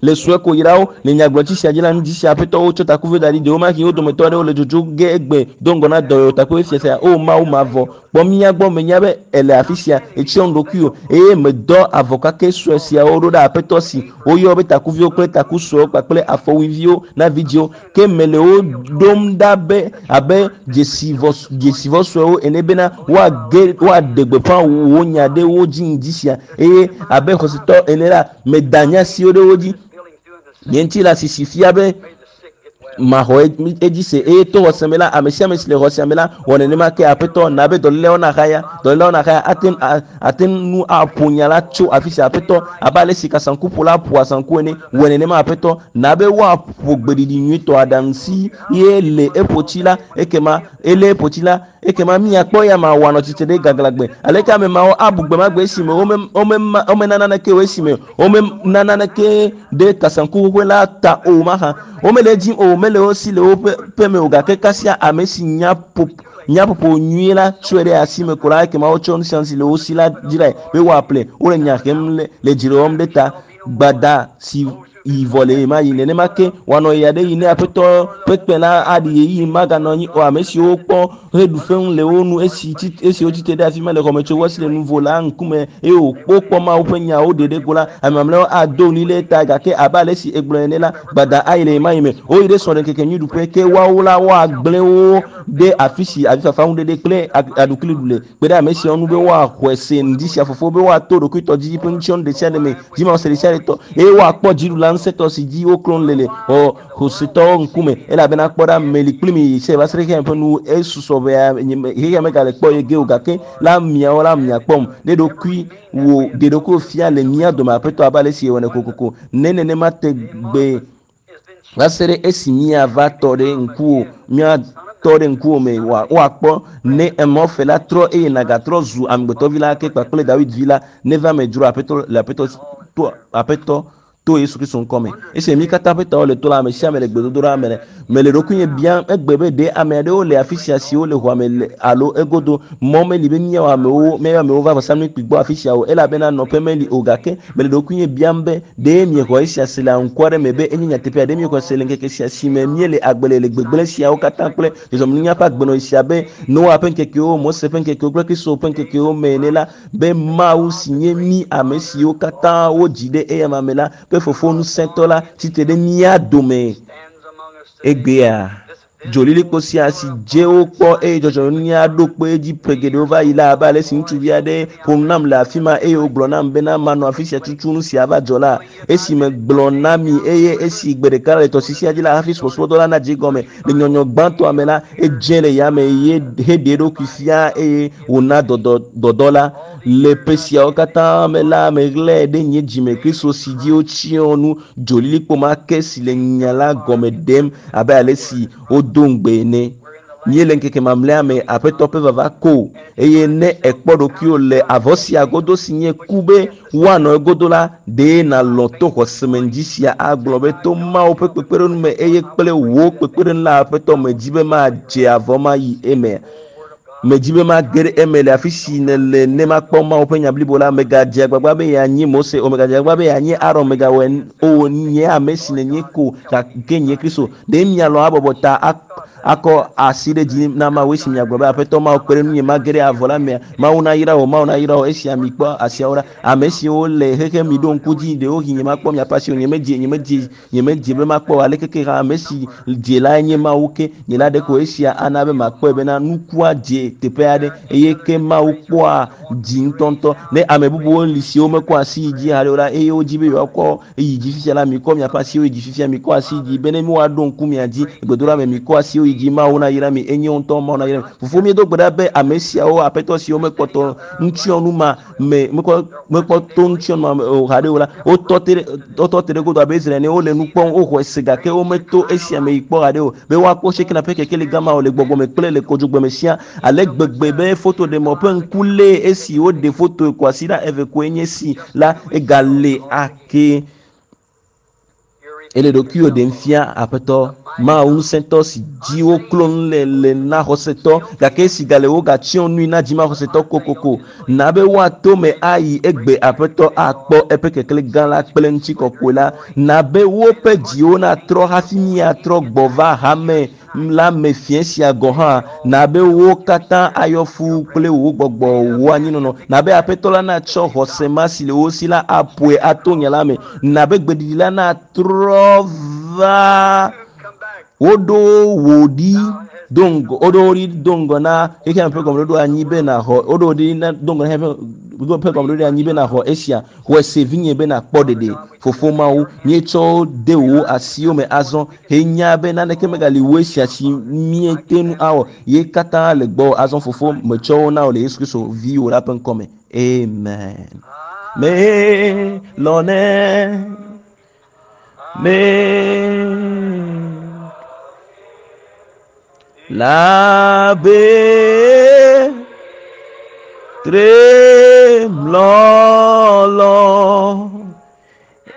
[SPEAKER 1] le sue ko yra wo le nyagblɔtsi sia dzi la ŋdi sia aƒetɔ wotsɔ takuviwo da ɖi ɖewomahi wo dometɔ aɖewo le dzodzo ge egbe do ŋgɔ na dɔyɔyɔ takpekpe fia sia. O Mawu mavɔ, kpɔ mía gbɔ menya be èle afi sia, ètsyɔ nu ɖokuiwò eye medɔ avɔ kakɛ sue siawo ɖo ɖe aƒetɔ si woyɔ be takuviwo kple taku suewo kpakple afɔwuiviwo na vidzĩwo ke mele wo ɖom ɖa be abe dzesivɔ suewo ene bena woage woaɖe gbeƒã wò nya ɖe wo dzi ŋdi sia eye abe xɔsetɔ ene la meda nya siwo ɖe wo dzi. Nye ŋuti la sisi fia be maxɔ edzi se eye to xɔse me la ame sia ame si le xɔsea me la wɔ nenema ke aƒetɔ na be dɔlélewo naxaya dɔlélewo naxaya ate ate nu aƒo nya la tso afi sia aƒetɔ abe ale si kasaŋkuƒola ƒoa saŋku ene wɔ nenema aƒetɔ na be woaƒo gbeɖiɖi nyuitɔ aɖaŋu si ye le eƒotsi la ekema ele eƒotsi la ekema miakpɔ ya ma wòanɔ tsitre ɖe gaglãgbe aleke ame mawo abu gbe ma gbe esime womena naneke o esime womena naneke ɖe kasaŋku xoxoe la ta o mahã womele edim o mele wo si le woƒe ƒeme o gake kasia ame si nya nyaƒoƒo nyuie la tsɔe ɖe asi me ko la ekema wotsɔ nu sia nu si le wo si la dzrae be woaƒle wole nya hem le dzre wɔm ɖe ta gbada si yi vɔ le ma yi nenema ke wòanɔ ya ɖe yi ne aƒetɔ ƒe kpẽ la aɖi ɣeyiɣi maganɔ anyi o ame siwo kpɔ heɖu feŋu le wo nu esi esi wotsite ɖe afi ma le xɔmetsovɔ si le nuvo la ŋkume eye wòkpɔ Mawu ƒe nyawo ɖe ɖe go la ame mamlɛawo ado ɣli ɖe ta gake abe ale si egblɔ ene la gbada ayi le ɣemaɣi me woyi ɖe srɔ̃ɖeŋkeke nyui ɖuƒe ke woawo la woagblẽ wo ɖe afi si avifafa ŋuɖeɖe kple aɖukli ɖu le kpe ɖe ame siawo nu be woaxɔe se ŋdi sia fofo be woato ɖokuitɔ dzi ƒe ŋutsiɔnu ɖe sia ɖe me dzimaxɔse ɖe sia ɖe tɔ eye woakpɔ dziɖula ŋusẽtɔ si dzi woklɔ nu le le xɔsetɔwo ŋkume elabena kpɔ ɖa meli kpli mi se va se ɖe xexea ƒe nu esusɔ ʋɛa xexea megale kpɔ ye ge o gake la miawo la miakpɔm ɖe ɖokui wò ɖe ɖokuiwò fia le mía dome aƒetɔ abe ale si ewɔnɛ kokoko ne nenema te gbe va se ɖe esi míava tɔ ɖe ŋkuwò mía tɔ ɖe ŋkuwò me woakpɔ ne emɔfe la trɔ eye nàgatrɔ zu amegbetɔvi la ke kpakple Dawid vi la neva me dzro aƒetɔ le aƒetɔ to aƒetɔ to Yesu Kristo ŋkɔ me. Esi mí katã ƒe tawo le to la, ame sia ame le gbedodoɖa me le mele ɖokuinye biam egbe be ɖe ame aɖewo le afi sia siwo le xɔa me le alo egodo mɔ meli be míawɔ amewo míayɔ amewo va vɔsamlekpui gbɔ afi sia o elabena nɔƒe meli o gake mele ɖokuinye biam be ɖe miexɔ esia se le aŋku aɖe me be enye nyateƒea ɖe miexɔ se le ŋkeke sia si me míele agbe le le gbegblẽ siawo katã kple dzɔdzɔmenunya ƒe agbenɔɣi sia be Noa ƒe ŋkekewo, Mose ƒe ŋkekewo kple Kristo ƒe ŋkekewo me ene la be Mawu si nye mí ame siwo katã wodzi ɖe eyama me la ƒe fofo ŋusẽtɔ la tsitre ɖe mía dome egbea. Dzolilikpo sia si dze wokpɔ eye dzɔdzɔmenunya ɖo kpe edzi ƒe geɖewo va yi la abe ale si ŋutsuvi aɖe ƒo nu nam le afi ma eye wògblɔ nam bena manɔ afi sia tutu nu sia va dzɔ la esi megblɔ na mi eye esi gbe ɖeka le tɔsisia dzi la hafi subɔsubɔdɔ la nadze gɔme le nyɔnyɔ gbãtɔa me la edze le yame ye heɖe eɖokui fia eye wòna dɔdɔ la le ƒe siawo katã me la meɣlae ɖe nye dzime Kristo si dzi wotsyɔ nu dzolilikpo ma ke si le nya la gɔme ɖem abe ale si wodo ŋugbe ene. Míele ŋkeke mamlɛa me aƒetɔ ƒe vava ko eye ne èkpɔ ɖokuiwò le avɔ sia godo si nye ku be woanɔ egodo la ɖe nàlɔ̃ to xɔseme ŋdi sia agblɔ be to Mawu ƒe kpekpeɖeŋu me eye kple wò kpekpeɖeŋu la aƒetɔ medzi be madze avɔ ma yi eme. Medzi be mage ɖe eme le afi si nèle ne makpɔ Mawu ƒe nya blibo la. Megadze agbagba be yeanyi Mose o, megadze agbagba be yeanyi Aron, megawɔe o. Nye ame si nènye ko gake nye Kristo. Ɖe mialɔ̃ abɔbɔ ta akɔ asi ɖe dzi na Mawu esi miagblɔ be Aƒetɔ Mawu kpe ɖe ŋunye mage ɖe avɔ la mea? Mawu nayra wò, Mawu nayra wò. Esia mikpɔ asiawo ɖa. Ame siwo le xexe mi ɖo ŋku dzi, ɖewohĩ nyemakpɔ miaƒe asi o, nyemedze, nyemedze, nyemedze be makpɔ o. Aleke ke hã ame si dze lae nye Mawu ke nye la ɖeko esia ana be makpɔe bena nukua dze. teƒe aɖe eye ke Mawu kpɔa dzi ŋutɔŋutɔ. Ne ame bubuwo li siwo mekɔ asi yi dzi haɖe o la eye wodzi be yewoakɔ yi dzi fifia la, mikɔ miaƒe asiwo yi dzi fifia, mikɔ asi yi dzi be ne woaɖo ŋku mia dzi. Gbedoɖa me mikɔ asiwo yi dzi, Mawu nayra mi, enye ŋutɔ Mawu nayra mi. Fofo míedo gbe ɖa be ame siawo aƒetɔ siwo mekpɔtɔ ŋutsyɔnu ma me mekpɔ mekpɔ to ŋutsyɔnu ma me o haɖe o la, wotɔ te ɖe wotɔ te ɖe godo abe Israel ene, wole nu kpɔm, woxɔe se gake wometo esia me yi kpɔ haɖe o be woakpɔ Shekina ƒe kekeli gã ma o le gbɔgbɔ me kple le kodzogbe me sia ale gbegbe be fotoɖemɔ ƒe ŋku lée esi woɖe foto kwasiɖa eve koe nye si la egale ake. Ele ɖokuiwò ɖem fia Aƒetɔ, Mawu ŋusẽtɔ si dzi woklo nu le le na xɔsetɔ, gake esi gale wogatsyɔ nui na dzimaxɔsetɔ kokoko. Na be woato me ayi egbe Aƒetɔ akpɔ eƒe keklẽ gã la kple ŋutikɔkɔe la. Na be woƒe dziwo natrɔ hafi míatrɔ gbɔ va hame la me fiẽ sia gɔ̃ hã, na be wo katã ayɔ fũu kple wò gbɔgbɔ, wò anyinɔnɔ. Na be Aƒetɔ la natsɔ xɔse ma si le wo si la aƒoe ato nya la me. Na be gbeɖiɖi la natrɔ va woɖo wò ɖi do ŋgɔ, woɖo wò ɖi do ŋgɔ na xexea me ƒe gɔmeɖoɖo anyi be nàxɔ, woɖo wò ɖi na do ŋgɔ na xexea me ƒe gɔmeɖoɖo anyi be nàxɔ esia. Xɔe se vinye be nàkpɔ ɖeɖe. Fofo Mawu, míetsɔ wo de wò asiwo me azɔ. Henya be naneke megali wu esia si míete ŋu awɔ. Ye katã le gbɔwò azɔ, Fofo, metsɔ wo na wò le Yesu Kristo, Viwò la ƒe ŋkɔ me. Amen. Melɔ̃nɛ. Me. Labe tremlɔlɔ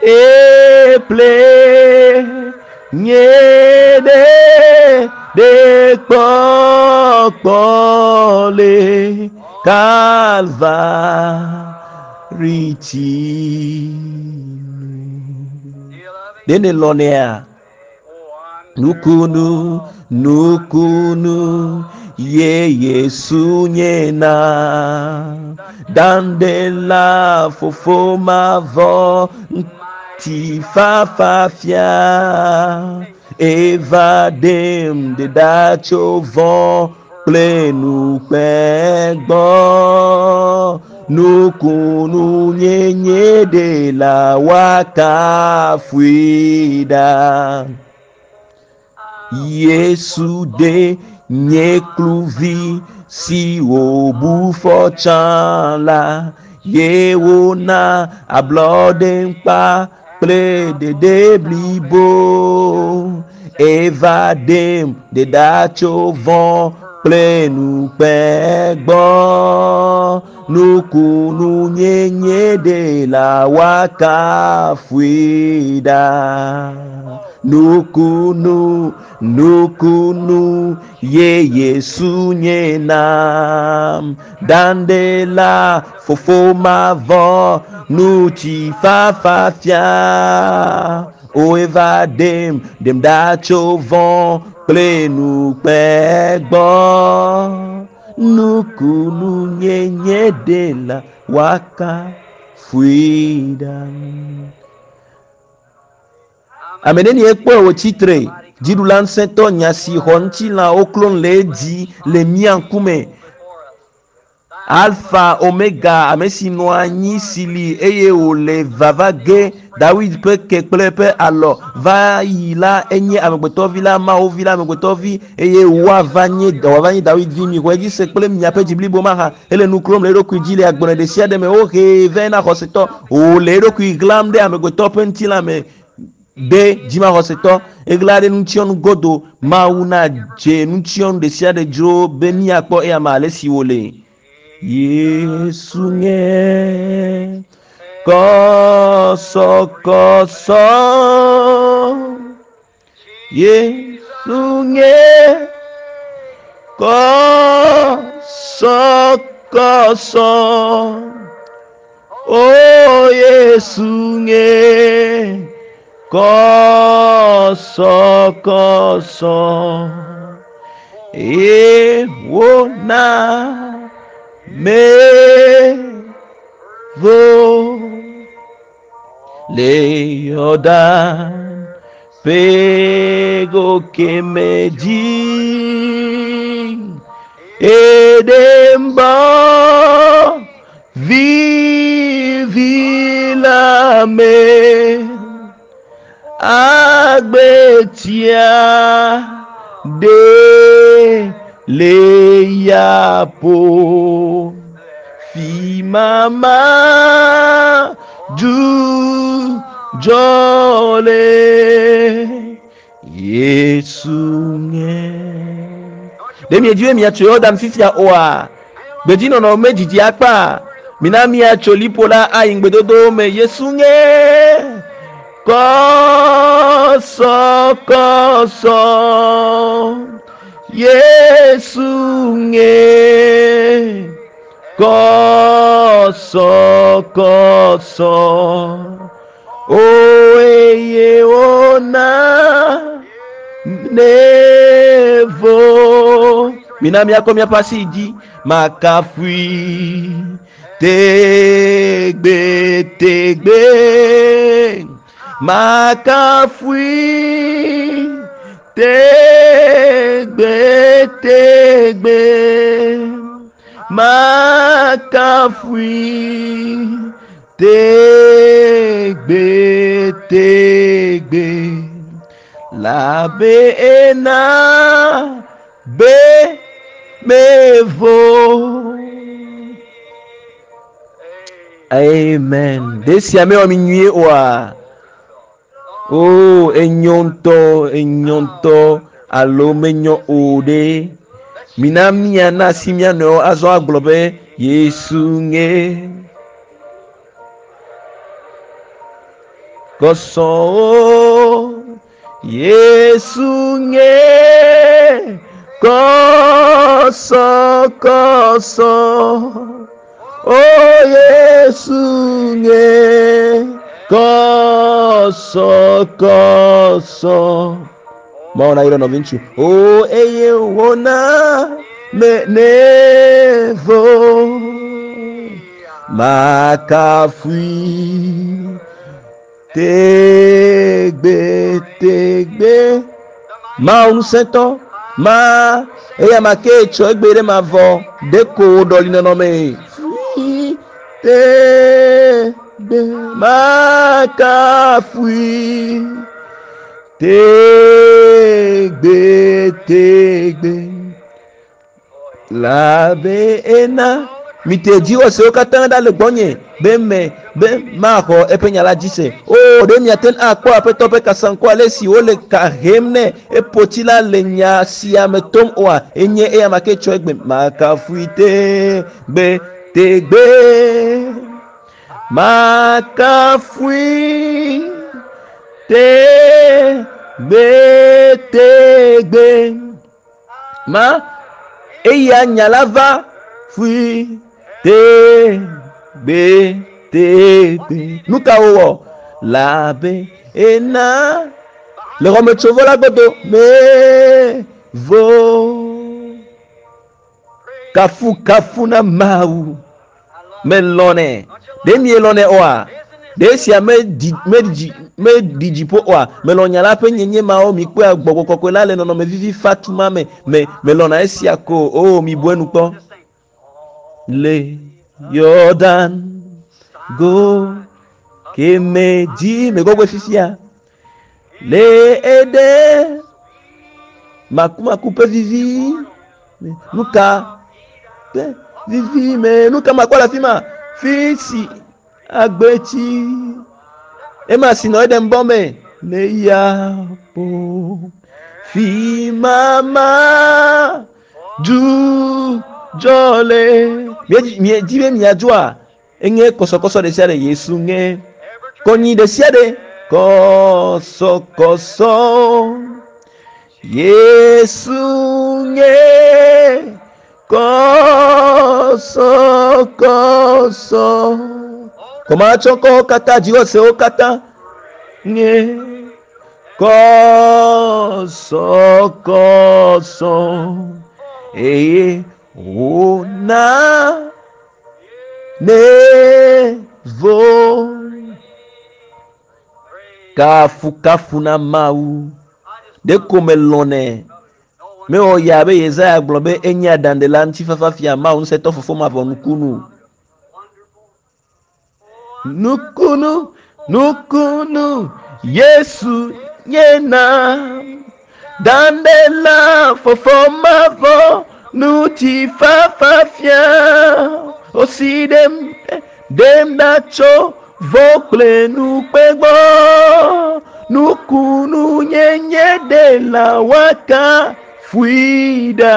[SPEAKER 1] eple nye ɖe ɖe kpɔkpɔ le Kalvari tsi. Ɖe nèlɔ̃nɛa? Nukunu, nukunu, ye Yesu nye na. Dandela fofo mavɔ, ŋutifafa fia. Eva ɖem ɖeɖa tso vɔ̃ kple nukpe gbɔ. Nukunu nyenye ɖela woakafui ɖa. Yesu ɖe nye kluvi si wòbu fɔ tsã la, ye wòna ablɔɖe ŋkpa kple ɖeɖe blibo. Eva ɖem ɖeɖa tso vɔ̃ kple nukpe gbɔ. Nukunu nyenye ɖela woakafui ɖa. Nukunu, nukunu ye Yesu nye nam. Dandela fofo mavɔ ŋutifafa fia. O eva ɖem, ɖem ɖa tso vɔ̃ kple nukpe gbɔ. Nukunu nyenye ɖela woakafui ɖa. Ame nenie kpɔe wòtsi tre? Dziɖula ŋusẽtɔ nya si xɔ ŋutilã woklon le edzi le mía ŋkume. Alfa, Omega, ame si nɔ anyi, si li eye wòle vava ge, Dawid ƒe ke kple eƒe alɔ va yi la, enye amegbetɔvi la, Mawu vi la, amegbetɔvi, eye woava nye, wòava nye Dawid vi. Mixɔe dzi se kple miaƒe dzi blibo mahã. Ele nu klom le eɖokui dzi le agblẽ ɖe sia ɖe me. Wohee vɛ na xɔsetɔ. Wòle eɖokui ɣlam ɖe amegbetɔ ƒe ŋutilã me ɖe dzimaxɔsetɔ. Eɣla ɖe nutsyɔnu godo. Mawu nadze nutsyɔnu ɖe sia ɖe dzro be míakpɔ eyama ale si wòle. Yesu nye kɔsɔkɔsɔ. Yesu nye kɔsɔkɔsɔ. O Yesu nye kɔsɔkɔsɔ. Ye wòna mevo le Yɔdan ƒe go keme dzi. Edembo vivi la me agbetia de le yapo fi mama du jole Yesu nye. Ɖe miedi be miatso Yɔdan fifia oa? Gbedzinɔnɔ medzidzi akpa. Mina miatso liƒo la ayi ŋugbedodowo me. Yesu nye kɔsɔkɔsɔ. Yesu nye kɔsɔkɔsɔ. O eye wona nevo. Mina miakɔ miaƒe asi dzi makafui tegbe tegbe makafui tegbe tegbe makafui tegbe tegbe labe ena be mevo. Amen. Ɖe sia mewɔ mi nyuie oa? O, enyo ŋutɔ, enyo ŋutɔ alo menyo o ɖe. Mina míana asi mía nɔewo azɔ agblɔ be Yesu nye kɔsɔwo. Yesu nye kɔsɔ kɔsɔ. O Yesu nye kɔsɔ kɔsɔ. Mawu na yrɔ nɔviŋutsu. O eye wòna me nevo. Makafui tegbe tegbe. Mawu ŋusẽtɔ ma eya ma ke tsɔ egbe ɖe mavɔ ɖeko ɖɔli nɔnɔme. Fui tegbe makafui tegbe tegbe. Labe ena mite dziwɔsewo katã ɖa le gbɔnye be me be maxɔ eƒe nya la dzi se. O ɖe miate ŋu akpɔ aƒetɔ ƒe kasaŋku ale si wole ka hem nɛ eƒotsi la le nya sia me tom oa? Enye eya ma ke tsɔ egbe makafui tegbe tegbe. Makafui tegbe tegbe. Ma eya nya la va fui tegbe tegbe. Nu ka wowɔ? Labe ena le xɔmetsovɔ la gbɔdo me vo. Kafu kafu na Mawu. Melɔnɛ. Ɖe mielɔnɛ oa? Ɖe esia meɖi meɖi meɖi dziƒo oa? Melɔ̃ nya la ƒe nyenye mawo. Mikpɔe gbɔgbɔ kɔkɔe la le nɔnɔme vivi fatu ma me. Me melɔ̃na esia ko. O, mibu enu kpɔ. Le Yɔdan go keme dzi megɔgɔe fifia. Le eɖe makumaku ƒe vivi. Nuka ƒe vivi me? Nuka makpɔ le afi ma? Fi si agbetsi ema si nɔ eɖem bɔ me le ya po. Fi mama du dzɔ le. Miedzi be miadzoa? Enye kɔsɔkɔsɔ ɖe sia ɖe Yesu nye. Kɔnyi ɖe sia ɖe kɔsɔkɔsɔ. Yesu nye kɔsɔkɔsɔ. Kɔmatsɔkɔwo katã dziwɔsewo katã nye kɔsɔkɔsɔ. Eye wòna nevo. Kafukafu na Mawu. Ɖeko melɔ̃nɛ. Mewɔ yaa be Yesaya gblɔ be enye aɖaŋɖela, ŋutifafafia, Mawu ŋusẽtɔ, Fofo mavɔ, nukunu. Nukunu, nukunu, Yesu nye na. Ɖaŋɖela, Fofo mavɔ, ŋutifafafia. Wosi ɖem, ɖem ɖa tso vɔ̃ kple nukpe gbɔ. Nukunu nyenye ɖela woakafui ɖa.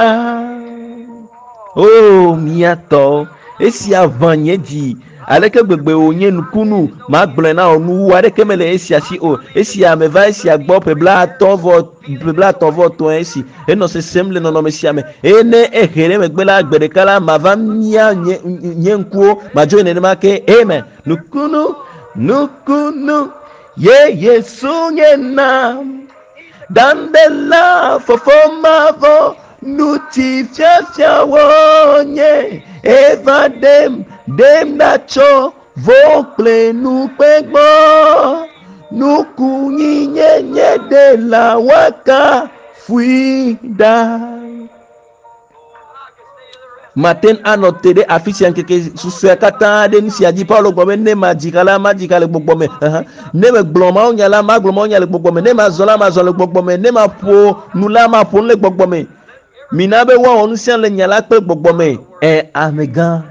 [SPEAKER 1] O mía tɔ, esia ʋã nye dzi. Aleke gbegbe wònye nukunu! Magblɔe na wò, nuwu aɖeke mele esia si o. Esia meva esia gbɔ ƒe blaatɔ̃ vɔ ƒe blaetɔ̃ vɔ etɔ̃e esi henɔ sesem le nɔnɔme sia me. Eye ne ehe ɖe megbe la, gbe ɖeka la, mava mia nye, nye ŋkuwo, madzoe nenema ke. Amen. Nukunu, nukunu, ye Yesu nye nam. Ɖaŋɖela fofo mavɔ ŋutifiafiawo nye eva ɖem ɖem ɖa tso vɔ kple nukpe gbɔ. Nukunyinyenye ɖela woakafui ɖa. Mate ŋu anɔ te ɖe afi sia ŋkeke susɔea katã ɖe nu sia dzi. Paulo gblɔ be, ne madzi ha la, madzi ha le gbɔgbɔ me. Ne megblɔ mawunya la, magblɔ mawunya le gbɔgbɔ me. Ne mazɔ la, mazɔ le gbɔgbɔ me. Ne maƒo nu la, maƒo nu le gbɔgbɔ me. Mina be woawɔ nu sia le nya la kple gbɔgbɔ me. Ɛ, amegã.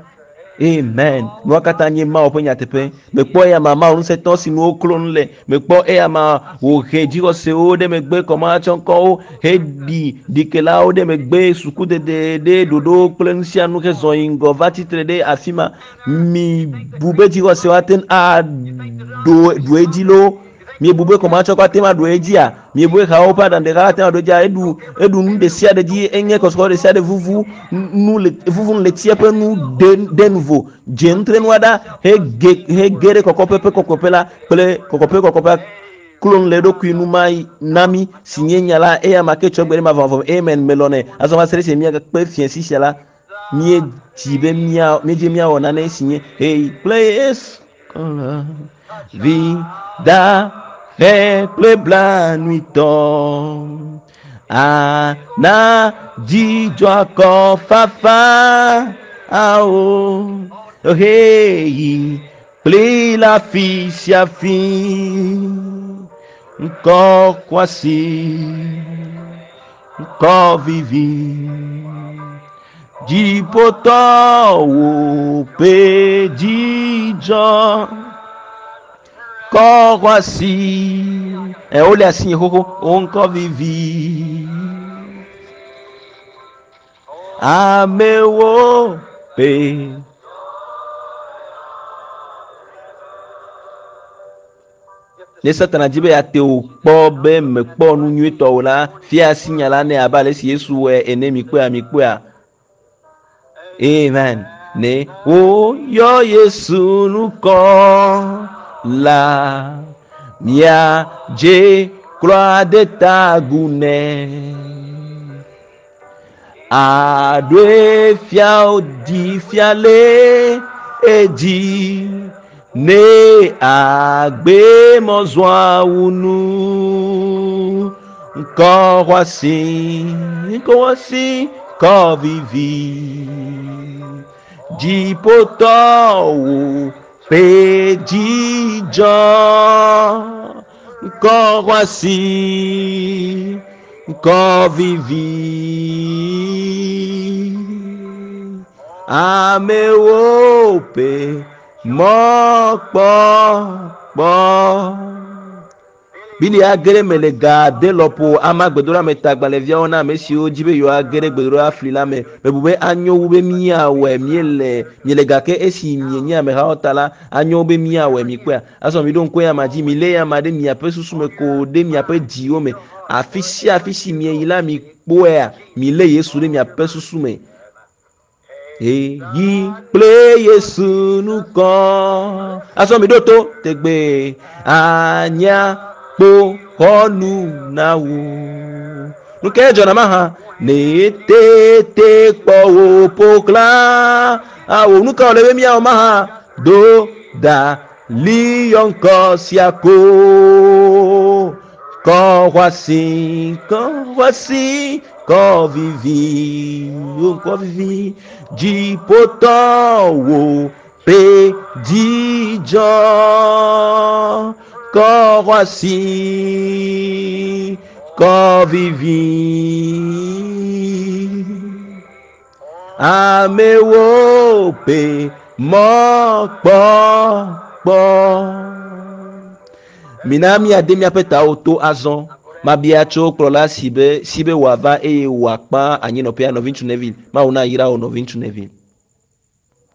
[SPEAKER 1] Amen. Nua katã nye Mawu ƒe nyateƒe. Mekpɔ eya ma Mawu ŋusẽtɔ si nu woklo nu le. Mekpɔ eya ma wòhe dzixɔsewo ɖe megbe, kɔmahatsɔŋkɔwo heɖi ɖikelawo ɖe megbe, sukudede ɖe ɖoɖowo kple nu sia nu hezɔ yi ŋgɔ va tsitre ɖe afi ma. Mibu be dzixɔsewo ate ŋu aɖo ɖu edzi loo. Miebu be kɔmahatsɔkɔ ate ŋu aɖu edzia? Miebu be hawo ƒe aɖaŋuɖeha ate ŋu aɖu edzia? Eɖu eɖu nu ɖe sia ɖe dzi, enye kɔsɔkɔsɔ ɖe sia ɖe vuvu nu le vuvu nu le tsia ƒe nu ɖe ɖe nuvo dze nutrenua ɖa hege hege ɖe kɔkɔƒe ƒe kɔkɔƒe la kple kɔkɔƒe kɔkɔƒea klo nu le eɖokui nu ma na mí si nye nya la eya ma ke tsɔ gbe ɖe mavɔmavɔ me. Amen. Melɔ̃nɛ. Azɔ va se ɖe esime míagakpe fiẽ si sia la, míedzi be mía míedzi míawɔ nane si nye hey kple Yesu. Vida he kple blanuitɔ ana dzidzɔ akɔfafa awo heyi kpli le afi sia fi ŋkɔ kwasi ŋkɔ vivi. Dziƒotɔwo ƒe dzidzɔ kɔ xɔasi. Ɛ wole asi xoxo, wo ŋkɔ vivi. Amewo ƒe Ne Satana di be yeate wò kpɔ be mèkpɔ nu nyuitɔ o la, fia asi nya la nɛ abe ale si Yesu wɔe ene. Mikpɔea? Mikpɔea? Amen. Ne woyɔ Yesu ŋkɔ la, miadze klo ade ta agu nɛ. Aɖoe fia di fia le edzi ne agbe mɔzɔa wu nu. Ŋkɔ xɔasi, ŋkɔ xɔasi, ŋkɔ vivi. Dziƒotɔwo ƒe dzidzɔ. Ŋkɔ xɔasi, ŋkɔ vivi. Amewo ƒe mɔkpɔkpɔ. Bili age ɖe eme le ga ade lɔƒo ama gbedoɖa me ta agbalẽviawo na ame siwo di be yewoage ɖe gbedoɖa fli la me. Mebu be anyo wu be míawɔe míele miele gake esi mienye amehawo ta la, anyo wu be míawɔe. Mikpɔea? Azɔ miɖo ŋku eyama dzi, milé eyama ɖe miaƒe susu me ko ɖe miaƒe dziwo me. Afi sia afi si mieyi la, mikpɔea, milé Yesu ɖe miaƒe susu me. Eyi kple Yesu nukɔ. Azɔ miɖo to tegbe anya kpo xɔnu na wo. Nu kae dzɔna mahã? Ne tete kpɔ wò ƒo xlã awò. Nu ka wòle be míawɔ mahã? Do da liyɔ ŋkɔ sia ko. Kɔ xɔasi, kɔ xɔasi, Ŋkɔ vivi, o ŋkɔ vivi, dziƒotɔwo ƒe dzidzɔ. Ŋkɔ xɔasi, ŋkɔ vivi. Amewo ƒe mɔkpɔkpɔ. Mina míade míaƒe tawo to azɔ. Mabia tso kplɔla si be si be wòava eye wòakpa anyinɔƒea nɔviŋutsu Neville. Mawu nayra wò nɔviŋutsu Neville.